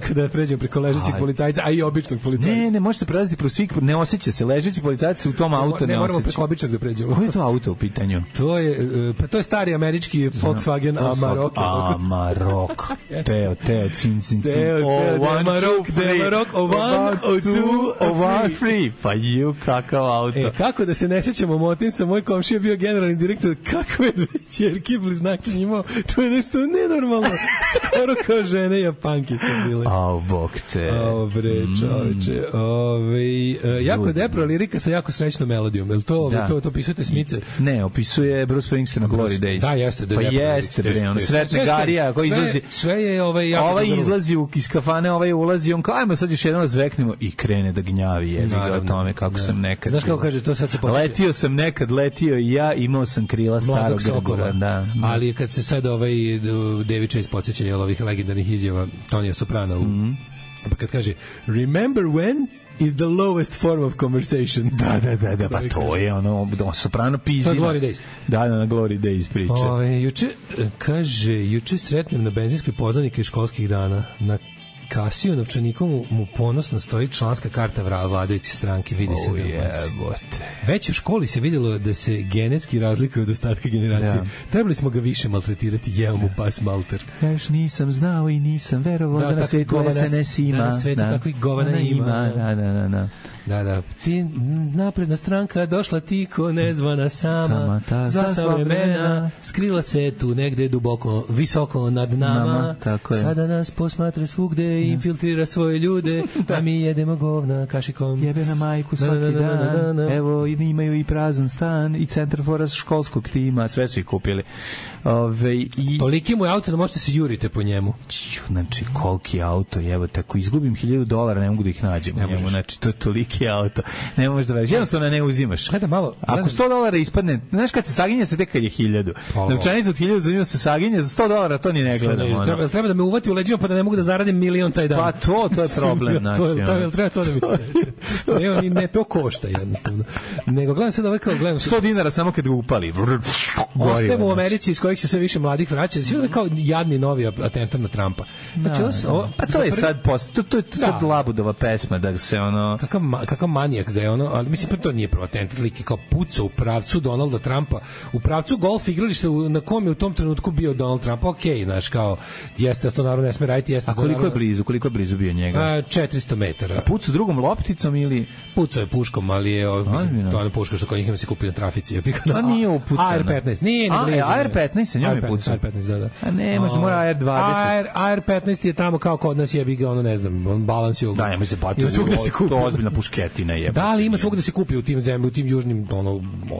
Kada pređemo preko ležećeg policajca, a i običnog policajca. Ne, može se prelaziti pro svih, ne osjeća se, ležeći policajac u tom auto ne osjeća. Ne, moramo preko običnog da pređemo. Koji je to auto u pitanju? To je stari američki Volkswagen Amarok. Amarok. Teo, cin. Amarok, one, free. Pa ju, kakav auto. Kako da se ne sećamo Motinsa, moj komšija je bio generalni direktor, kakve dve ćerke bliznake imao, to je nešto nenormalno. Skoro kao žene Japanke su bile. Bog te. Bre, čoveče. Jako depro lirika sa jako srećnom melodijom. Jel to pisujete Smice? Ne, opisuje Bruce Springsteen na Glory Days. Da, jeste. Pa jeste, bre, ono sretne Garija koji izlazi. Sve je izlazi iz kafane, ulazi, on kao, ajmo sad još jednom zveknemo i krene da gnjavi, jebi ga o tome kako sam nekad. Znaš kako kaže, to sad se posjeća. Letio sam nekad, i ja, imao sam krila starog Gregora. Da. Ali kad se sad David Chase podsjeća ovih legendarnih izjava Tonija Soprana, pa kad kaže, remember when is the lowest form of conversation. Da, pa to je Soprano pizdina. To je Glory Days. Da, na Glory Days priče. Juče sretnem na benzinskoj poznanike školskih dana. Na kasiju novčanikom mu ponosno stoji članska karta vladajuće stranke, vidi se da jebote. Već u školi se vidjelo da se genetski razlikuje od ostatka generacije. Trebali smo ga više maltretirati, jeo mu pas malter. Ja još nisam znao i nisam verovao da na svetu SNS ima. Na svetu takvih govana ima. Da. Ti napredna stranka došla tiko nezvana sama za sva vremena, skrila se tu negde duboko, visoko nad nama. Sada nas posmatra svugde i infiltrira svoje ljude, a mi jedemo govna kašikom. Jebe na majku svaki dan. Evo, imaju i prazan stan i centar fora školskog tima, sve su ih kupili. Toliki mu je auto da možete se jurite po njemu. Znači, koliki auto, evo, tako izgubim $1,000, ne mogu da ih nađem u njemu, znači, to je toliki auto. Ne možeš da veriš, jednostavno ne uzimaš. Ako $100 ispadne, znaš kad se saginja se tek kad je 1.000. Novčanica od 1.000 za nju se saginja, za $100 to ni ne gledamo. Treba da me uvati u leđima pa da ne mogu da zaradim $1.000.000 taj dan. Pa to je problem, znači. Treba to da mi se ne, to košta jednostavno. Nego gledam sad ovaj kao gledam $100 samo kad ga upali. Ostajemo u Americi iz kojih se sve više mladih vraća. Svi kao jadni novi atentat na Trumpa. Znači, pa to je sad to je sad Labudova pesma da se ono kakav manijak ga je ono, ali mislim pa to nije prvo atentat, lik je kao pucao u pravcu Donalda Trumpa, u pravcu golf igrališta na kom je u tom trenutku bio Donald Trump. Okej, znaš, kao jeste to naravno ne sme raditi, jeste. A koliko je blizu bio njega? 400 metara. A pucao drugom lopticom ili pucao je puškom, ali je mislim to je puška što kod njih se kupi na trafici. A nije upucana. AR-15 nije. AR-15 se njome pucao. AR-15 da. A ne, može mora AR-20. AR-15 je tamo kao kod nas jebi ga ono ne znam, on balans je. Da, nema se patio. To ozbiljna pušketina je. Da, ali ima svugde da se kupi u tim zemljama, u tim južnim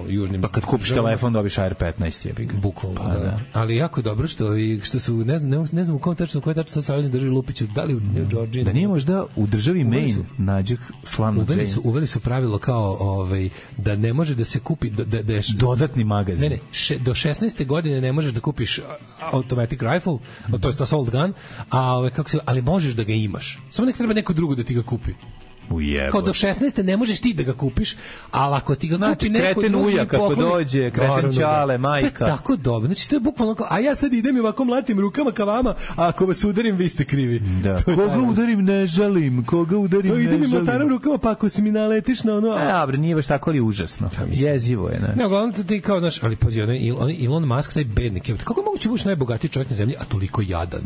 južnim. Pa kad kupiš telefon dobiš AR-15 jebi ga. Bukvalno, da. Ali jako je dobro što su ne znam u kom tačno koji tačno savezni državi Lupiću, da li u New Georgiji. Da nije možda u državi Maine nađe slavno. Uveli su pravilo kao da ne može da se kupi da dodatni magazin. Ne, do 16. godine ne možeš da kupiš automatic rifle, to jest assault gun, ali možeš da ga imaš. Samo nek treba neko drugo da ti ga kupi. Kao do 16. ne možeš ti da ga kupiš, ali ako ti ga kupi neko kreten uja kako dođe, kreten čale, majka. Tako dobro, znači to je bukvalno kao, a ja sad idem i ovako mlatim rukama ka vama, a ako vas udarim, vi ste krivi. Da. Koga udarim ne žalim, idem i mlataram rukama, pa ako si mi naletiš na ono... Dobro, nije baš tako ali užasno. Jezivo je, ne? Ne, uglavnom ti kao, znaš, ali pazi, Elon Musk, taj bednik, kako moguće buš najbogatiji čovjek na zemlji, a toliko jadan?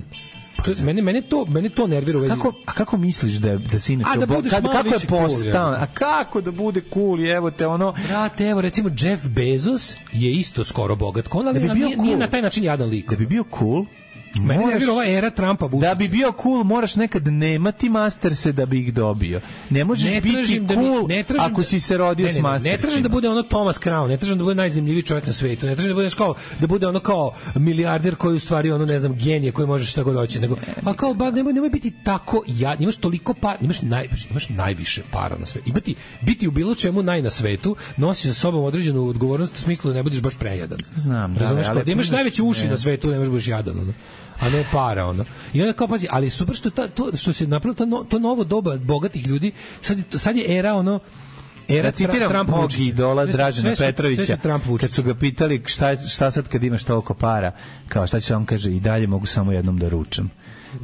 Mene to nervira u vezi. Kako misliš da se inače kako je postao? A kako da bude cool? Evo te ono. Brate, evo recimo Jeff Bezos je isto skoro bogat, ali nije na taj način jadan lik. Da bi bio cool, mene nervira ova era Trumpa. Da bi bio cool, moraš nekad nemati masterse da bi ih dobio. Ne možeš biti cool ako si se rodio s mastersima. Ne tražim da bude ono Thomas Crown, ne tražim da bude najzanimljiviji čovjek na svetu, ne tražim da budeš kao da bude ono kao milijarder koji u stvari ono ne znam genije koji može šta god hoće, nego a kao nemoj biti tako imaš toliko para, imaš najviše para na svetu. Biti u bilo čemu naj na svetu, nosi sa sobom određenu odgovornost u smislu da ne budeš baš prejadan. Znam, da imaš najveće uši na svetu, ne možeš biti jadan, ono. A ne para ono. I onda kao pazi, ali super što se napravilo to novo doba bogatih ljudi, sad je era ono da citiram mog idola Dražena Petrovića kad su ga pitali šta sad kad imaš toliko para, kao šta će on kaže i dalje mogu samo jednom da ručam.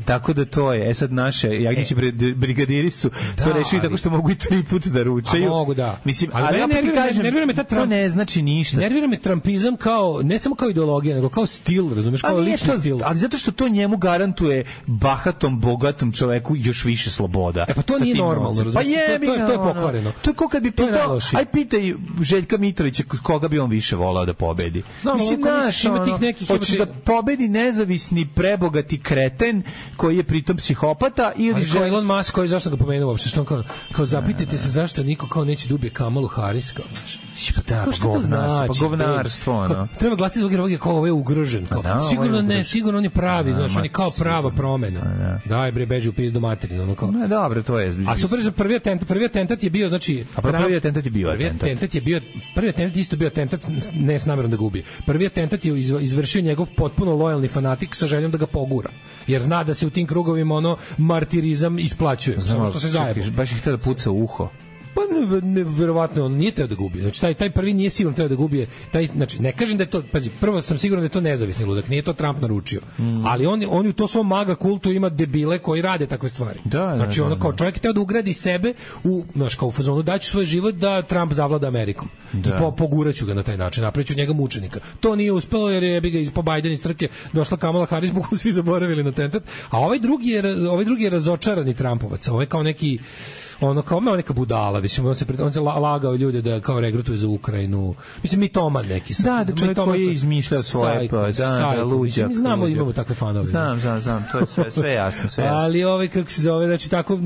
Tako da to je, sad naše Jagnjeći brigadiri su to rešili tako što mogu i 3 puta da ručaju. A mogu, da. Mislim, ali ja ti kažem, to ne znači ništa. Nervira me trumpizam kao, ne samo kao ideologija, nego kao stil, razumeš, kao lični stil. Ali zato što to njemu garantuje bahatom, bogatom čoveku još više sloboda. Pa to nije normalno, razumeš, to je pokvareno. To je kao kad bi pitao, aj pitaj Željka Mitrovića koga bi on više volao da pobedi. Mislim, hoćeš da pobedi nezavisni, prebogati kreten koji je pritom psihopata ili kao Elon Musk koji zašto ga pomenuo uopšte, što on kao zapitajte se zašto niko kao neće dobije Kamalu Harris, kao znaš. Pa govnarstvo, ono. Treba glasiti zbog ovog kao ovaj ugrožen, kao sigurno on je pravi, znaš, on je kao prava promena. Daj bre, beži u pizdu materinu, ono kao. Ne, dobro, to je. A super, prvi atentat je bio, znači, prvi atentat isto bio atentat ne s namerom da ga ubije. Prvi atentat je izvršio njegov potpuno lojalni fanatik sa željom da ga pogura. Jer zna da se u tim krugovima ono martirizam isplaćuje. Samo što se zajebo. Baš ih htio da puca u uho. Pa verovatno on nije teo da gubi. Znači taj prvi nije sigurno teo da gubi. Znači ne kažem da je to, pazi, prvo sam siguran da je to nezavisni ludak, nije to Trump naručio. Ali on u to svom maga kultu ima debile koji rade takve stvari. Znači ono kao čovjek je teo da ugradi sebe u, znaš, kao u fazonu daću svoj život da Trump zavlada Amerikom. I poguraću ga na taj način, napraviću njega mučenika. To nije uspelo jer je ga po Biden iz trke došla Kamala Harris, bukvalno svi zaboravili na tentat. A ovaj drugi je razočarani Trumpovac. Ovaj kao neki kao neka budala, mislim, on se lagao ljude da kao regrutuje za Ukrajinu. Mislim, mitoman neki. Da, čovjek koji je izmišljao svoje, luđak. Mi znamo, imamo takve fanove. Znam, to je sve jasno. Ali kako se zove, znači tako,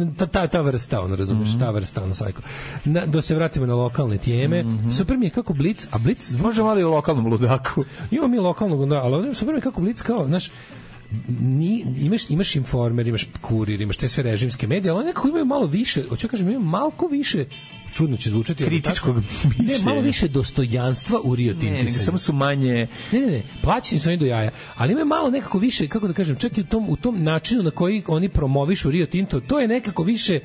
ta vrsta, razumiješ, ta vrsta, sajko. Da se vratimo na lokalne teme. Super mi je kako Blic, a Blic... Možemo ali u lokalnom ludaku. Imamo mi lokalnog ludaku, ali super mi je kako Blic kao, znaš, imaš Informer, imaš Kurir, imaš te sve režimske medije, ali oni nekako imaju malo više, hoću kažem, imaju malko više, čudno će zvučati, kritičkog mišljenja. Ne, malo više dostojanstva u Rio Tintu. Ne, samo su manje... Ne, plaćeni su oni do jaja, ali imaju malo nekako više, kako da kažem, čak i u tom načinu na koji oni promovišu Rio Tinto, to je nekako više...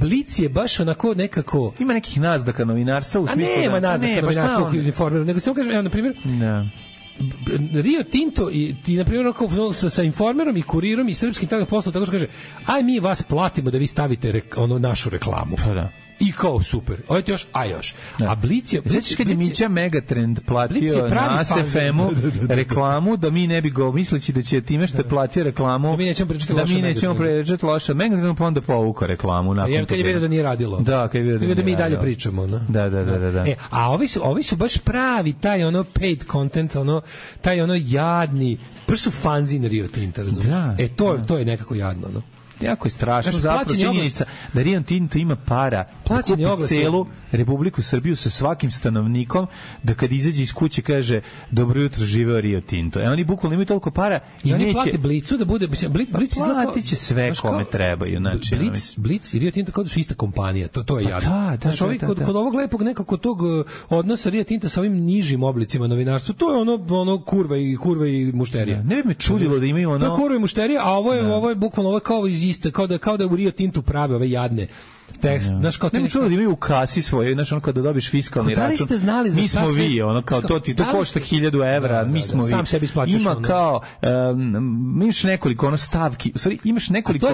Blic je baš onako nekako... Ima nekih naznaka novinarstva u smislu... A nema naznaka novinarstva u Informeru, nego samo kažem, evo, na primjer... Rio Tinto i na primjer sa Informerom i Kurirom i Srpskim tajnim poslom tako što kaže, aj mi vas platimo da vi stavite našu reklamu. Pa da. I kao super. Ovo ti još, još. Da. A Blic je... Znači kad je Mića Megatrend platio na ASFM-u reklamu, da mi ne bi go, misleći da će time što je platio reklamu, da mi nećemo pričati loše. Megatrend pa onda povukao reklamu. Kad je vidio da nije radilo. Da, kad je vidio da mi dalje pričamo. No? Da. A ovi su baš pravi, taj paid content, taj jadni, baš su fanzin Rio Tinta, razumiješ? To je nekako jadno, no? Jako je strašno, zapravo činjenica da Rio Tinto ima para da kupi celu Republiku Srbiju sa svakim stanovnikom, da kad izađe iz kuće kaže dobro jutro, živeo Rio Tinto. Oni bukvalno imaju toliko para i oni neće... plate Blicu da bude... Platit će sve kome trebaju. Blic i Rio Tinto kao da su ista kompanija, to je jadno. Kod ovog lepog nekako tog odnosa Rio Tinta sa ovim nižim oblicima novinarstva, to je ono kurva i mušterija. Ne bi me čudilo da imaju ono... To je kurva i mušterija, a ovo je bukvalno ovo kao iz iste, kao da u Rio Tintu prave ove jadne tekst, znaš, kao ne mi čulo da imaju u kasi svoje, znaš, ono kada dobiš fiskalni račun. Da li ste znali za mi smo vi, ono kao to ti to košta 1000 evra, mi smo vi. Sam sebi isplaćaš. Ima kao imaš nekoliko stavki, u stvari imaš nekoliko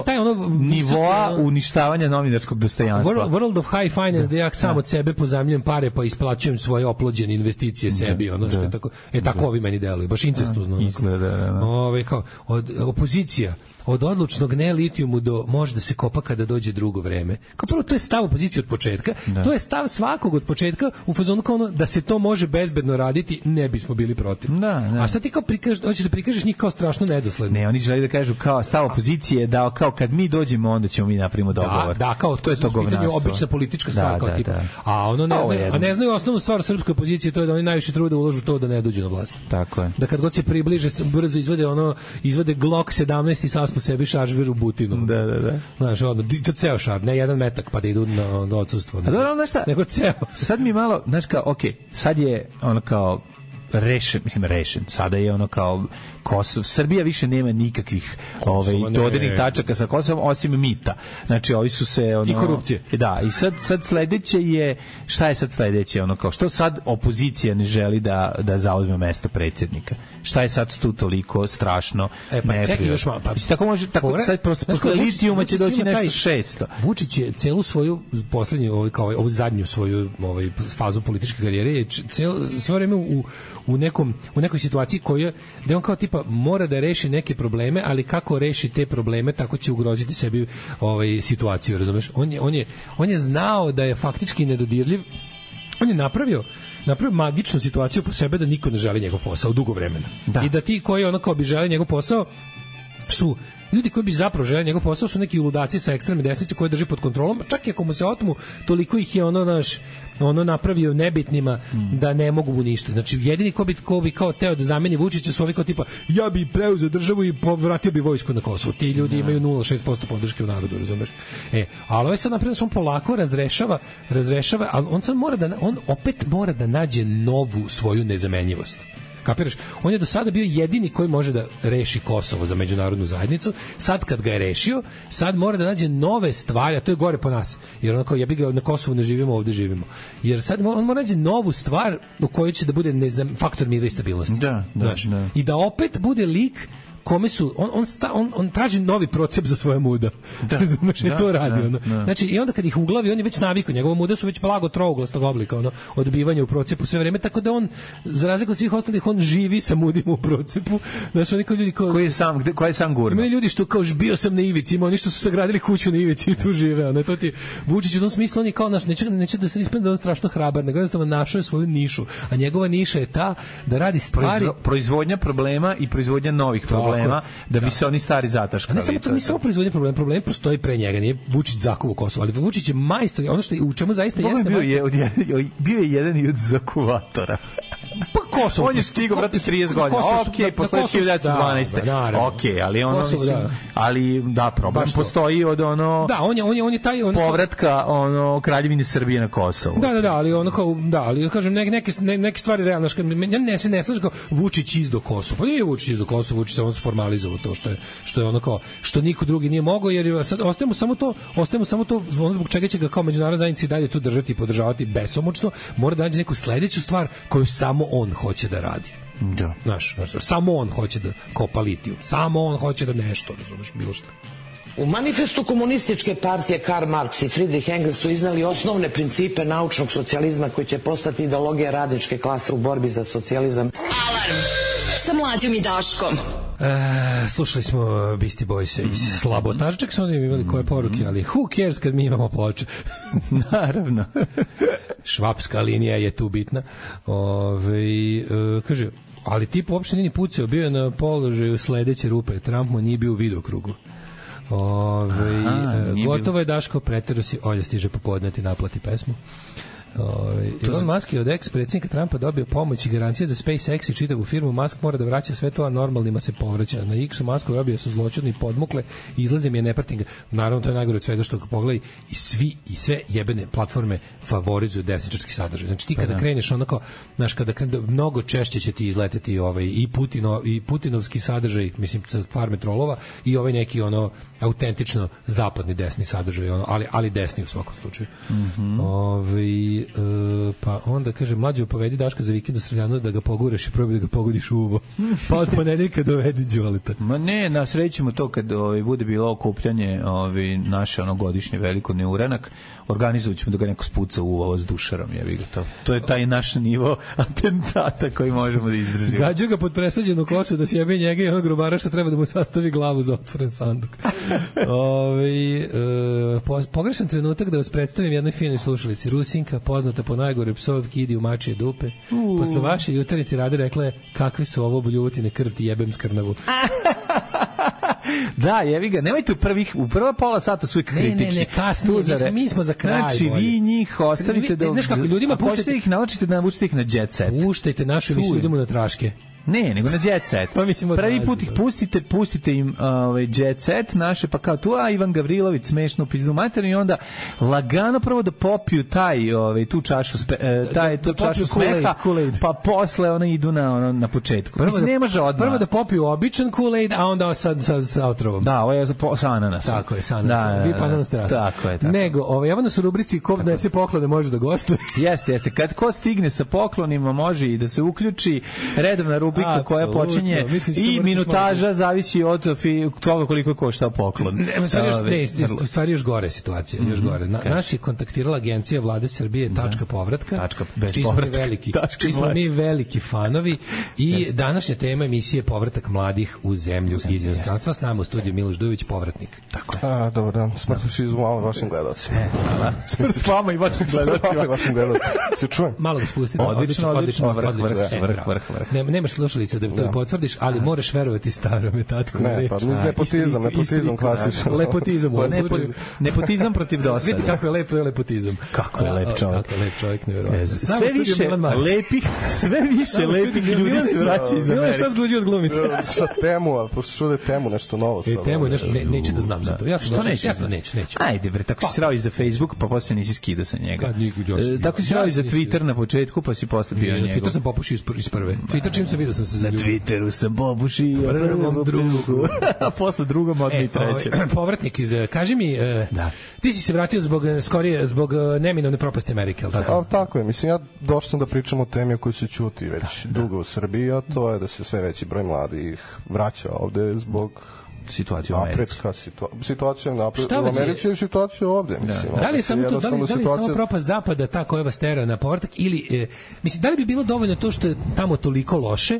nivoa uništavanja novinarskog dostojanstva. World of High Finance, da ja sam od sebe pozajmljujem pare pa isplaćujem svoje oplođene investicije sebi, ono što je tako. Tako ovi meni deluju, baš incestuzno. Izgleda. Kao od opozicija od odlučnog ne litijumu do može da se kopa kada dođe drugo vreme. Kao prvo, to je stav opozicije od početka, to je stav svakog od početka u fazonu kao da se to može bezbedno raditi, ne bismo bili protiv. A sad ti kao hoćeš da prikažeš njih kao strašno nedosledno. Ne, oni žele da kažu kao stav opozicije da kao kad mi dođemo onda ćemo mi napravimo dogovor. Da, kao to je to govnarstvo. Obična politička stvar kao tipa. A ne znaju osnovnu stvar srpske opozicije, to je da oni najviše trude ulažu to da ne dođu na vlast. Tako je. Da kad god se približe brzo izvade Glock 17 i saspu sebi šaržver u butinu. Da. Znaš, to ceo šar, ne jedan metak pa da idu na odsustvo. A dobro, znaš šta? Nego ceo. Sad mi malo, znaš kao, sad je ono kao rešen. Sada je ono kao Kosovo. Srbija više nema nikakvih dodirnih tačaka sa Kosovom osim mita. Znači, ovi su se i korupcije. Da, i sad sledeće je šta je sad sledeće? Ono kao što sad opozicija ne želi da zauzme mesto predsjednika. Šta je sad tu toliko strašno? Čekaj još malo. Tako može, sad posle litijuma će doći nešto 600. Vučić je celu svoju poslednju, ovu zadnju svoju fazu političke karijere je sve vreme u nekoj situaciji gde on kao tipa mora da reši neke probleme, ali kako reši te probleme, tako će ugroziti sebi situaciju, razumeš? On je znao da je faktički nedodirljiv. On je napravio magičnu situaciju po sebe da niko ne želi njegov posao dugo vremena. I da ti koji kao bi želi njegov posao su ljudi koji bi zapravo želi njegov posao su neki ludaci sa ekstremne desnice koje drži pod kontrolom, čak i ako mu se otmu, toliko ih je napravio nebitnima da ne mogu mu ništa. Znači, jedini ko bi kao teo da zameni Vučića su ovi kao tipa, ja bi preuzeo državu i povratio bi vojsku na Kosovo. Ti ljudi imaju 0,6% podrške u narodu, razumeš? Ali ovaj sad naprijed on polako razrešava, ali on opet mora da nađe novu svoju nezamenjivost. Kapiraš? On je do sada bio jedini koji može da reši Kosovo za međunarodnu zajednicu. Sad kad ga je rešio, sad mora da nađe nove stvari, a to je gore po nas. Jer onako, ja bih ga na Kosovu ne živimo, ovde živimo. Jer sad on mora nađe novu stvar u kojoj će da bude faktor mira i stabilnosti. Da. I da opet bude lik kome su on traži novi procep za svoje muda. Razumeš, to radi ono. Znači i onda kad ih uglavi, on je već navikao, njegova muda su već blago trouglastog oblika, ono, odbivanje u procepu sve vreme, tako da on za razliku od svih ostalih on živi sa mudima u procepu. Znači oni kao ljudi koji je sam gurno. Ima ljudi što kao bio sam na ivici, ima oni što su sagradili kuću na ivici i tu žive, ono, to ti Vučić u tom smislu on je kao naš, neće da se ispadne da on strašno hrabar, nego jednostavno našao je svoju nišu, a njegova niša je ta da radi stvari proizvodnja problema i proizvodnja novih problema. Da bi se oni stari zataškali. Ne samo to, samo proizvodnje problem postoji pre njega, nije Vučić zakuvo Kosovo, ali Vučić je majstor, ono što u čemu zaista jeste bio je jedan i od zakuvatora. Pa Kosovo. On je stigao, brate, 30 godina. Okej, posle 1912. Okej, ali ono mislim, ali da, problem postoji od ono. Da, on je taj povratka ono Kraljevine Srbije na Kosovo. Da, ali ono kao ali kažem neke stvari realno, ja ne slažem kao Vučić izdo Kosovo. Pa nije Vučić izdo Kosovo, Vučić samo formalizovao to što je ono kao što niko drugi nije mogao, jer sad ostajemo samo to ono zbog čega će ga kao međunarodna zajednica dalje tu držati i podržavati besomučno, mora da nađe neku sledeću stvar koju samo on hoće da radi. Da. Znaš, samo on hoće da kopa litijum, samo on hoće da nešto, razumeš, bilo šta. U manifestu komunističke partije Karl Marx i Friedrich Engels su iznali osnovne principe naučnog socijalizma koji će postati ideologija radničke klase u borbi za socijalizam. Alarm sa Mlađom i Daškom. Slušali smo Beastie Boys iz Slabotaža, čak smo imali koje poruke, ali who cares kad mi imamo ploče. Naravno. Švapska linija je tu bitna. Kaže, ali tip uopšte nije pucao, bio je na položaju sledeće rupe, Trump mu nije bio u vidokrugu. Gotovo je Daško, pretero si, Olja stiže popodne ti naplati pesmu. Elon Musk je od ex-predsjednika Trumpa dobio pomoć i garancije za SpaceX i čitavu firmu. Musk mora da vraća sve to, a normalnima se povraća. Na X-u Musk dobio su zločudni podmukle i izlaze mi je neparting. Naravno, to je najgore od svega što pogledaj i sve jebene platforme favorizuju desničarski sadržaj. Znači ti kada kreneš onako, znaš, kada mnogo češće će ti izleteti i putinovski sadržaj, mislim, farme trolova i ovaj neki ono autentično zapadni desni sadržaj, ali desni u svakom slučaju. Pa onda kaže, Mlađo, povedi Daška za vikend u Streljanu da ga pogureš i probaj da ga pogodiš u uvo. Pa od ponedeljka dovedi Đoleta. Ma ne, nasrećemo to kad bude bilo okupljanje naše godišnje veliko neuranak, organizovat ćemo da ga neko spuca u uvo s dušarom, jebi ga to. To je taj naš nivo atentata koji možemo da izdržimo. Gađu ga pod presađenu koču da sjebe njega i onog grubara što treba da mu sastavi glavu za otvoren sanduk. Pogrešan trenutak da vas predstavim jednoj finoj slušalici. Rusinka, poznata po najgore psovki, idi u mačije dupe. Posle vaše jutarnje tirade rekla je, kakve su ovo buljutine, krv ti jebem skrnavu. Da, jevi ga, nemojte u prva pola sata su uvijek kritični. Ne, kasnije, mi smo za kraj. Znači, vi njih ostavite da... Znaš kako, ljudima puštajte ih, naučite da navučite ih na jet set. Puštajte našu emisiju, idemo na traške. Ne, nego na jet set. Prvi put ih pustite im jet set naše, pa kao tu, Ivan Gavrilović smešno pizdu materiju i onda lagano prvo da popiju tu čašu smeha, pa posle ono idu na početku. Mislim, ne može odmah. Prvo da popiju običan Kool-Aid, a onda sa otrovom. Da, ovo je sa ananasom. Tako je, sa ananasom. Vi pa ananas terasa. Tako je. Nego, evo nas u rubrici ko nese poklone može da gostuje. Jeste. Kad ko stigne sa poklonima može i da se uključi redovna rubrika koja počinje i minutaža zavisi od toga koliko je koštao poklon. U stvari još gore situacija, još gore. Naš je kontaktirala agencija Vlade Srbije Tačka povratka, čiji smo mi veliki fanovi i današnja tema emisije povratak mladih u zemlju iz inostranstva. S nama u studiju Miloš Dujović, povratnik. Tako je. Dobar dan. Smrtno malo vašim gledalcima. Smrt vama i vašim gledalcima. Se čujem? Malo ga spustite. Odlično. Vrh. Nemaš slušalice da to potvrdiš, ali moraš verovati starome tatku. Ne, pa nepotizam klasično. Lepotizam. Nepotizam protiv dosada. Vidite kako je lepo je lepotizam. Kako je lep čovjek, nevjerovatno. Sve više lepih ljudi se vraća iz Amerike. Milan, šta zguđi od glumice? Sa temu, ali pošto čude temu nešto novo. Temu nešto, neću da znam za to. Ja to neću. Ajde bre, tako si srao iz za Facebook, pa posle nisi skidao sa njega. Tako si srao iz za Twitter na početku, pa si posle bio njegov. Twitter sam popušio iz prve. Twitter čim sam vidio sam se zaljubio. Na Twitteru sam popušio prvom drugu, a posle drugom odmah i trećem. Povratnik iz, kaži mi, ti si se vratio zbog neminovne propasti Amerike, ali tako? Tako je, mislim, ja došao sam da pričam o temi o kojoj se ćuti već dugo u Srbiji, a to je da se sve veći broj mladih vraća ovde zbog situacija u Americi. Situacija u Americi i situacija ovde. Mislim, da li je samo propast zapada ta koja vas tera na povratak ili, mislim, da li bi bilo dovoljno to što je tamo toliko loše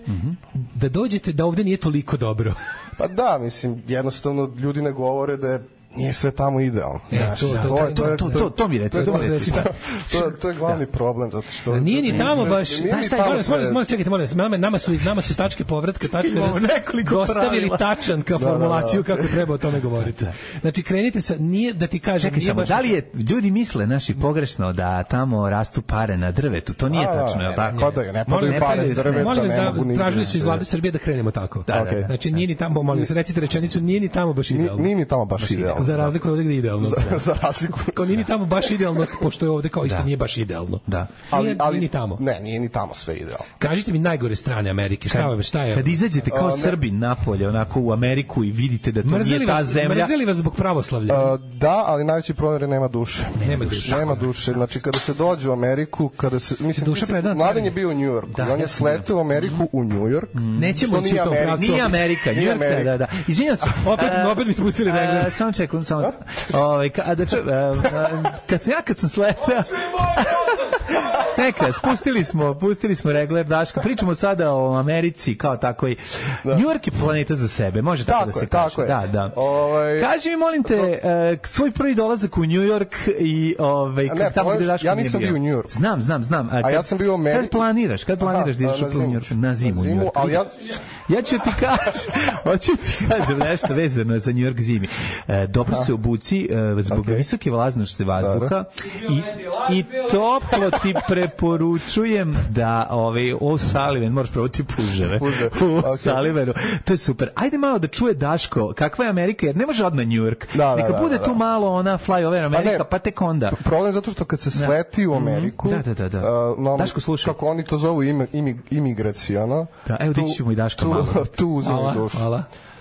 da dođete da ovde nije toliko dobro? Pa da, mislim, jednostavno ljudi ne govore da je nije sve tamo idealno. To mi reci. To je glavni problem, zato što nije ni tamo baš. Znaš šta, molim, nama su iz tačke povratka, dostavili tačan ka formulaciju kako treba o tome govoriti. Znači, krenite sa, nije da ti kažem, čekaj samo, da li je, ljudi misle, naši, pogrešno da tamo rastu pare na drvetu, to nije tačno, je li tako? Ne padaju pare s drveta, molim vas, tražili su iz vlade Srbije da krenemo tako. Znači, nije ni tamo, molim vas, recite rečenicu, nije ni tamo baš idealno. Nije ni tamo baš idealno. Za razliku od ovdje gde je idealno. Za razliku. Kao nije ni tamo baš idealno, pošto je ovdje kao isto nije baš idealno. Da. Nije ni tamo. Ne, nije ni tamo sve idealno. Kažite mi najgore strane Amerike, šta je? Kad izađete kao Srbin napolje, onako u Ameriku i vidite da to nije ta zemlja. Mrzeli vas zbog pravoslavlja? Da, ali najveći problem je nema duše. Nema duše. Znači, kada se dođe u Ameriku, mislim, Mladen je bio u New Yorku. On je sletio u Ameriku u New York. Nećemo ići u tom pravcu. Nije Amerika, New York, da. Izvinjam se. Opet mi spustili regler. Samo čekam, kad sam sletao neka, pustili smo regler, Daško, pričamo sada o Americi kao takvoj. New York je planeta za sebe, može tako da se kaže. Da. Kaži mi, molim te, svoj prvi dolazak u New York i tamo gde Daško ja nisam bio u New York. Znam. A ja sam bio u Americi. Kad planiraš da ideš u New York? Na zimu u New York. Ja ću ti kažem nešto vezano za New York zimi. Dobro se obuci zbog visoke vlažnosti vazduha i toplo ti preporučujem da Sullivan, moraš probati puževe u Sullivanu, to je super. Ajde malo da čuje Daško kakva je Amerika, jer ne može odmah New York, neka bude tu malo ona flyover Amerika, pa tek onda. Problem je zato što kad se sleti u Ameriku, Daško slušaj, kako oni to zovu imigracijono, evo dići ćemo i Daško malo, tu uzimaju dušu.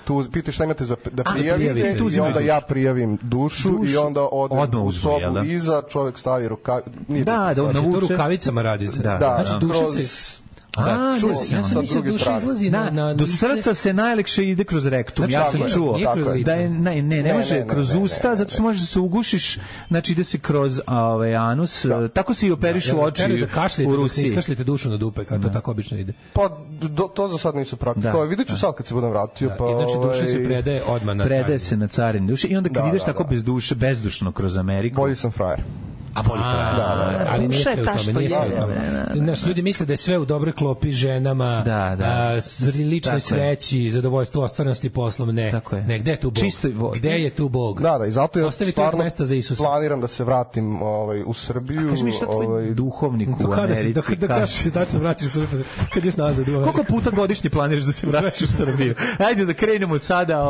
Tu pitaš šta imate da prijavite i onda ja prijavim dušu i onda odem u sobu iza, čovjek stavi rukavice. Da, to rukavicama radi se. Znači duša se... ja sam mislio duša izlazi na do srca se najlekše ide kroz rektum. Ja sam čuo da je ne može kroz usta, zato što možeš da se ugušiš, znači ide se kroz anus, tako se i operišu oči u Rusiji. Iskašljite dušu na dupe, kako to tako obično ide. Pa to za sad nisu praktikovali. Videću sad kad se budem vratio. Znači duša se predaje odmah na carin. Predaje se na carin duše i onda kad ideš tako bez duše, bezdušno kroz Ameriku. Bolji sam frajer. Ali nije sve u tome. Naš ljudi misle da je sve u dobroj klopi, ženama, ličnoj sreći, zadovoljstvu, ostvarenosti poslom. Ne, gde je tu Bog? Gde je tu Bog? Da, i zato ja stvarno planiram da se vratim u Srbiju. Kaži mi šta tvoj duhovnik u Americi kaže? Se tačno vraćaš u Srbiju, kad ješ nazad u Ameriku. Koliko puta godišnje planiraš da se vratiš u Srbiju? Ajde da krenemo sada.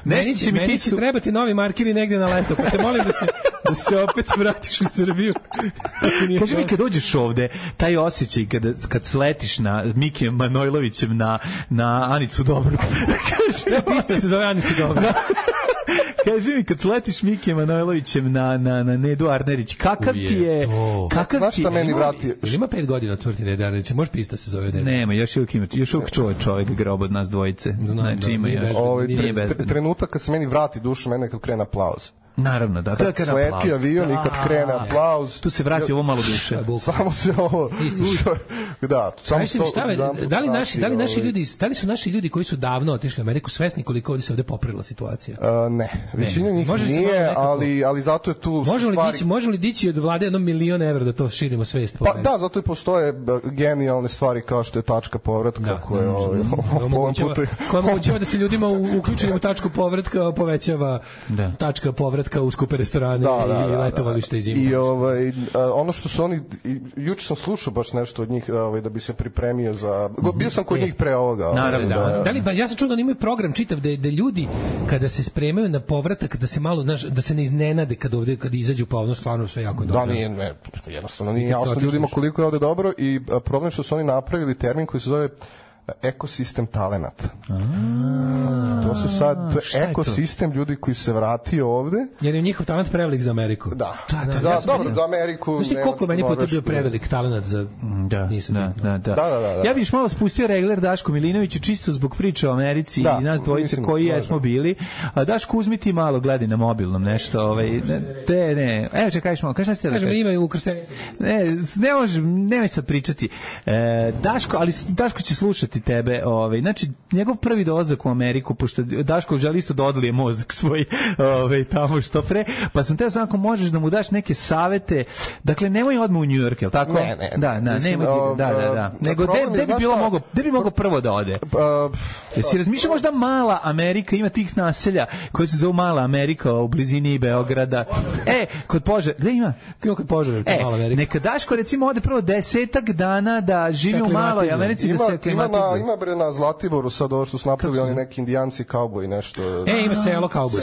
Meni će trebati novi markeri negde na leto, pa te molim da se opet vratiš u Srbiju. Kaži mi, kad dođeš ovde, taj osjećaj kad sletiš na Mikijem Manojlovićem na Anicu Dobru. Pista se zove Anicu Dobru. Kaži mi, kad sletiš Mikijem Manojlovićem na Nedu Arnerić, kakav ti je... Znaš šta meni vrati? Ima 5 godina od smrti Nede Arnerić, može pista se zove Neda? Nema, još uvijek čovjek grob od nas dvojice. Znači ima još. Trenutak kad se meni vrati dušu, mene kad krene aplauz. Naravno, da. Kad sleti avion i kad krene aplauz. Tu se vrati ovo malo duše. Samo se ovo... Da, samo da li su naši ljudi koji su davno otišli u Ameriku svesni koliko ovdje se ovdje poprila situacija? Ne, većina njih nije, ali zato je tu Može li dići od vlade $1 milion evra da to širimo svest? Pa da, zato i postoje genijalne stvari kao što je tačka povratka koja omogućava da se ljudima uključenim u tačku povratka povećava tačka povratka u skupe restorane i letovalište i zimu. I ono što su oni, juče sam slušao baš nešto od njih da bi se pripremio za... Bio sam kod njih pre ovoga. Naravno, ja sam čuo da oni imaju program čitav da ljudi kada se spremaju na povratak da se malo, da se ne iznenade kad izađu pa ono stvarno sve jako dobro. Da, jednostavno nije jasno ljudima koliko je ovde dobro i problem što su oni napravili termin koji se zove ekosistem talenata. To su sad ekosistem ljudi koji se vratio ovde. Jer je njihov talent prevelik za Ameriku. Da, dobro, za Ameriku. Znaš ti koliko meni puta bio prevelik talent za... Da. Ja biš malo spustio regler Daško Milinoviću čisto zbog priče o Americi i nas dvojice koji jesmo bili. A Daško, uzmi ti malo, gledaj na mobilnom nešto. Ne. Evo čekajš malo, šta ste da kažem? Imaju ukrštenicu. Ne može, nemoj sad pričati. Daško će slušati tebe. Znači, njegov prvi dolazak u Ameriku, pošto Daško želi isto da odlije mozak svoj tamo što pre, pa sam teo sam ako možeš da mu daš neke savete, dakle, nemoj odmah u New York, je li tako? Ne. Nego, gde bi mogao prvo da ode? Jesi razmišljao možda mala Amerika, ima tih naselja koje se zove Mala Amerika u blizini Beograda. Kod Požarevca, gde ima? Kod Požarevca, Mala Amerika. Neka Daško, recimo, ode prvo 10 dana da živi u Maloj Americi, da se aklimatizuje. Ima bre na Zlatiboru sad ovo što su napravili oni neki indijanci kauboji nešto. Ima selo kauboj.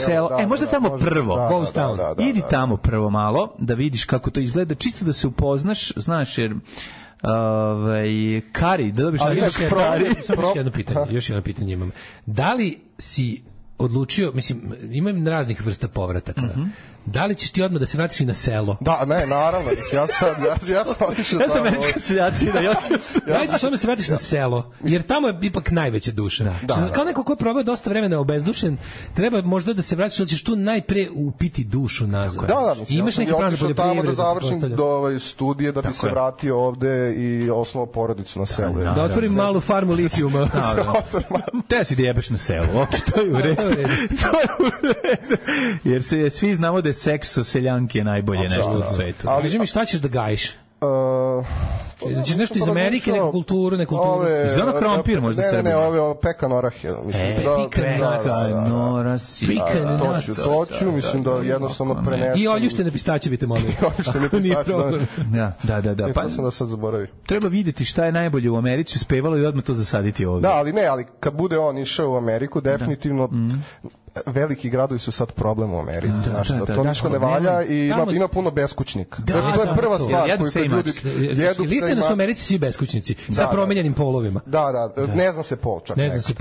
Možda tamo prvo. Ghost Town. Idi tamo prvo malo da vidiš kako to izgleda, čisto da se upoznaš, znaš, jer Kari, da dobiš još jedno pitanje imam. Da li si odlučio, mislim, imam raznih vrsta povrataka. Da li ćeš ti odmah da se vratiš i na selo? Da, ne, naravno. Ja sam američka seljačina. Da li ćeš odmah se vratiš na selo? Jer tamo je ipak najveća duša. Kao neko ko je probao dosta vremena obezdušen, treba možda da se vratiš, ali ćeš tu najpre upiti dušu nazad. Da, imaš neki plan za poljoprivredu? Da završim do studije da bi se vratio ovde i osnovao porodicu na selu. Da otvorim malu farmu litijuma. Te si da jebeš na selu. To je u redu. Jer se svi znamo da seks o seljanki je najbolje nešto u svetu. Ali kaži mi šta ćeš da gajiš? Znači nešto iz Amerike, neku kulturu. Iz onog krompir možda se... Ne, ove pekan orah. Pekan orasi. Toću, mislim da jednostavno prenesem. I oljuštene pistaće biste molili. Oljuštene pistaće, da. Pa sam da sad zaboravim. Treba vidjeti šta je najbolje u Americi, uspevalo i odmah to zasaditi ovdje. Da, ali kad bude on išao u Ameriku, definitivno... veliki gradovi su sad problem u Americi. To ništa ne valja i ima puno beskućnika. To je prva stvar koju ljudi jedu. Istina su u Americi svi beskućnici sa promenjenim polovima. Da, ne zna se pol čak. Ne zna se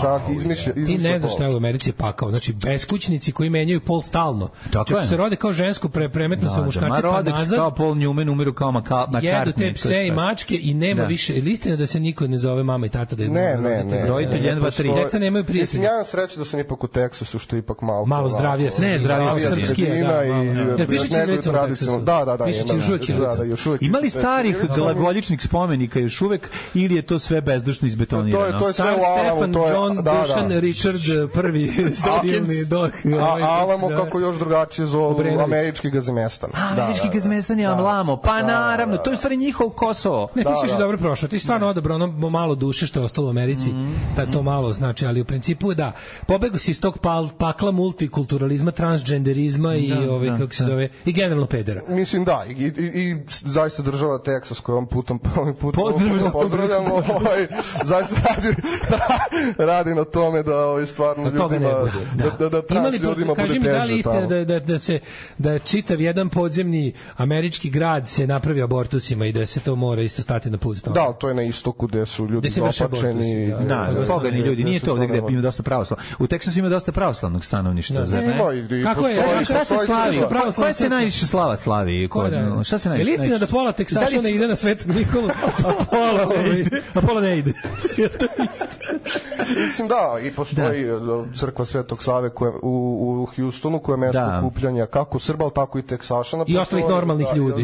čak, izmišlja. Ti ne znaš šta je u Americi pakao. Znači, beskućnici koji menjaju pol stalno. Čak se rode kao žensko, premetno se u muškarci pa nazad. Kao Paul Newman, umiru kao McCartney. Jedu te pse i mačke i nema više. Istina da se niko ne zove mama i tata da je roditelj 1, 2, 3. Deca nemaju prijatelja. Ja imam sreću da sam ipak u Teksasu, što je ipak malo zdravije. Ne, zdravije srpski je. Jer piše ćirilicom u Teksasu. Da. Ima li starih glagoljičnih spomenika još uvek ili je to sve bezdušno izbetonirano? To je sve u Alamu. Stefan, John, Dušan, Richard, prvi silni dok. Alamo kako još drugačije zovu američki gazimestan. Američki gazimestan je Alamo. Pa naravno, to je u stvari njihov Kosovo. Ne, ti si dobro prošao. Ti stvarno odabrao ono malo duše što je ostalo u Americi. To malo znači, ali u principu da. Pobegu si iz tog pakla multikulturalizma, transgenderizma i kako se zove, i generalno pedera. Mislim da, i zaista država Teksas koju ovim putom pozdravljamo, zaista radi na tome da stvarno ljudima, da trans ljudima bude teže. Kaži mi, da li istina da čitav jedan podzemni američki grad se napravi abortusima i da se to mora isto stati na put? Da, to je na istoku gde su ljudi zapačeni. Pogani ljudi, nije to ovde gde ima dosta pravoslavnog. U Teksasu ima dosta pravoslavnog stanovništva. Kako je? Šta se slavi? Koja se najviše slavi? Šta se najviše? Je li istina da pola Teksašana ide na Svetog Nikolu, a pola ne ide? Mislim da, i postoji crkva Svetog Save u Houstonu koja je mesto okupljanja kako Srba, tako i Teksašana. I ostalih normalnih ljudi.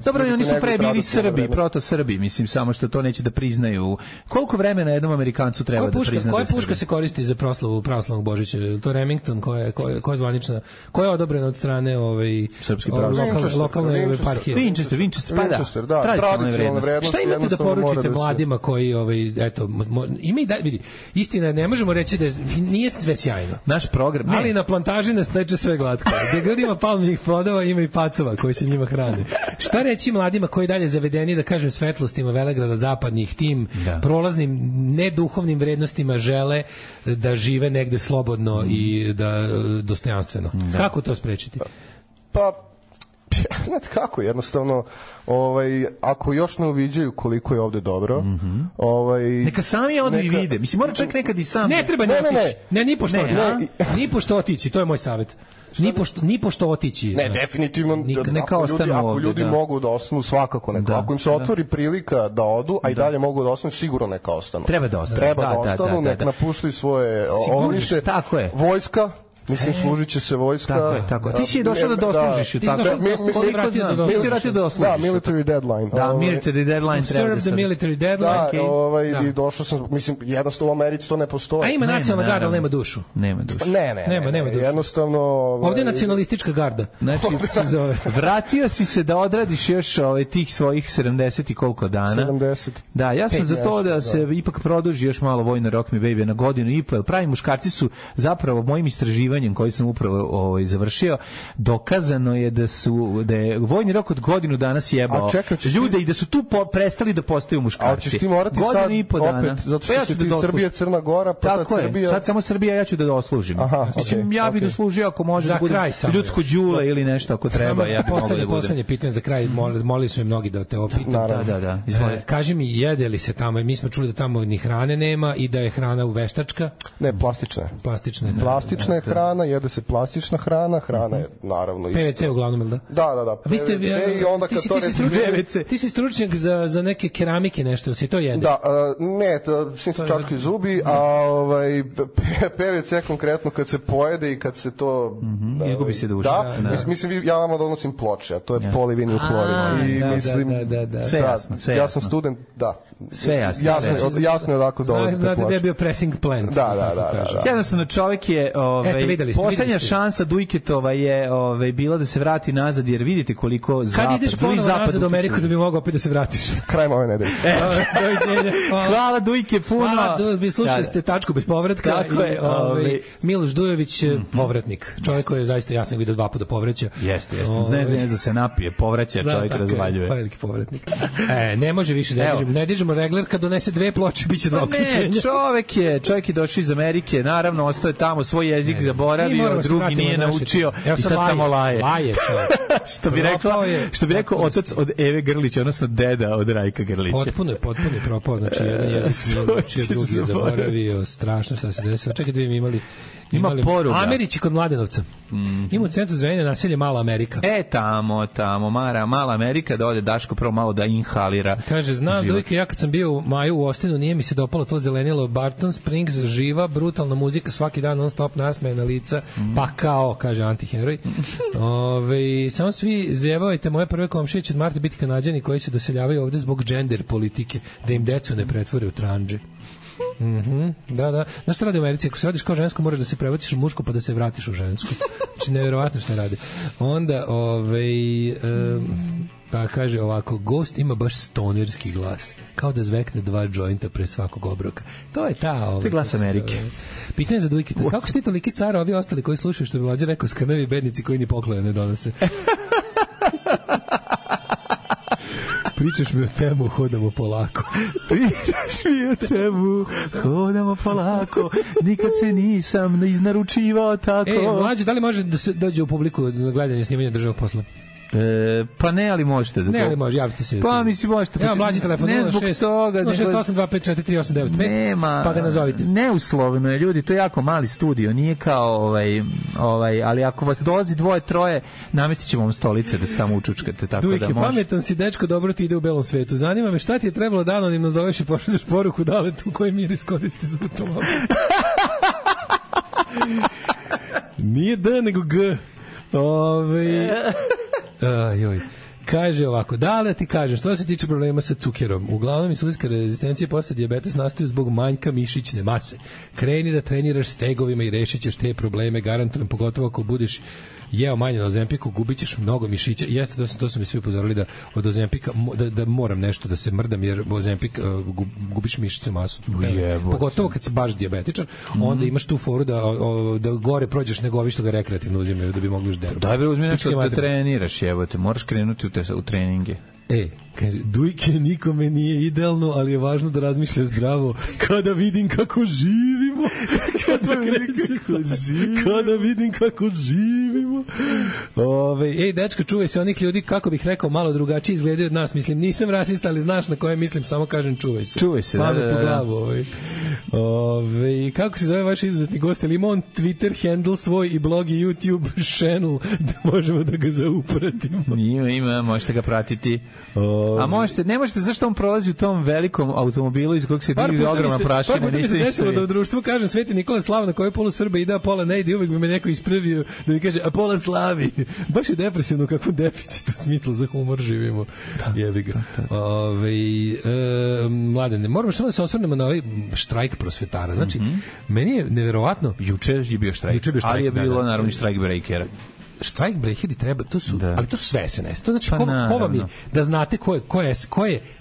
Dobro, oni su pre bili Srbi, proto-Srbi, mislim, samo što to neće da priznaju. Koliko vremena jednom Amerikancu treba da prizna? Koja puška se koristi za proslavu pravoslavnog Božića? Je to Remington koja je zvanična? Koja je odobrena od strane lokalne eparhije? Winchester, da. Tradicionalne vrednosti. Šta imate da poručite mladima koji, eto, ima i vidi, istina, ne možemo reći da nije sve sjajno. Naš program, ne. Ali na plantaži nas teče sve glatko. Gde god ima palminih plodova, ima i pacova koji se njima hrane. Šta reći mladima koji dalje zavedeni, da kažem, svetlostima Velegrada zapadnih, tim prolaznim neduhovnim vrednostima žele da žive negde slobodno i da dostojanstveno. Kako to sprečiti? Pa znate kako, jednostavno ako još ne uviđaju koliko je ovde dobro, neka sami odu i vide. Mislim, mora čovjek nekad i sam. Ne treba ni pošto otići, to je moj savjet. Ni pošto otići. Ne, definitivno. Ako ljudi mogu da ostanu, svakako neka. Ako im se otvori prilika da odu, a i dalje mogu da ostanu, sigurno neka ostanu. Treba da ostanu, neka napuštaju svoje ognjište. Vojska, mislim, služit će se vojska. Tako. Ti si došao da doslužiš. Ti si vratio da doslužiš. Da, military deadline. Military deadline. Serve the military deadline. I došao sam, mislim, jednostavno u Americi to ne postoji. A ima nacionalna garda, ali nema dušu. Nema dušu. Nema dušu. Jednostavno... Ovdje je nacionalistička garda. Znači, vratio si se da odradiš još tih svojih 70 i koliko dana. 70. Da, ja sam za to da se ipak produži još malo vojno Rock Me Baby na godinu i po, jer pravi muškarci su zapravo mojim istraživanjem koji sam upravo završio, dokazano je da je vojni rok od godinu dana sjebao ljude i da su tu prestali da postaju muškarci. A ćeš ti morati sad opet, zato što si ti Srbija, Crna Gora, pa sad Srbija... Sad samo Srbija, ja ću da doslužim. Mislim, ja bih doslužio ako može da budem ljudsko đule ili nešto ako treba. Ja bih mogao da budem. Poslednje pitanje za kraj, molili su mi mnogi da te opitam. Da. Kaži mi, jede li se tamo, mi smo čuli da tamo ni hrane nema i da je hrana uveštačka? Ne, plastična je hrana, jede se plastična hrana je naravno PVC uglavnom, da? Da. PVC i onda kad to ti si stručnjak za neke keramike nešto, si to jede? Da, ne, svi se čačkaju zubi, a PVC konkretno kad se pojede i kad se to... Izgubi se duša. Da, mislim, ja vam donosim ploče, a to je polivinil klorid. I mislim... Sve jasno. Ja sam student, da. Sve jasno. Jasno je odakle dolazite ploče. Znate da je bio pressing plant. Da. Jednostavno čovjek je... Poslednja šansa Dujketova je bila da se vrati nazad, jer vidite koliko zapad... Kad ideš ponovo nazad u Ameriku da bi mogao opet da se vratiš? Krajem ove nedelje. Hvala Dujke puno. Hvala, vi slušali ste Tačku bez povratka. Miloš Dujović, povratnik. Čovjek koji je zaista, ja sam vidio 2 puta povraća. Jeste. Ne da se napije, povraća, čovjek razvaljuje. Veliki povratnik. Ne može više, ne dižemo regler, kad donese 2 ploče, biće 2 uključenja. Čovjek je došao iz Amerike, naravno, ostao je tamo, svoj jezik zaboravio, drugi nije naučio i sad samo laje. Što bi rekao otac od Eve Grlića, odnosno deda od Rajka Grlića. Potpuno je propao, znači jedan jezik nije naučio, drugi je zaboravio, strašno šta se desilo. Čekaj da bi imali poruga. Americi kod Mladenovca. Ima u centru zdravljenja naselje Mala Amerika. Tamo, Mala Amerika, da ode Daško prvo malo da inhalira. Kaže, znam Dojke, ja kad sam bio u maju u Ostinu, nije mi se dopalo to zelenilo. Barton Springs, živa, brutalna muzika, svaki dan non stop nasmejena lica, pa kao, kaže antiheroj. Samo svi zjebavajte moje prve komšije će od Marta biti Kanađani koji se doseljavaju ovde zbog gender politike, da im decu ne pretvore u tranđe. Da. Znaš šta radi u Americi? Ako se radiš kao žensko, moraš da se prebaciš u muško pa da se vratiš u žensko. Znači, nevjerovatno šta radi. Onda, pa kaže ovako, Ghost ima baš stonerski glas. Kao da zvekne 2 džointa pre svakog obroka. To je ta... To je glas Amerike. Pitanje za Dujkita. Kako ste toliki cara, ovi ostali koji slušaju, što bi Mlađe rekao, skrnavi bednici koji ni pokloje ne donose? Pričaš mi o temu, hodamo polako. Nikad se nisam iznaručivao tako. Mlađe, da li može da se dođe u publiku na gledanje snimanja državnog posla? Pa ne, ali možete. Ne, ali može, javite se. Pa mislim možete. Evo mlađi telefon, 068254389. Nema, pa ga nazovite. Neuslovno je, ljudi, to je jako mali studio, nije kao ali ako vas dolazi 2-3, namestit ćemo vam stolice da se tamo učučkate, tako Dujke, da može. Pametan si, dečko, dobro ti ide u belom svetu. Zanima me šta ti je trebalo da anonimno zoveš i pošalješ poruku da li tu koji mir iskoristi za automobil. Nije D, nego G. Joj. Kaže ovako, da ti kažem, što se tiče problema sa cukerom, uglavnom insulinska rezistencija posle dijabetes nastaju zbog manjka mišićne mase. Kreni da treniraš stegovima i rešit ćeš te probleme, garantujem, pogotovo ako budeš jeo manje na Ozempiku, gubit ćeš mnogo mišića. Jeste, to su mi svi upozorili da od Ozempika da moram nešto da se mrdam, jer Ozempik gubiš mišićnu masu. Pogotovo kad si baš dijabetičan, onda imaš tu foru da gore prođeš nego ovi što ga rekreativno uzimaju da bi mogli deru. Da bi uzmi nešto da treniraš, jebote, moraš krenuti u treninge. Kaže, Dujke, nikome nije idealno, ali je važno da razmišljaš zdravo. Kada vidim kako živimo. Kada vidim kako živimo. Ej, dečka, čuvaj se onih ljudi, kako bih rekao, malo drugačije izgledaju od nas. Mislim, nisam rasista, ali znaš na koje mislim, samo kažem čuvaj se. Čuvaj se, da. Glavu, kako se zove vaš izuzetni gost? Ili ima on Twitter handle svoj i blog i YouTube channel da možemo da ga zaupratimo? Ima, možete ga pratiti. A ne možete, zašto on prolazi u tom velikom automobilu iz kojeg se divi ogromna prašina? Par puta mi se desilo da u društvu kažem Sveti Nikola Slava na kojoj polu Srba ide, a pola ne ide i uvek bi me neko ispravio da mi kaže, a pola slavi. Baš je depresivno kakvu deficitu smitla za humor živimo. Jebi ga. Mladene, moramo samo da se osvrnemo na ovaj štrajk prosvetara. Znači, meni je neverovatno. Juče je bio štrajk, ali je bilo naravno štrajk breakera. Štrajk breakeri treba, to su, ali to su sve SNS. To znači, ko vam je, da znate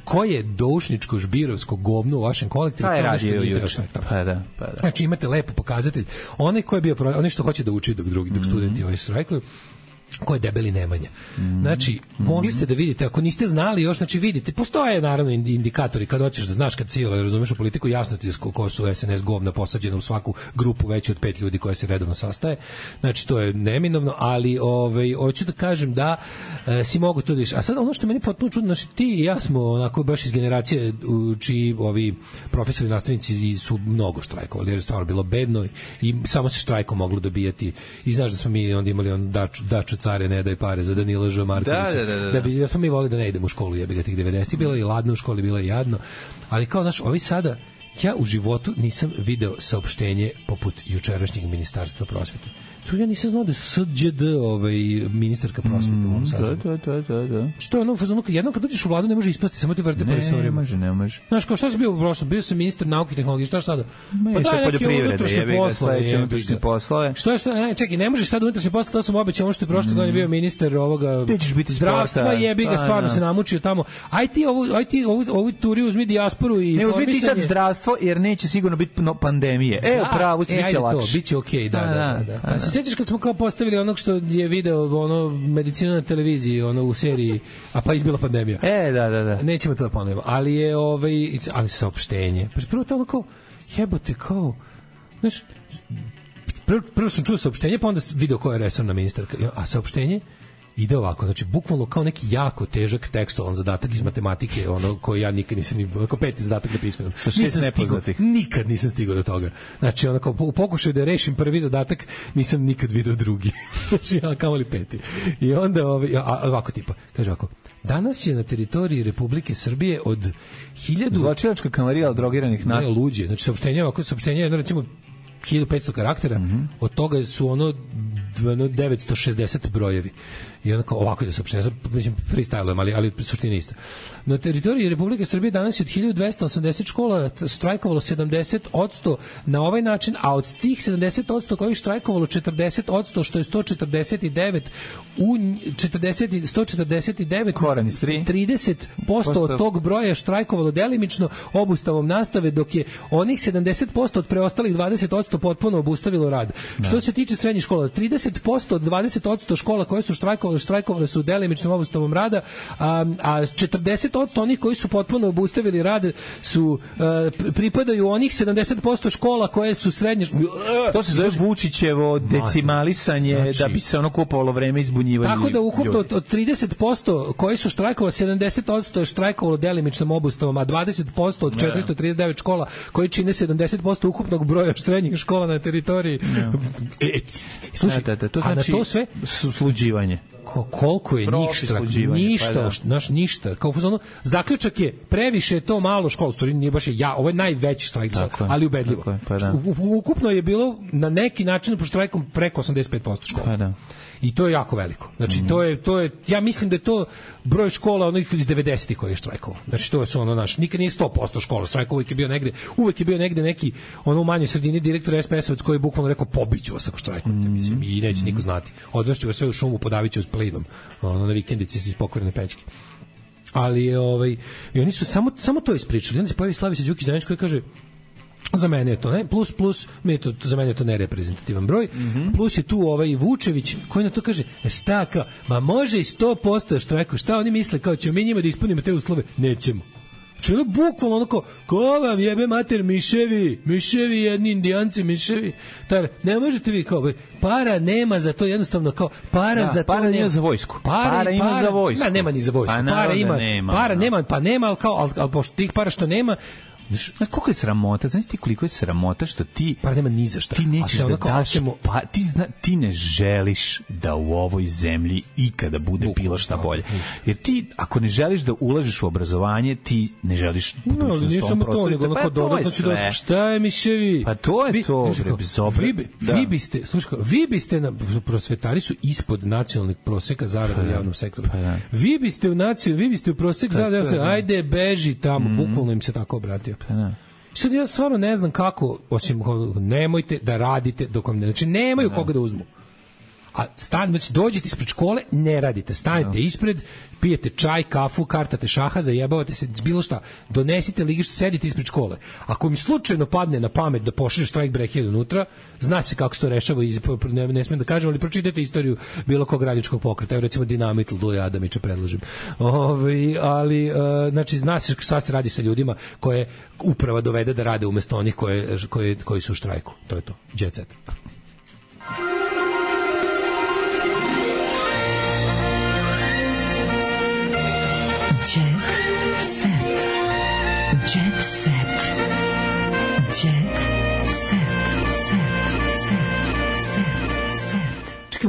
ko je doušničko žbirovsko govno u vašem kolektivu, to je radio juče. Pa da. Znači, imate lepo pokazatelj. Onaj ko je bio, onaj što hoće da uči dok studenti ovaj štrajkuju, ko je debeli Nemanja. Znači, mogli ste da vidite, ako niste znali još, znači vidite, postoje naravno indikatori kad hoćeš da znaš, kad cijelo razumeš u politiku, jasno ti je ko su SNS govna posađena u svaku grupu veću od 5 ljudi koja se redovno sastaje. Znači, to je neminovno, ali hoću da kažem da si mogu to da viš. A sad ono što meni potpuno čudno, znači ti i ja smo onako baš iz generacije čiji ovi profesori, nastavnici su mnogo štrajkovali, jer je stvarno bilo bedno i samo se štrajkom moglo dobijati. I znaš da smo mi onda imali daču care ne daj pare za Danila Ž. Markovića. Da smo mi volili da ne idemo u školu, jebi ga tih 90. Bilo je ladno u školi, bilo je jadno. Ali kao, znaš, ovi sada, ja u životu nisam video saopštenje poput jučerašnjeg ministarstva prosvete. Tu ja nisam znao da je SđD ministarka prosvete u ovom sazivu. Da. Što je ono, jednom kad dođeš u vladu ne može ispasti, samo ti vrte po resorima. Ne može. Znaš, kao šta si bio u prošlom? Bio sam ministar nauke i tehnologije, šta sada? Pa daj neki unutrašnje poslove. Što je, čekaj, ne možeš sad unutrašnje poslove, to sam obećao, ono što je prošle godine bio ministar ovoga zdravstva, jebi ga, stvarno se namučio tamo. Aj ti ovu turi uzmi dijasporu i ne uzmi ti sad zdravstvo, jer neće sigurno biti pandemije. Evo, pravo, biće lakše. Biće okej, da. Sećaš kad smo kao postavili onog što je video medicinu na televiziji, u seriji, a pa izbila pandemija. Da. Nećemo to da ponovimo, ali je ali saopštenje. Pa prvo to kao jebote kao, znaš, prvo sam čuo saopštenje, pa onda video koja je resorna ministarka, a saopštenje ide ovako, znači bukvalno kao neki jako težak tekstualan zadatak iz matematike, koji ja nikad nisam ni kao peti zadatak na pismenom. Sa 6 nepoznatih. Nikad nisam stigao do toga. Znači kao u pokušaju da rešim prvi zadatak, nisam nikad video drugi. Znači ja kamoli peti. I onda ovako tipa, kaže ovako: danas je na teritoriji Republike Srbije od 1000 zločinačka kamarila drogiranih ne luđe. Znači saopštenje je recimo 1500 karaktera, od toga su 960 brojevi. I onda kao ovako da saopštenje, mislim freestylujem, ali suština ista. Na teritoriji Republike Srbije danas je od 1280 škola štrajkovalo 70% na ovaj način, a od tih 70% koji je štrajkovalo 40%, što je 149 30% od tog broja je štrajkovalo delimično obustavom nastave, dok je onih 70% od preostalih 20% potpuno obustavilo rad. Što se tiče srednjih škola, 30% od 20% škola koje su štrajkovale su delimičnom obustavom rada, a 40% onih koji su potpuno obustavili rad su pripadaju onih 70% škola koje su srednje. To se zove Vučićevo decimalisanje, znači, da bi se kupovalo vreme izbunjivanja. Tako da ukupno od 30% koji su štrajkovali, 70% je štrajkovalo delimičnom obustavom, a 20% od 439 škola koji čine 70% ukupnog broja srednjih škola na teritoriji. Slušaj, to znači to sve sluđivanje. Koliko je ništa. Kao zaključak je previše to malo škola, stvari nije baš ovo je najveći štrajk, ali ubedljivo. Ukupno je bilo na neki način po štrajkom preko 85% škola. I to je jako veliko. Znači to je ja mislim da je to broj škola onih iz 90-ih koji je štrajkovao. Znači to je nikad nije 100% škola štrajkovao, uvek je bio negde neki u manjoj sredini direktor SPS-ovac koji je bukvalno rekao pobiću vas ako štrajkujete, mislim, i neće niko znati. Odvešću vas sve u šumu, podaviću s plinom, na vikendici iz pokvarene pećke. Ali i oni su samo to ispričali. Onda se pojavi Slaviša Đukić koji kaže: za mene je to ne, plus za mene je to nereprezentativan broj, plus je tu Vučević koji na to kaže: ma može i 100% štrajku, šta oni misle, kao ćemo mi njima da ispunimo te uslove? Nećemo. Čili bukvalno onako, ko vam jebe mater miševi jedni indijanci, miševi. Ne možete vi kao, para nema za to, jednostavno kao, para za to para nema. Za vojsku. Para ima za vojsku. Nema ni za vojsku. Para nema, pa nema, kao, ali pošto tih para što nema, koliko je sramota, znaš ti koliko je sramota što ti pa nema ni za šta. Ti nećeš da daš, pa ti ne želiš da u ovoj zemlji ikada bude bilo šta bolje. Jer ti ako ne želiš da ulažeš u obrazovanje, ti ne želiš budućnost. Nije samo to, nego onako dodatno ću da šta je miševi. Pa to je to, vi biste prosvetari su ispod nacionalnih proseka zarada u javnom sektoru. Vi biste u prosek zarada, ajde beži tamo, bukvalno im se tako obratio. Sad ja stvarno ne znam kako, osim nemojte da radite dok vam ne, znači nemaju koga da uzmu. A znači dođete ispred škole, ne radite, stanete ispred, pijete čaj, kafu, kartate šaha, zajebavate se, bilo šta, donesite ligištu, sedite ispred škole. Ako mi slučajno padne na pamet da pošalje štrajk break unutra, zna se kako se to rešava, ne smijem da kažem, ali pročitajte istoriju bilo kog radničkog pokreta, evo recimo Dinamit Duje Adamića predložim. Ali, znači, zna se šta se radi sa ljudima koje uprava dovede da rade umesto onih koji su u štrajku. To je to. Jet set.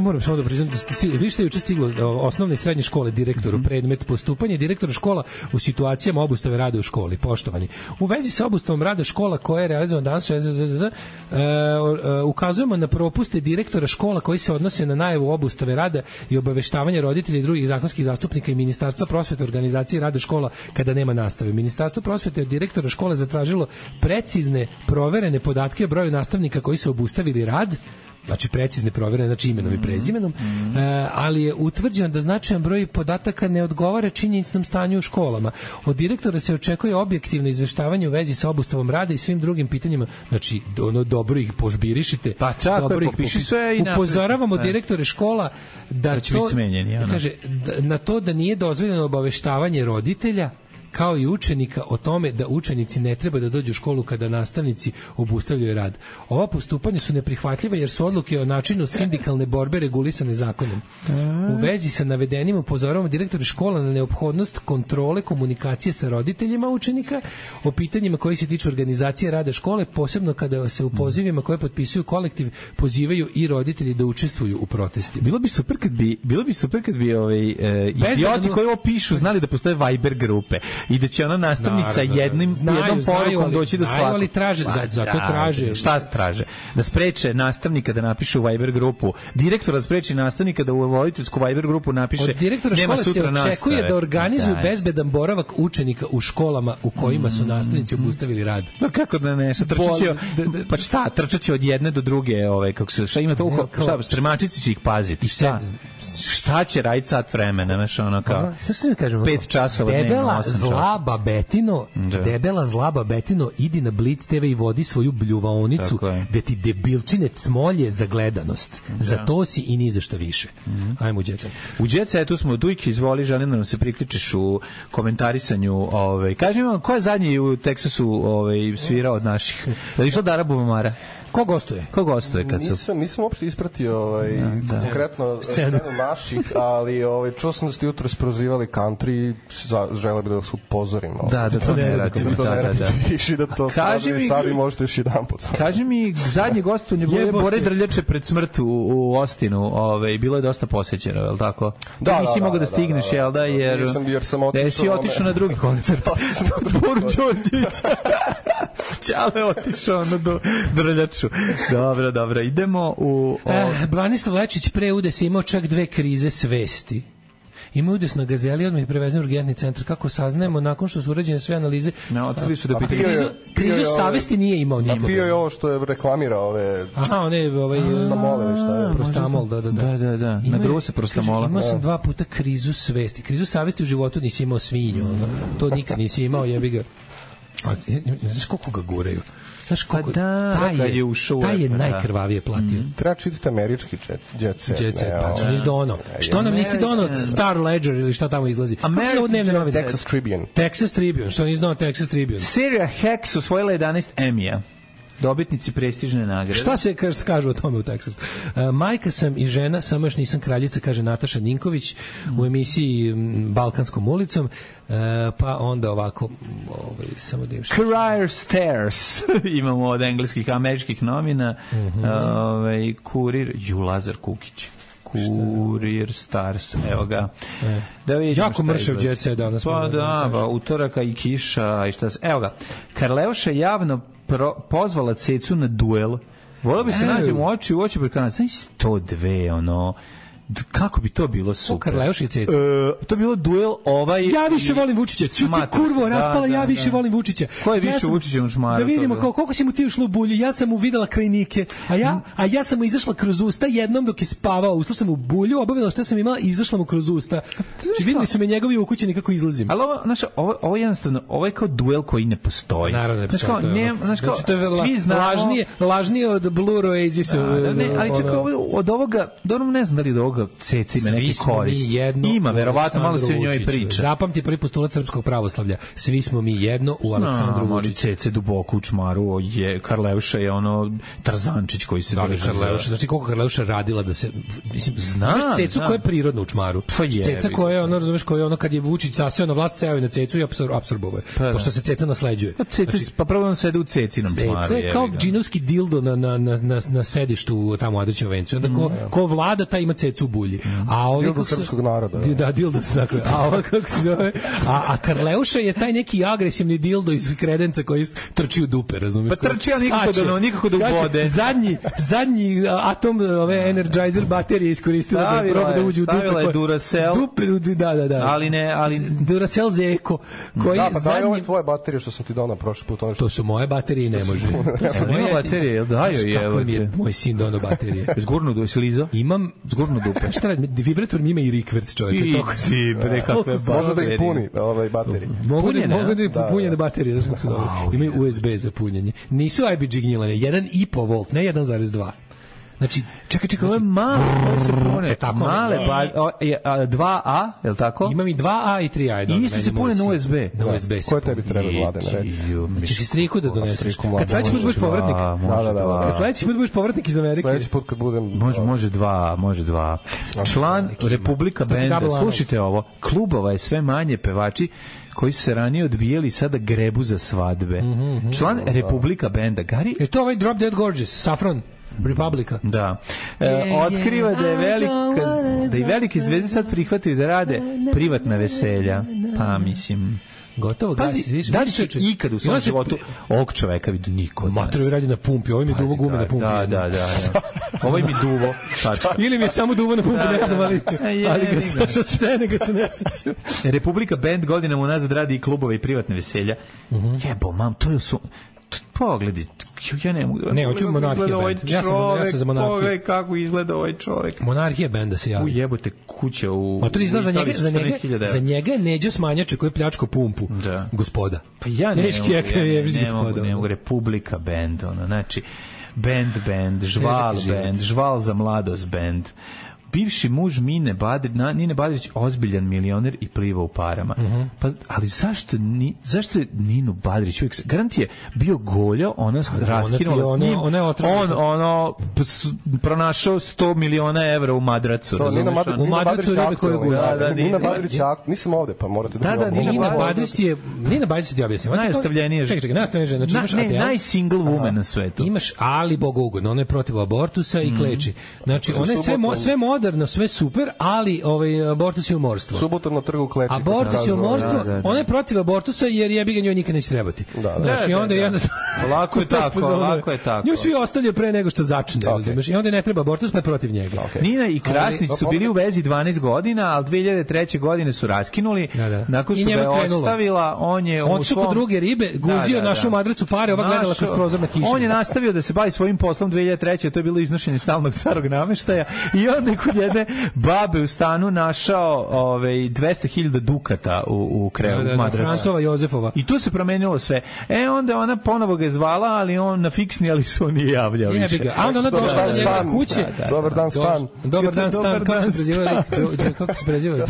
Moram samo da priznam da ste vi što je juče stiglo osnovne i srednje škole direktoru predmet postupanje direktora škola u situacijama obustave rada u školi. Poštovani, u vezi sa obustavom rada škola koja je realizovana danas ukazujemo na propuste direktora škola koji se odnose na najavu obustave rada i obaveštavanja roditelja i drugih zakonskih zastupnika i Ministarstva prosvete organizacije rada škola kada nema nastave. Ministarstvo prosvete od direktora škole zatražilo precizne proverene podatke o broju nastavnika koji su obustavili rad, znači precizne provjere, znači imenom i prezimenom, ali je utvrđeno da značajan broj podataka ne odgovara činjenicnom stanju u školama. Od direktora se očekuje objektivno izveštavanje u vezi sa obustavom rada i svim drugim pitanjima, znači dobro ih požbirišite, pa čak dobro ih popiši sve i upozoravamo direktore škola da to, kaže, na to da nije dozvoljeno obaveštavanje roditelja kao i učenika o tome da učenici ne treba da dođu u školu kada nastavnici obustavljaju rad. Ova postupanja su neprihvatljiva jer su odluke o načinu sindikalne borbe regulisane zakonom. U vezi sa navedenim upozoravamo direktore škola na neophodnost kontrole komunikacije sa roditeljima učenika o pitanjima koji se tiču organizacije rada škole, posebno kada se u pozivima koje potpisuju kolektiv pozivaju i roditelji da učestvuju u protestima. Bilo bi super kad bi idioti koji ovo pišu znali da postoje Viber grupe i da će ona nastavnica jednom porukom doći do svakog. Ali traže, zato traže. Šta traže? Da spreče nastavnika da napiše u Viber grupu, direktora da spreči nastavnika da u voditeljsku Viber grupu napiše od direktora škole se očekuje da organizuju bezbedan boravak učenika u školama u kojima su nastavnici obustavili rad. No kako da ne, pa šta, trčaće od jedne do druge, kako se, šta ima toliko, šta, spremačici će ih paziti, šta će raditi sat vremena, znaš, ono kao 5 časova dnevno, 8 časova. Debela zla babetino, idi na Blitz TV i vodi svoju bljuvaonicu gde ti debilčine cmolje za gledanost. Za to si i ni za šta više. Ajmo u Jet Set. U Jet Setu smo, Dujke, izvoli, želim da nam se priključiš u komentarisanju. Kaži mi vam, ko je zadnji u Teksasu svirao od naših? Da li išla Dara Bubamara? Ko gostuje? Kad su... Nisam uopšte ispratio konkretno scenu naših, ali čuo sam da ste jutro sprozivali country, žele bi da vas upozorim. Da to ne radimo. I da to sad i možete još jedan put. Kaži mi, zadnje gostovanje Bore Drljače pred smrt u Ostinu, bilo je dosta posećeno, je li tako? Da, nisi mogao da stigneš, jel da, jer si otišao na drugi koncert. Boru Đorđevića. Čale otišao na Drljaču. Dobro, idemo u... Branislav Lečić pre udesa imao čak 2 krize svesti. Ima udes na Gazeli, odmah je prevezen u urgentni centar. Kako saznajemo, nakon što su urađene sve analize... Otvili su da pitaju... Krizu savesti nije imao nikog. Napio je ovo što je reklamira ove... Aha, one... Prostamole, ili šta je? Prostamol, da. Da. Na drugo se prostamola. Imao sam 2 puta krizu svesti. Krizu savesti u životu nisi imao svinju. To nikad nisi imao, jebi ga. Ne znaš koliko ga guraju. Znaš koliko taj je najkrvavije platio. Treba čitati američki jet set. Jet set, pa što nisi dono. Što nam nisi dono Star Ledger ili šta tamo izlazi? Texas Tribune. Texas Tribune, što nisi dono Texas Tribune. Serija Hex osvojila 11 Emmy-a. Dobitnici prestižne nagrade. Šta se kažu o tome u Teksasu? Majka sam i žena, samo još nisam kraljica, kaže Nataša Ninković u emisiji Balkanskom ulicom. Pa onda ovako samo da im Career Stairs imamo od engleskih, američkih novina. Kurir, Lazar Kukić. Kurir Stars, evo ga. Da jako mršav jet set danas. Pa da, utoraka i kiša i šta se... Evo ga. Karleuša javno pozvala Cecu na duel. Volio bi se nađem u oči prekana. Znaš 102, ono... Kako bi to bilo super. Karleuš i Ceca. To bilo duel Ja više volim Vučića. Ću ti kurvo raspala, ja više volim Vučića. Ko je više Vučića u šmaru? Da vidimo koliko si mu ti ušlo u bulju. Ja sam mu videla krajnike, a ja sam mu izašla kroz usta jednom dok je spavao. Ušla sam u bulju, obavila šta sam imala i izašla mu kroz usta. Znači videli su me njegovi ukućeni kako izlazim. Ali ovo jednostavno, ovo je kao duel koji ne postoji. Naravno ne postoji. Znači to je lažnije od Blue Oasisa. Ali čekaj, od ovoga, dobro ne znam da li od ovoga Ceci ima neki korist. Ima, verovatno, malo se o njoj priča. Zapamti prvi postulat srpskog pravoslavlja. Svi smo mi jedno u Aleksandru Vučiću. Cece duboko u čmaru, Karleuša je ono Tarzančić koji se drži. Karleuša, znači koliko Karleuša radila da se... Znaš Cecu koja je prirodna u čmaru. Ceca koja je ono, razumeš, koja je ono kad je Vučić saseo na vlast, seo je na Cecu i apsorbovao je. Pošto se Ceca nasleđuje. Pa prvo on sede u Cecinom čmaru. Ceca je kao džinovski dildo na sedištu tamo u Adrićevom vencu. Onda ko vlada, taj ima Cecu u bulji. A ovi dildo srpskog naroda. Da, dildo se tako. A ovo kako se zove? A Karleuša je taj neki agresivni dildo iz kredenca koji trči u dupe, razumiješ? Pa trči, ali nikako da ubode. Zadnji atom ove Energizer baterije iskoristila da proba da uđe u dupe. Stavila je Duracell. Da. Ali Duracell Zeko. Da, pa daj ove tvoje baterije što sam ti dao na prošli put. To su moje baterije i ne može. To su moje baterije, jel daju je? Kako mi je moj sin donao baterije? Zgurnu do Siliza? Imam zgurnu dupe. Šta radi? Vibrator mi ima i rikverc, čovječe. Možda da ih puni baterije. Mogu da ih punjene baterije. Imaju USB za punjenje. Nisu IBG gnjilane. 1,5 volt, ne 1,2. Znači, čekaj, ovo je malo, ovo se pune, male, 2A, je li tako? Imam i 2A i 3A. I isto se pune na USB. Na USB. Koje tebi treba, Mladene, reci? Ćeš i striku da doneseš. Kad sledeći put budeš povratnik. Kad sledeći put budeš povratnik iz Amerike. Sledeći put kad budem... Može dva. Član Republika Benda, slušajte ovo, klubova je sve manje, pevači koji su se ranije odbijeli sada grebu za svadbe. Član Republika Benda, Gari... Je to ovaj Drop Dead Gorgeous, Saffron? Republika. Da. Otkriva da je i velike zvezde sad prihvataju da rade privatna veselja. Pa mislim... Gotovo gasi. Da li će ikad u svom životu ovog čoveka vidu niko? Mater radi na pumpi, ovo mi je duvo gume na pumpi. Da. Ovo mi duvo. Ili mi je samo duvo na pumpi, ne znam, ali ga sa scene ga se ne sećam. Republika Band godinama unazad radi i klubove i privatne veselja. Jebo, mam, to je pogledi, ja ne mogu da... Ne, hoću Monarhija band. Ja sam za Monarhiju. Pogledaj kako izgleda ovaj čovjek. Monarhija band da se javi. Ujebote kuća u... Ma to izgleda za njega je Neđo Smanjače koji je pljačko pumpu. Da. Gospoda. Pa ja ne mogu, Republika band, znači, band, žval za mladost band. Bivši muž Nine Badrić ozbiljan milioner i pliva u parama. Pa, ali zašto je Ninu Badrić uvijek, garant je bio goljo, ona raskinula s njim, on pronašao 100 miliona evra u madracu. U madracu ribe koje gulja. Nina Badrić, nisam ovde, pa morate da Nina Badrić ti objasnim. Najostavljenije žena. Najsingle woman na svetu. Imaš Ali Bogogun, ona je protiv abortusa i kleči. Znači, ona je sve moderno, sve super, ali abortus je umorstvo. Subotom na trgu kleči. Abortus je umorstvo, ona je protiv abortusa jer jebi ga njoj nikad neće trebati. Znači, i onda lako je tako. Nju svi ostavljaju pre nego što začne, razumeš? I onda ne treba abortus, pa je protiv njega. Nina i Krasnić su bili u vezi 12 godina, ali 2003. godine su raskinuli. Nakon što ga je ostavila, on je otišao kod druge ribe, guzio našu madracu pare, ova gledala kroz prozor na kišu. On je nastavio da se bavi svojim poslom 2003. To je bilo iznošenje stalnog starog nameštaja i onda je kod kod jedne babe u stanu našao 200.000 dukata u krevu madraca. Francova Jozefova. I tu se promenilo sve. Onda ona ponovo ga je zvala, ali on na fiksni, ali se on nije javljao više. A onda ona došla do njega kuće. Dobar dan, Stan. Dobar dan, Stan. Kako se preziva?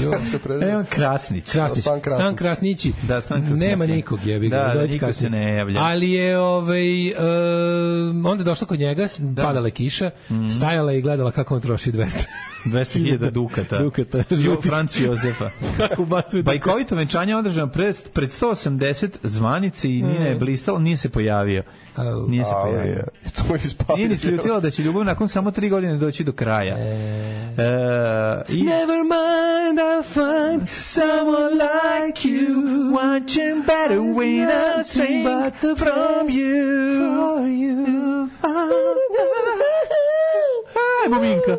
Evo Krasnić. Stan Krasnići. Da, Stan Krasnić. Nema nikog, jebi ga. Da, niko se ne javlja. Ali je onda je došla kod njega, padala kiša, stajala i gledala kako on troši 200.000 dukata. Franci Jozefa. Kako ubacuje? Bajkovito venčanje održano pred 180 zvanice i Nina je blistala, nije se pojavio. Nije se pojavio. Nije ni sljutila da će ljubav nakon samo 3 godine doći do kraja. Never mind, I'll find someone like you, watching better when I drink from you. Ajmo, Minka.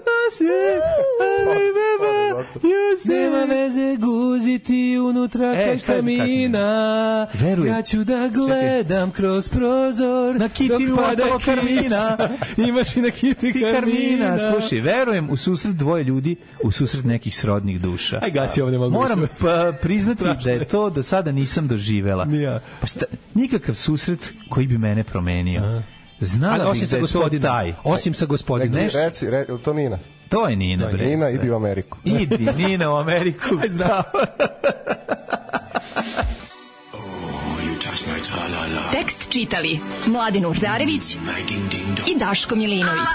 Nema veze guziti unutra kaj kamina. Ja ću da gledam kroz prozor na kiti mi ostalo karmina. Imaš i na kiti karmina. Slušaj, verujem u susret dvoje ljudi, u susret nekih srodnih duša. Aj gasi, ovo ne mogu. Moram priznati da je to do sada nisam doživela. Pa šta, nikakav susret koji bi mene promenio. Znala bih da je to taj. Osim sa gospodinom. Reci, to Nina. To je Nina. Nina, idi u Ameriku. Idi, Nina, u Ameriku. Zdravo. Tekst čitali Mladin Urdarević i Daško Milinović.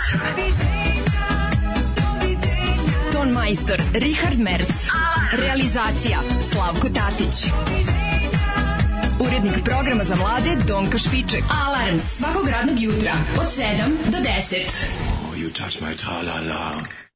Ton majstor Richard Merc. Realizacija Slavko Tatić. Urednik programa za mlade Donka Špiček. Alarms svakog radnog jutra od 7 do 10. You touch my tra-la-la.